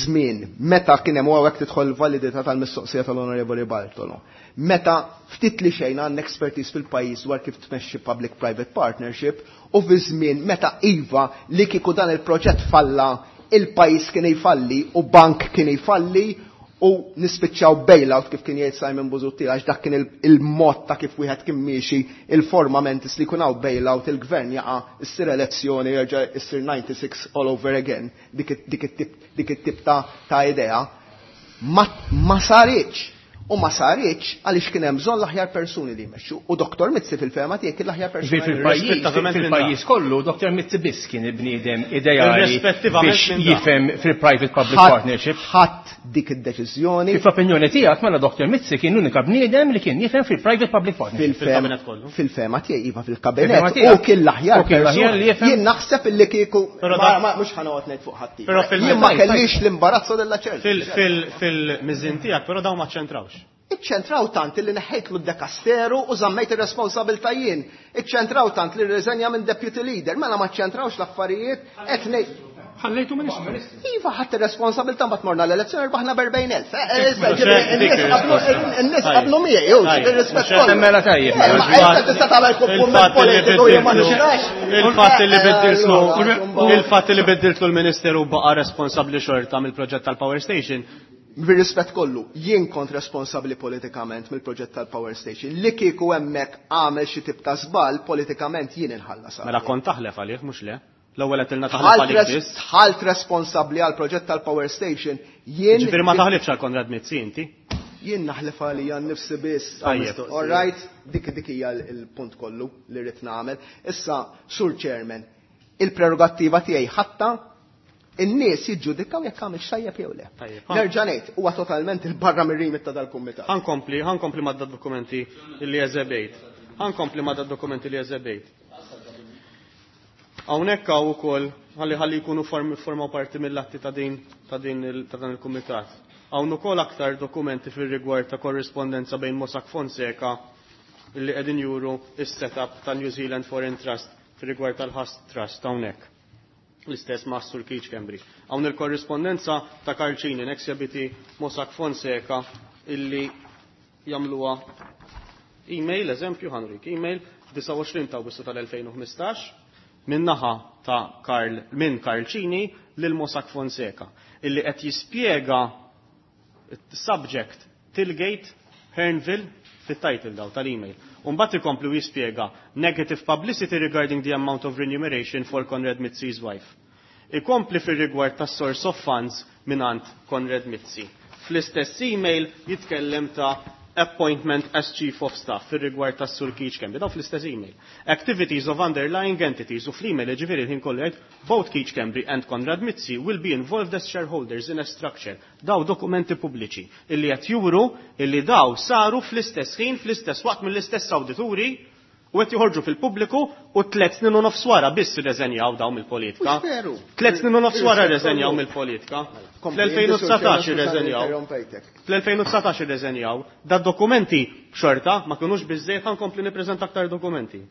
żmien meta kien hemm hawnhekk tidħol validità tal-mistoqsija tal-Onorevoli Bartolo. Meta ftit li xejn għandna expertise fil-pajjiż dwar kif tmexxi public-private partnership u fi żmien meta iva li kieku dan il-proġett falla, il-pajjiż kien jfalli u bank kien jfalli u nispiċċaw bailout kif kien jgħid Simon Busuttil, għax dak kien il-, il-mod ta' kif wieħed kien miexi il-formament li jkun hawn bailout, il-gvern jaqa', issir elezzjoni, jerġa' issir ninety-six all over again, dik it-, dik it-tip, dik it-tip ta', ta' idea. Ma, ma saritx. U ma saritx għaliex kien hemm bżonn l-aħjar persuni li jmexxu. U Doktor Mizzi fil-fehma tiegħek kien l-aħjar persuni. Fil-pajjiż, Irrispettivament minn fil-pajjiż dak. kollu, Doktor Mizzi biss kien il-bniedem ideali Irrispettivament biex minn dak. jifhem fil-private public Ħadd partnership. Ħadd dik id-deċiżjoni. Kif l-opinjoni tiegħek mela Doktor Mizzi kien l-unika bniedem li kien jifhem fil-private public partnership. Fil-fehma Fil-kabinet kollu. Fil-fehma tiegħi iva Fil-fehma fil-kabinet. tiegħek. U kien l-aħjar U kien l-aħjar persuna. li jifhem. Jien naħseb illi kieku Però ma- dak- ma mhux ħanoqgħod ngħid fuq ħadd. Però fil- Jien ma Tajb, tajb. kellix l-imbarazzo della ċerta. Fil-, fil-, fil-miżin tiegħek, però dawn ma ċentrawx. Iċċentraw tant li neħejtlu d-dekasteru u żammejt ir-responsabilta jien. Iċċentraw tant li rreżenja minn deputy leader, mela ma ċċentrawx l-affarijiet qed ngħid. Ħallejtu ministru. Iva, ħadd ir-responsabilta mbagħad morna l-elezzjoni rbaħna b'erbgħin elf. Eh, eh, issa, Mhux ġifieri, hekk dik in-nies qablu, ir-risposta. in-nies Tajjeb. qablu miegħi, jew, Tajjeb. bir-rispett Mhux hekk. kollu. Mela tajjeb, Eh, mela ma il-fatt issa tista' tagħmel kumment il-fatt li politiku jien ma biddiltlu- nistax. Il-fatt li Eh, biddiltlu allura, il-fatt li biddiltlu l-Ministeru baqa' responsabbli xorta mill-proġett tal-Power Station. Bir-rispett kollu, jien kont responsabbli politikament mill-proġett tal-Power Station. Li kieku hemmhekk għamel xi tip ta' żball politikament jien inħallas għalih. Mela kont taħlef għalih, mhux le? L-ewwel qed ilna taħlef Ħalt għalik res- biss. ħalt responsabbli għal proġett tal-Power Station, jien Ġifieri ma taħlifx għal Konrad Mizzi inti? Jien naħlef għalija nnifsi biss. Tajjeb. All right, dik, dik hija l-, il-punt kollu li rrid nagħmel. Issa, Sur Chairman, il-prerogattiva tiegħi ħatta in-nies jiġġudikaw jekk għamel xajjeb jew le. Tajjeb. Nerġa' ngħid, huwa totalment il-barra mir-rimit ta' dal-kumitat. Ħankompli, ħankompli ma' dokumenti li eżebejt. Ħankompli ma' dokumenti li eżebejt. Hawnhekk hawn ukoll ħalli ħalli jkunu form-, formaw parti mill-atti ta' din, ta' din il-, ta' dan il-kumitat. Hawn ukoll aktar dokumenti fir-rigward ta' korrispondenza bejn Mossack Fonseca li qegħdin juru is-setup ta' New Zealand Foreign Trust fir-rigward tal-Husk Trust hawnhekk. L-istess ma' Sur Keith Schembri. Hawn il-korrispondenza ta' Karl Cini, ex-deputy Mossack Fonseca, illi jagħmluha email, eżempju, ħanrik, email, disgħa u għoxrin ta' Awwissu tal-elfejn u ħmistax, min-naħa ta' Karl, minn Karl Cini lil Mossack Fonseca, illi qed jispjega subject Tilgate Hearnville fit-title daw tal-email. Umbagħad ikomplu jispjega negative publicity regarding the amount of remuneration for Konrad Mizzi's wife. Ikompli fir-rigward tas source of funds minant Konrad Mizzi. Fl-istess email jitkellem ta' appointment as chief of staff fir-rigward tas Sur Keith Schembri, daw fl-istess email. Activities of underlying entities u fl-email ġifieri l-ħin kollu jgħid both Keith Schembri and Konrad Mizzi will be involved as shareholders in a structure. Daw dokumenti pubbliċi illi qed juru illi daw saru fl-istess ħin, fl-istess waqt mill-istess awdituri u qed joħorġu fil-pubbliku u tliet snin u nofs wara biss irreżenjaw daw mill-politika. Mhux veru. Tliet snin u nofs wara Irrispett rreżenjaw kollu. mill-politika. Kompli, Fl-elfejn u dsatax irreżenjaw. Interrompejtek. Fl-elfejn u dsatax irreżenjaw. Da dokumenti xorta ma kinux biżżejjed, ħankompli nippreżenta aktar dokumenti.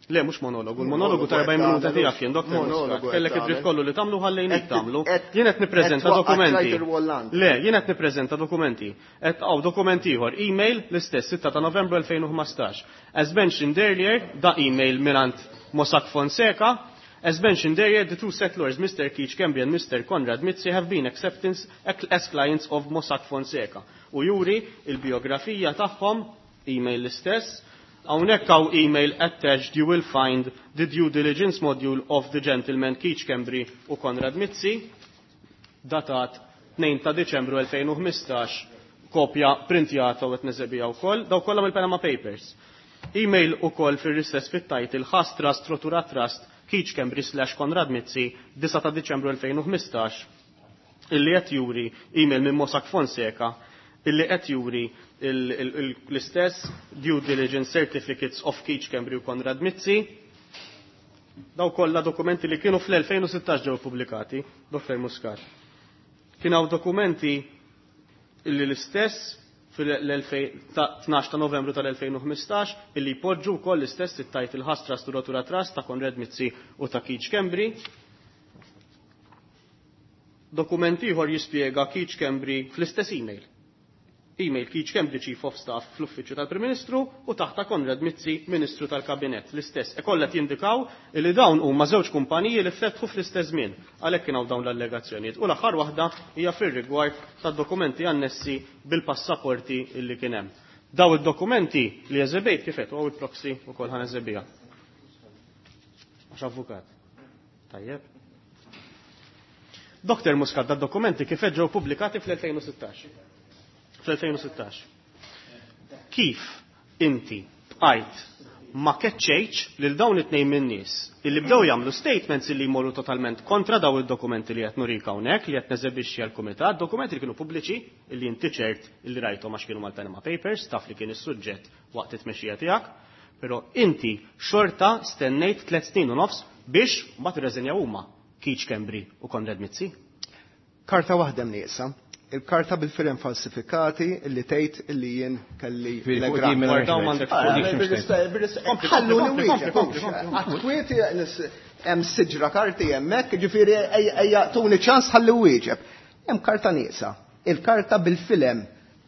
Le, mhux monologu, il-monologu ta' erbgħin minuta tiegħek jien, Doktor Monologu Muscat. qed Kellek id-dritt tagħmel. kollu li tagħmlu ħallejnik Qed- tagħmlu. qed- Jien qed nippreżenta qed twaqqaf dokumenti. trajt il-Wolland. Le, jien qed nippreżenta dokumenti. Qed hawn dokumenti ieħor, email l-istess sitta ta' Novembru elfejn u ħmistax. As mentioned earlier, da email mingħand Mossack Fonseca, As mentioned earlier, the two settlers, Mr. Keith Schembri and Mr. Konrad Mizzi, have been acceptance as clients of Mossack Fonseca. U juri il-biografija tagħhom, email l-istess, hawnhekk hawn email attached you will find the due diligence module of the gentleman Keith Schembri u Konrad Mizzi, datat tnejn ta' Diċembru elfejn u ħmistax, kopja printjata u qed neżebija wkoll, daw kollha mill-Panama Papers. Email ukoll fir-istess fit-title Ħas Trust Rotura Trust Keith Schembri slash Konrad Mizzi disgħa ta' Diċembru elfejn u ħmistax, illi qed juri email minn Mossack Fonseca illi qed juri l-istess due diligence certificates of Keith Schembri u Konrad Mizzi. Daw kollha dokumenti li kienu fl-elfejn u sittax ġew pubblikati, Doktor Muscat. Kien hawn dokumenti illi l-istess fil-tnax ta' Novembru tal-elfejn u ħmistax illi jpoġġu wkoll l-istess it-title Ħas Trust u Rotura Trust ta' Konrad Mizzi u ta' Keith Schembri. Dokument ieħor jispjega Keith Schembri fl-istess email. Email Keith Schembri Chief of Staff fl-Uffiċċju tal-Prim Ministru u taħta Konrad Mizzi Ministru tal-Kabinett. L-istess. E kollha jindikaw li dawn huma żewġ kumpaniji li fetħu fl-istess żmien. Għalhekk kien hawn dawn l-allegazzjonijiet. U l-aħħar waħda hija fir-rigward tad-dokumenti annessi bil-passaporti illi kien hemm. Daw id-dokumenti li eżebejt kif qed hawn il-proxy wkoll ħan eżebija. Għax avukat. Tajjeb. Doktor Muscat, dad-dokumenti kif ġew pubblikati fl-elfejn u sittax. fl-elfejn u sittax. Kif inti bqajt ma keċċejtx lil dawn it-tnejn min-nies illi bdew jagħmlu statements illi jmorru totalment kontra daw id-dokumenti li qed nurik hawnhekk li qed neżebixxi għall-kumitat, dokumenti li kienu pubbliċi illi inti ċert illi rajthom għax kienu mal-Panama Papers, taf li kien is-suġġett waqt it-tmexxija tiegħek, però inti xorta stennejt tliet snin u nofs biex mbagħad irreżenjaw huma Keith Schembri u Konrad Mizzi. Karta waħda mnieqsa. Il-karta bil-firem falsifikati illi tgħid illi jien kelli Fil- l-egrant. fuq di mela Dawn m'għandek Ah, fuq di bil- x'mux bil- tgħid. bil- Kompli, ħallu kompli, li kompli, wieġeb, kompli, kompli. Għat-kwieti hemm siġra karti hemmhekk, ġifieri ejja, ejja tuni ċans ħalli wieġeb. Hemm karta nieqsa. Il-karta bil-filem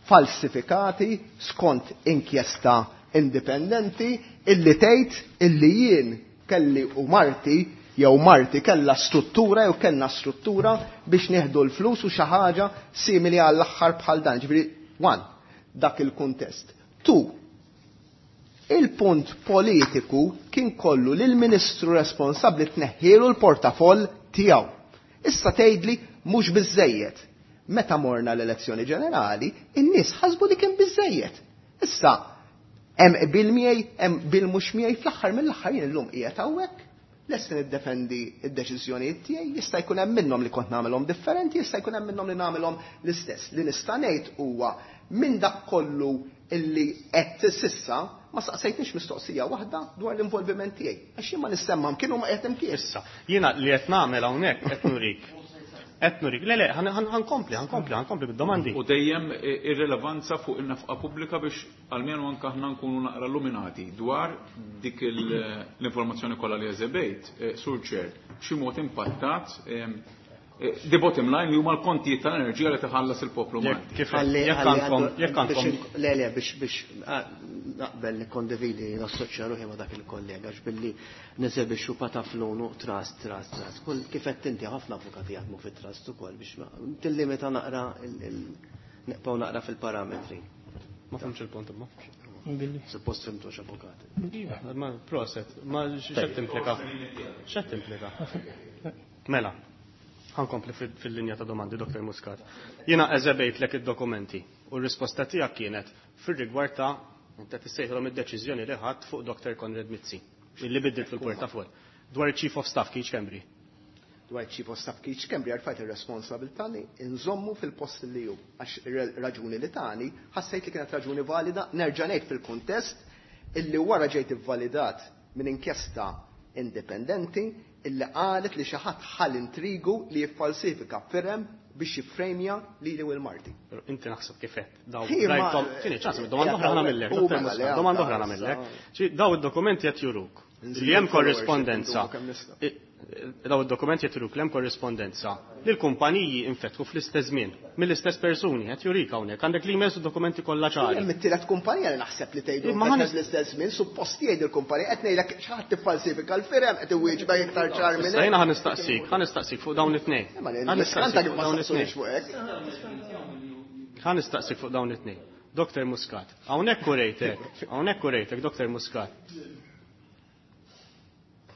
falsifikati skont inkjesta indipendenti illi tgħid illi jien kelli u marti jew marti kellha struttura jew kellna struttura biex nieħdu l-flus u xi ħaġa simili għall-aħħar bħal dan. Ġifieri, one, dak il-kuntest. Two, il-punt politiku kien kollu li l-ministru responsabbli tneħħielu l-portafoll tiegħu. Issa tgħidli mhux biżejjed. Meta morna l-elezzjoni ġenerali, in-nies ħasbu li kien biżejjed. Issa hemm qbil miegħi, hemm qbil mhux miegħi, fl-aħħar mill-aħħar jien illum qiegħed hawnhekk. Lest niddefendi d-deċiżjonijiet tiegħi, jista' jkun hemm minnhom li kont nagħmelhom differenti, jista' jkun hemm minnhom li nagħmelhom l-istess. Li nista' ngħid huwa minn dak kollu illi qed sissa ma saqsejtniex mistoqsija waħda dwar l-involviment tiegħi. Għax jien ma nissemmhom kienu ma qed imkien. Issa, jiena li qed nagħmel hawnhekk qed nurik. Qed nurik. Le, le, ħankompli, ħankompli, ħankompli bid-domandi. U dejjem ir-rilevanza fuq in-nefqa pubblika biex almenu anke aħna nkunu naqra illuminati dwar dik l-informazzjoni kollha li eżebejt, eh, Sur Chair, b'xi mod impattat, ehm, eh, the bottom line li huma l-kontijiet tal-enerġija li tħallas il-poplu Jekk Malti. kif Ħalli- jekk ħalli għandkom, għandu- jekk għandkom. biex in-, le, le, biex, biex, ah, naqbel nikkondividi, nassoċja ruħi ma' dak il-kollega, għax billi neżebixxu pataflunu trust, trust, trust. Kull kif qed inti ħafna avukati jaħdmu fit-trust ukoll biex ma-, tillimita naqra il-, il-, neqgħu naqra fil-parametri. Ma fhimx il-punt imma. Billi. Suppost fimtux avukati. Ma proset, ma x'qed timplika? X'qed timplika? Mela, ħankompli fil-, fil-linja ta' domandi, Doktor Muscat. Jiena eżebejtlek id-dokumenti u r-risposta tiegħek kienet fir-rigward ta' inti tissejħilhom id-deċiżjoni li ħadd fuq Doktor Konrad Mizzi, illi biddilt fil-portafol, dwar il-Chief of Staff Keith Schembri. Dwar Chief of Staff Keith Schembri għarfajt ir-responsabilità li nżommu fil-post li hu. Għax ir-raġuni li tani, ħassejt li kienet raġuni valida, nerġa' ngħid fil-kuntest illi wara ġejt ivvalidat minn inkjesta indipendenti illi qalet li xi ħadd ħall intrigu li jiffalsifika firem biex jiffrejmja lili u l-Marti. Però inti naħseb kif qed. Daw Hi, ma- rajthom, tieni ċans, domanda oħra nagħmellek, U Doktor mela, Muscat, le, domanda oħra għadda, nagħmellek. issa. Ċi, daw id-dokumenti qed juruk Nżidu li hemm l-followership, korrespondenza. ndumu kemm nistgħu. I-, Daw id-dokumenti qed juruk hemm korrispondenza li l-kumpaniji infetħu fl-istess żmien mill-istess persuni qed jurik hawnhekk għandek l-emails u dokumenti kollha ċari. Hemm it-tielet kumpanija li naħseb li tgħidu Imma ħa fl-istess żmien, suppost jgħid il-kumpanija qed ngħidlek xi ħadd tiffalsifika l-firem qed iwieġbek iktar ċar minn Issa jiena ħa nistaqsik, ħa nistaqsik fuq dawn it-tnejn. Imma Ħa nistaqsik kif fuq ma dawn saqsunix it-tnejn. fuq hekk. Ħa nistaqsik fuq dawn it-tnejn. Doktor Muscat, hawnhekk urejtek, hawnhekk urejtek, Doktor Muscat.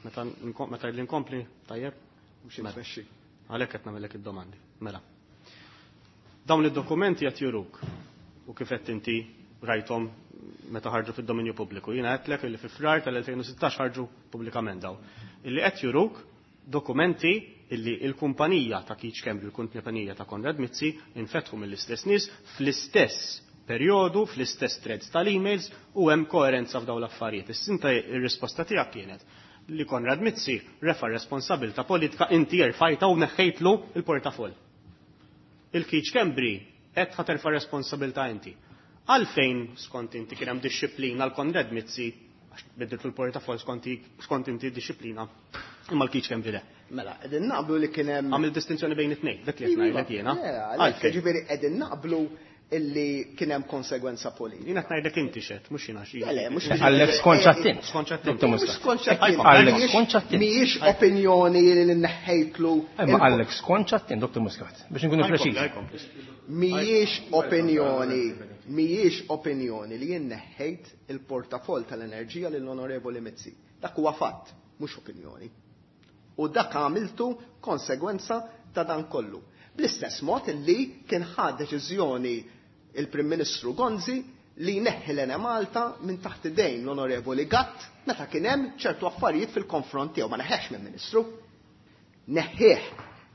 Meta nkom- meta li nkompli, tajjeb? Mhux intmexxi. Għalhekk qed nagħmellek id-domandi. Mela. Dawn id-dokumenti qed juruk u kif qed inti rajthom meta ħarġu fid-dominju pubbliku. Jiena għedtlek li fi Frar tal-elfejn u sittax ħarġu pubblikament daw. Illi qed juruk dokumenti illi il-kumpanija ta' Keith Schembri, il-kumpanija ta' Konrad Mizzi, infetħu mill-istess nies fl-istess perjodu, fl-istess threads tal-emails u hemm koerenza f'dawn l-affarijiet. Issa ir-risposta tiegħek kienet li Konrad Mizzi refa' responsabilità politika inti erfajta u neħħejtlu il-portafoll. Il-Keith Schembri qed ħa terfa' responsabilità inti. Għalfejn skont inti kien hemm dixxiplina l Konrad Mizzi għax biddiltu l-portafoll skont skont inti dixxiplina imma l-Keith Schembri le. Mela, qegħdin naqblu li kien hemm Għamil distinzjoni bejn it-tnejn, dak li qed ngħidlek jiena. Le, għalhekk, ġifieri qegħdin naqblu illi kien hemm konsegwenza politika. Jiena qed ngħidlek inti xed, mhux jiena xi. Le, le, mhux Għallek skont xattin. Skont xattin. Doktor Mhux Muscat. skont xattin. Għallek Mhijiex- skont xattin. Mhijiex opinjoni li neħħejtlu. Imma għallek skont xattin, Doktor Muscat, biex nkunu preċiżi. Mhijiex opinjoni, mhijiex opinjoni li jien neħħejt il-portafoll tal-enerġija lill-Onorevoli Mizzi. Dak huwa fatt, mhux opinjoni. U dak għamiltu konsegwenza ta' dan kollu. Bl-istess mod li kien ħa deċiżjoni il-Prim Ministru Gonzi li jneħħi l-Enemalta minn taħt idejn l-Onorevoli Gatt meta kien hemm ċertu affarijiet fil-konfront tiegħu ma neħħex minn Ministru. Neħħieh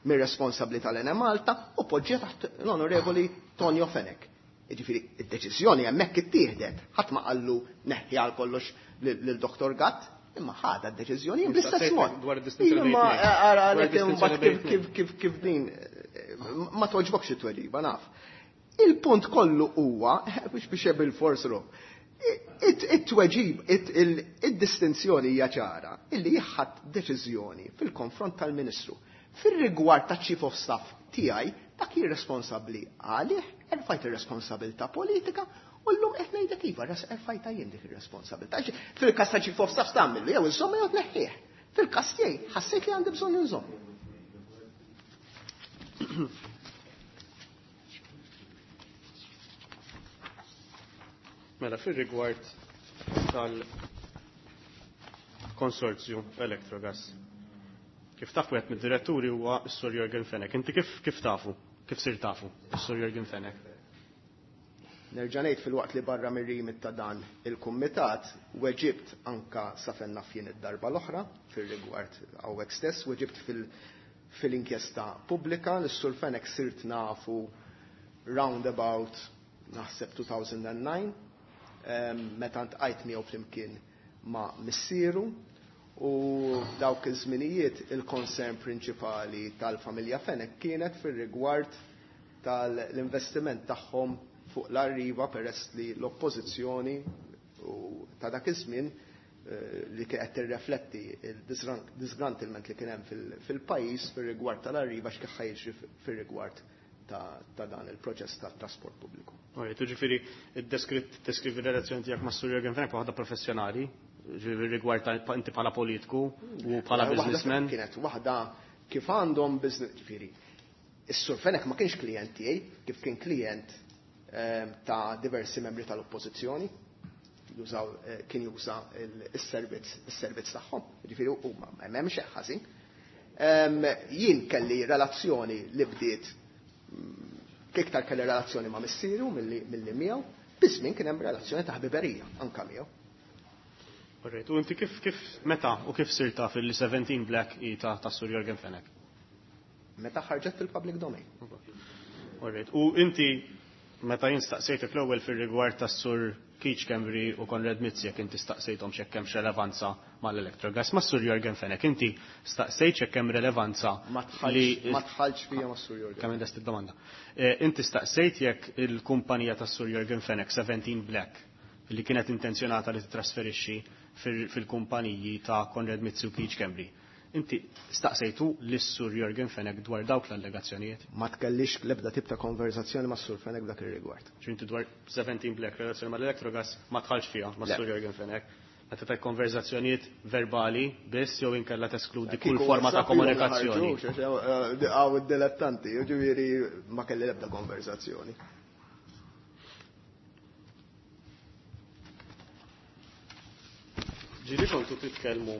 mir responsabbli tal-Enemalta u poġġie taħt l-Onorevoli Tonio Fenech. Jiġifieri id-deċiżjoni hemmhekk ittieħdet, ħadd ma qallu neħħi għal kollox lil Doktor Gatt, imma ħadha d-deċiżjoni bl-istess mod. Dwar id-distinzjoni bejn Imma it-tnejn. ara Dwar għalhekk id-distinzjoni imbagħad bejn kif kif kif kif din ma toġbokx it-tweġiba naf. Il-punt kollu huwa biex biex bil-fors ru. It-tweġib, id-distinzjoni hija ċara illi jħadd deċiżjoni fil-konfront tal-Ministru. Fir-rigward ta' Chief of Staff tiegħi, dak jirresponsabbli għalih, erfajt ir-responsabilità politika u llum qed ngħidlek iva, erfajta jien dik ir-responsabilità. Fil-każ ta' Chief of Staff tagħmillu jew inżomm jew tneħħih. Fil-każ tiegħi ħassejt li għandi bżonn inżomm. Mela, fil-rigward tal-konsorzju Electrogas. Kif tafu wieħed mid-diretturi huwa s-Sur Jürgen Fenech. Inti kif kif tafu? Kif sir tafu s-Sur Jürgen Fenech? Nerġa' ngħid fil-waqt li barra mir-rimit ta' dan il-kumitat, weġibt anka sa fejn naf jien id-darba l-oħra fir-rigward hawnhekk stess, weġibt fil- fil-inkjesta pubblika li s-Sur Fenech sirt nafu roundabout naħseb two thousand and nine, em, meta ntqajt miegħu flimkien ma' missieru u dawk iż-żminijiet il-concern prinċipali tal-familja Fenech kienet fir-rigward tal-investiment tagħhom fuq l-Arriva peress li l-oppożizzjoni u ta' dak iż-żmien, eh, li kien qed tirrefletti il-disgruntlement li kien hemm fil-, fil-pajjiż fir-rigward tal-Arriva x'kien ħajġri fir-rigward ta', ta' dan il-proċess ta' trasport pubbliku. Oj, tu ġifieri id-deskrivi r-relazzjoni tiegħek ma' Sur Jürgen Fenech waħda professjonali, ġifieri rigward ta' inti bħala politiku u bħala Waħda businessman. Kienet waħda kif għandhom business, ġifieri. Is-Sur Fenech ma kienx klient tiegħi, kif kien klient, ehm, ta' diversi membri tal-oppożizzjoni, jużaw, eh, kien juża il-servizz, il-servizz tagħhom, ġifieri huma m'hemmx hekk ħażin. Ehm, jien kelli relazzjoni li bdiet, mm, iktar kelli relazzjoni ma' missieru milli, milli miegħu, biss min kien hemm relazzjoni ta' ħbiberija anka miegħu. Alright, u inti kif, kif meta u kif sirt taf li seventeen Black i ta', ta' Sur Jürgen Fenech? Meta ħarġet fil-public domain. Alright, u inti meta jien staqsejtek l-ewwel fir-rigward tas-Sur Keith Schembri u Konrad Mizzi jekk inti staqsejthom x'hekk hemmx relevanza mal-Electrogas, ma' Sur Jürgen Fenech inti staqsejt x'hekk hemm relevanza Ma tħallx, li ma tħallx fija ma' Sur Jürgen. Kemm indest id-domanda. Eh, inti staqsejt jekk il-kumpanija tas-Sur Jürgen Fenech seventeen Black li kienet intenzjonata li titrasferixxi fil-, fil-kumpaniji ta' Konrad Mizzi u Keith Schembri. Inti staqsejtu lis-Sur Yorgen Fenech dwar dawk l-allegazzjonijiet? Ma tkellix l-ebda tip ta' konverzazzjoni ma' Sur Fenech dak ir-rigward. Ġifieri dwar seventeen Black relazzjoni mal-Electrogas ma tħallx fiha ma' Sur Yorgen Fenech. Meta ta' konverzazzjonijiet verbali biss jew inkella teskludi kull forma ta' komunikazzjoni. Għaw id-dilettanti, ġifieri ma kelli l-ebda konverzazzjoni. Ġieli kontu titkellmu,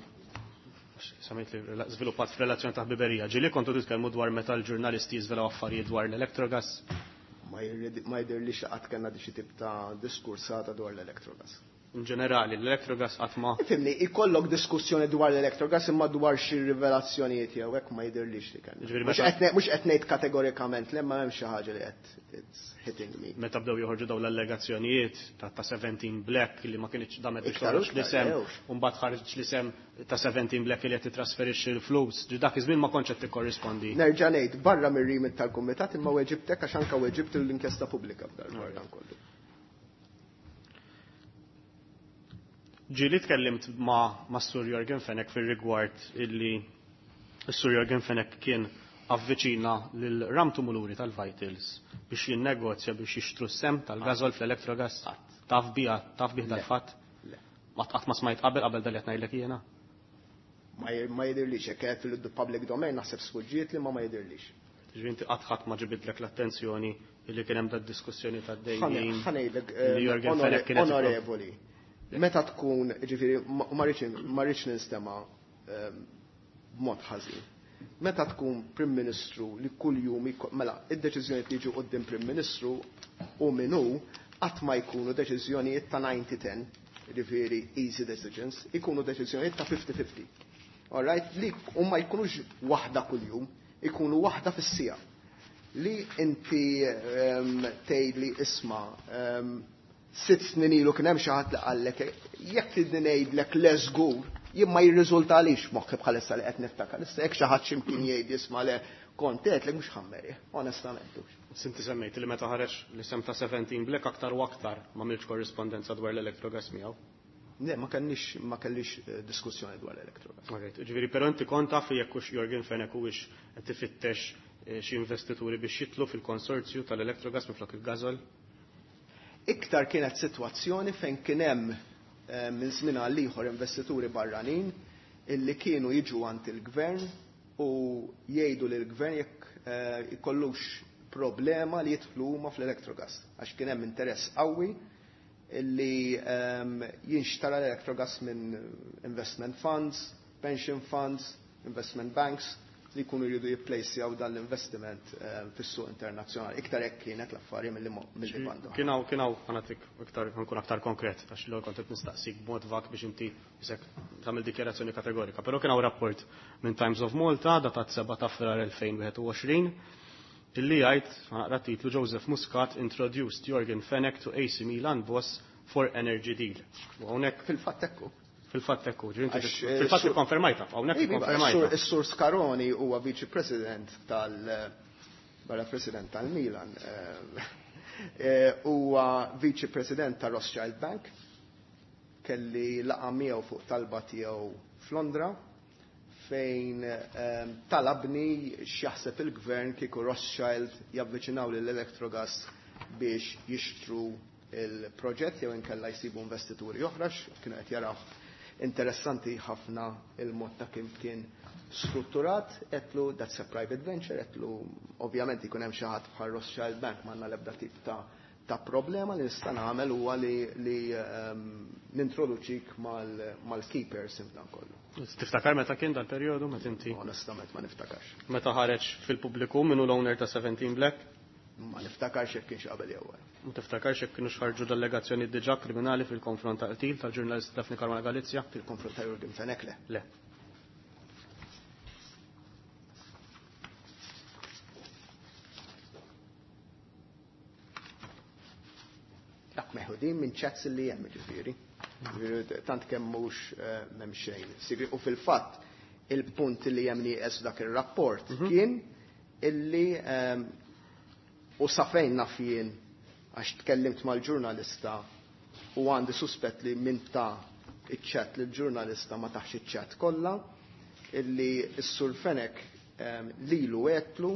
samajt li żviluppat f'relazzjoni ta' ħbiberija, ġieli kontu titkellmu dwar meta l-ġurnalisti jiżvelaw affarijiet dwar l-Electrogas? Ma jidhirlix qatt kellna xi tip ta' diskursata dwar l-Electrogas. In ġenerali, l-Electrogas qatt ma. Ifhimni, ikollok diskussjoni dwar l-Electrogas imma dwar xi rivelazzjonijiet jew hekk ma jidhirlix li kellna. Mhux qed ngħid kategorikament le, ma hemm xi ħaġa li qed it's hitting me. Meta bdew joħorġu dawn l-allegazzjonijiet ta' seventeen Black li ma kienx damet biex toħroġ l-isem, u mbagħad ħareġ l-isem ta' seventeen Black li qed titrasferixxi l-flus, dak iż-żmien ma kontx qed tikkorrispondi. Nerġa' ngħid barra mir-remit tal-kumitat imma weġibtek għax anke weġibt l-inkjesta pubblika f'dan dan kollu. Ġieli tkellimt ma' ma' Sur Yorgen Fenech fir-rigward illi s-Sur Yorgen Fenech kien avviċina lil Ram Tumuluri tal-Vitals biex jinnegozja biex jixtru s-sem tal-gazol fl-Electrogas. Taf biha, taf bih dal-fatt? Ma qatt ma smajt qabel qabel dal qed ngħidlek jiena. Ma jidhirlix hekk qed fil-public domain naħseb sfuġġiet li ma ma jidhirlix. Ġifieri inti qatt ħadd ma ġibidlek l-attenzjoni illi kien hemm dad-diskussjoni tad-dejjin. Ħa ngħidlek onorevoli. Meta tkun, ġifieri, ma rridx ninstema' b'mod ħażin. Meta tkun Prim Ministru li kuljum, mela, id-deċiżjonijiet li jiġu quddiem Prim Ministru u min hu qatt ma jkunu deċiżjonijiet ta' ninety ten, ġifieri easy decisions, ikunu deċiżjonijiet ta' fifty fifty. All right? Li u ma jkunux waħda kuljum, ikunu waħda fis-siegħa. Li inti tgħidli isma' sitt snin ilu kien hemm xi ħadd li qallek jekk tridni ngħidlek le żgur, jien ma jirriżultalix moħħi bħalissa li qed niftakar. Issa jekk xi ħadd x'imkien jgħid jisma' le kont għedtlek mhux ħammeri, onestament. Sinti semmejt li meta ħareġ l-isem ta' seventeen Black aktar u aktar ma m'ilx korrispondenza dwar l-Electrogas miegħu. Le, ma kellix, ma kellix diskussjoni dwar l-Electrogas. Alright, ġifieri però inti kont taf jekk hux Yorgen Fenech huwiex qed ifittex xi investituri biex jitlu fil-konsorzju tal-Electrogas minflok il-Gazol? Iktar kienet sitwazzjoni fejn kien hemm minn żmien għal ieħor investituri barranin illi kienu jiġu għand il-gvern u jgħidu lil gvern jekk ikollux problema li jidħlu huma fl-Electrogas għax kien hemm interess qawwi illi jinxtara l-Electrogas minn investment funds, pension funds, investment banks li jkunu jridu jipplejsjaw dan l-investiment fis-suq internazzjonali. Iktar hekk kienet l-affari mill-li banda. Kien hawn, kien hawn, ħa nagħtik iktar, ħa nkun aktar konkret, għax l-ewwel kont qed nistaqsik b'mod vag biex inti isek tagħmel dikjarazzjoni kategorika. Però kien hawn rapport minn Times of Malta datat seba' ta' Frar elfejn wieħed u għoxrin illi jgħid, ħa naqra titlu, Joseph Muscat introduced Yorgen Fenech to A C Milan boss for energy deal. U hawnhekk fil-fatt ekku. Fil-fatt ekku, ġifieri inti Għax, fil-fatt eh, ikkonfermajta, hawnhekk Iva, ikkonfermajta. Is-Sur Scaroni huwa viċi president tal barra president tal-Milan, eh, eh, huwa viċi president ta' Rothschild Bank, kelli laqa miegħu fuq talba tiegħu f'Londra fejn, eh, talabni x'jaħseb il-gvern kieku Rothschild javviċinaw lill-Electrogas biex jixtru il-proġett jew inkella jsibu investituri oħra, kienu qed jaraw interessanti ħafna il-mod ta' kif kien strutturat, etlu that's a private venture, etlu ovvjament ikun hemm xi ħadd bħal Rothschild Bank m'għandna l-ebda tip ta', ta' problema li nista' nagħmel huwa li, li, ehm, nintroduċik mal-, mal-keepers f'dan kollu. Tiftakar meta kien dal-perjodu meta inti? Onestament ma niftakarx. Meta ħareġ fil-pubbliku minnu l-owner ta' seventeen Black? Ma niftakarx jekk kienx qabel jew wara. Ma tiftakarx jekk kienu xħarġu delegazzjoni diġà kriminali fil-konfront ta' qtil tal-ġurnalist Daphne Caruana Galizia? Fil-konfront ta' Yorgen Fenech le. Le. Dak meħudin minn chats li hemm ġifieri. Ġifieri tant kemm mhux, eh, m'hemm xejn. Sigri, u fil-fatt il-punt li hemm nieqes dak ir-rapport Mhm. kien illi, ehm, u sa fejn naf jien għax tkellimt mal-ġurnalista u għandi suspett li min ta' iċ-chat lill-ġurnalista ma taħx iċ-chat kollha, illi s-Sur Fenech lilu għedtlu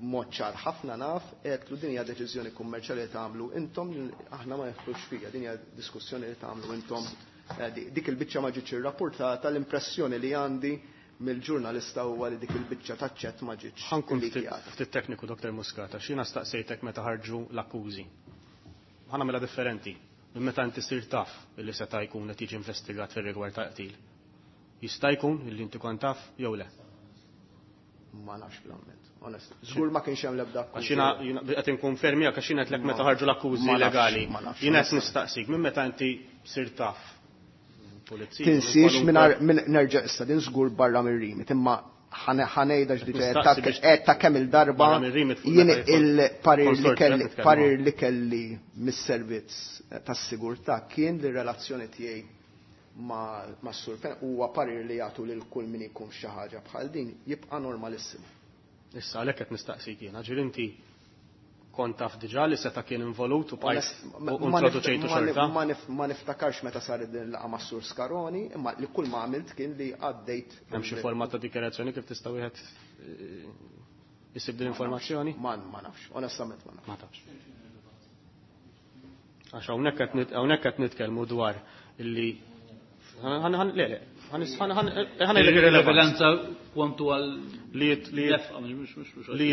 mod ċar ħafna naf, għedtlu din hija deċiżjoni kummerċjali li tagħmlu intom, aħna ma neħlux fiha, din hija diskussjoni li tagħmlu intom. Dik il-biċċa ma ġietx irrapportata, l-impressjoni li għandi mill-ġurnalista huwa li dik il-biċċa taċ-ċett ma ġietx. Ħankun ftit tekniku, Doktor Muscat, għax jiena staqsejtek meta ħarġu l-akkużi. Ħa nagħmilha differenti. Minn meta inti sir taf illi seta' jkun qed jiġi investigat fir-rigward ta' qtil. Jista' jkun illi inti kont taf jew le? Ma nafx bl-amment, onest. Żgur ma kienx hemm l-ebda akkużi. Għax jiena qed inkonfermi għax jiena qedlek meta ħarġu l-akkużi legali. Jiena qed nistaqsik minn meta inti sir taf. Tinsiex minn nerġa' issa din żgur barra mir-rimit, imma ħanejda x'diġà ta' kemm il-darba jien il-parir li kelli parir li kelli mis-servizz tas-sigurtà kien li relazzjoni tiegħi ma' s-Sur Fenech huwa parir li jagħtu lil kull min ikun xi ħaġa bħal din jibqa' normalissimu. Issa għalhekk qed nistaqsik jiena, ġifieri inti kont taf diġà li seta' kien involut u bqajt u introduċejtu xorta? Ma niftakarx meta saret din il-laqgħa mas-Sur Scaroni, imma li kull ma għamilt kien li għaddejt. Hemm xi forma ta' dikjarazzjoni kif tista' wieħed isib din l-informazzjoni? Ma nafx, onestament ma nafx. Ma tafx. Għax hawnhekk qed nitkellmu dwar illi le le Il-rilevanza kwantu għal li li jidħol li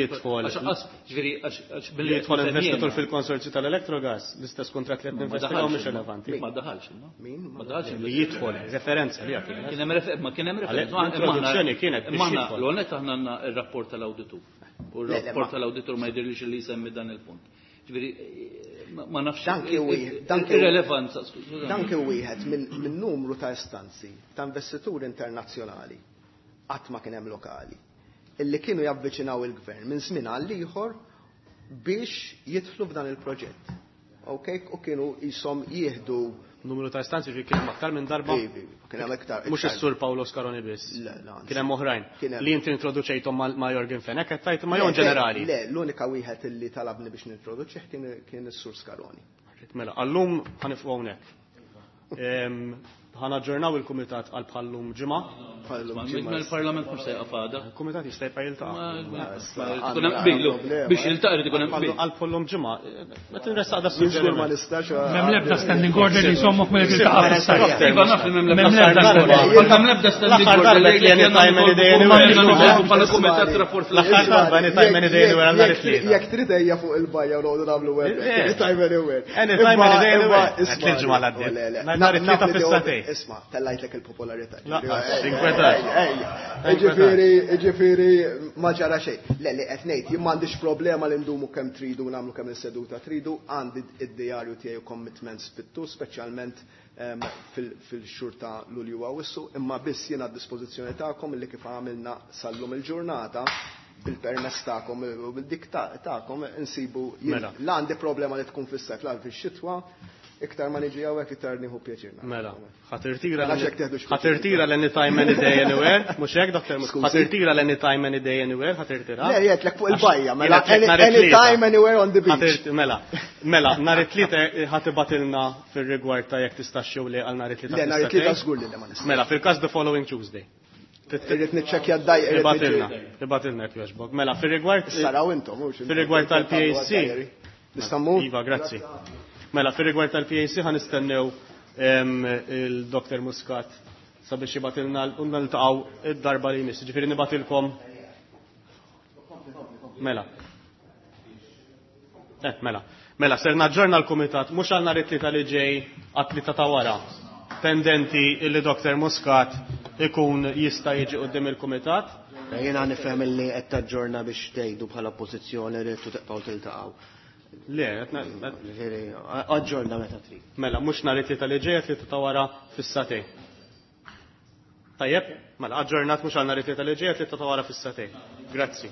jidħol investitur fil-konsorzju tal-Electrogas, l-istess kuntratt li qed ninvestigaw mhux rilevanti. Ma daħalx, min? Ma daħalx. Li jidħol referenza li kien hemm ma kien hemm referenza. Introduzzjoni kienet biex jidħol. L-għonet aħna għandna r-rapport tal-awditur. U r-rapport tal-awditur ma jidhirlix li jsemmi dan il-punt. Ġifieri ma nafx irrelevanza. Dan kien wieħed minn numru ta' istanzi ta' investituri internazzjonali qatt ma kien hemm lokali illi kienu javviċinaw il-gvern minn żmien għal ieħor biex jidħlu f'dan il-proġett. Okay? U kienu jisom jieħdu numru ta' istanzi ġi kien aktar minn darba. Kien hemm iktar. Mhux is-Sur Paolo Scaroni biss. Kien hemm oħrajn li inti introduċejthom ma' Yorgen Fenech qed tgħid ma' jew ġenerali. Le, l-unika wieħed illi talabni biex nintroduċih kien is-Sur Scaroni. Mela, għallum ħanifqu hawnhekk. Ħanaġġornaw il-kumitat għal bħallum ġimgħa. Il-Parlament mhux se jaqaf għada. Il-kumitat jista' jibqa' jiltaqa'. Ikun hemm qbil, biex jiltaqa' irid ikun hemm qbil. Għal bħallum ġimgħa, qed inressaq da suġġeriment. Ma nistax. M'hemm l-ebda standing order li jsommok milli tiltaqa' fis-sajf. Iva naf li m'hemm l-ebda standing order li anytime any day anywhere. Bħala kumitat rapport l-aħħar darba anytime any day anywhere għal nhar it-tlieta. Jekk trid ejja fuq il-bajja u noqogħdu nagħmlu web. Anytime anywhere. Anytime any day anywhere. Tliet ġimgħa l-għaddiet. Nhar it-tlieta fis-satej. Isma, tellajtlek il-popolarità. Ġifieri, ġifieri ma ġara xejn. Le, li qed ngħid, jien m'għandix problema li ndumu kemm tridu nagħmlu kemm is-seduta tridu, għandi id-dijarju tiegħi u commitments fit-tul, speċjalment fil-xhur ta' Lulju Awwissu, imma biss jien għad-dispożizzjoni tagħkom illi kif għamilna sal-lum il-ġurnata bil-permess tagħkom u bil-dik tagħkom insibu la għandi problema li tkun fis-sajf la fix-xitwa. Iktar ma niġi hawnhekk iktar nieħu pjaċir. Mela, ħatirtira ħatirtira l-anytime any day anywhere, mhux hekk Doktor Muscat. Ħatirtira l-anytime any day anywhere, ħatirtira. Le, jgħidlek fuq il-bajja, mela anytime anywhere on the beach. Mela, mela, nhar it-tlieta ħatibatilna fir-rigward ta' jekk tistax jew le għal nhar it-tlieta. Le, nhar it-tlieta żgur li ma nistax. Mela, fil-każ the following Tuesday. Irrid niċċekkja d-daj. Ibatilna, ibatilna jekk jogħġbok. Mela, fir-rigward. Saraw intom, mhux. Fir-rigward tal-P A C. Nista' Iva, grazzi. Mela, fir-rigward tal-P A C ħa nistennew il-Doktor Muscat sabiex jibatilna u niltaqgħu id-darba li jmiss. Ġifieri nibatilkom. Mela. Eh, mela. Mela, ser naġġorna l-kumitat mhux għal nhar it-tlieta li ġej għat-tlieta ta' wara. Pendenti illi Doktor Muscat ikun jista' jiġi quddiem il-kumitat. Jiena nifhem illi qed taġġorna biex tgħidu bħala oppożizzjoni li tibqgħu tiltaqgħu. Le, qed Ġifieri, aġġorna meta trid. Mela, mhux nhar it-tlieta li ġej, tlieta ta' wara fis-satej. Tajjeb, mela aġġornat mhux għal nhar it-tlieta li ġej, tlieta ta' wara fis-satej. Grazzi.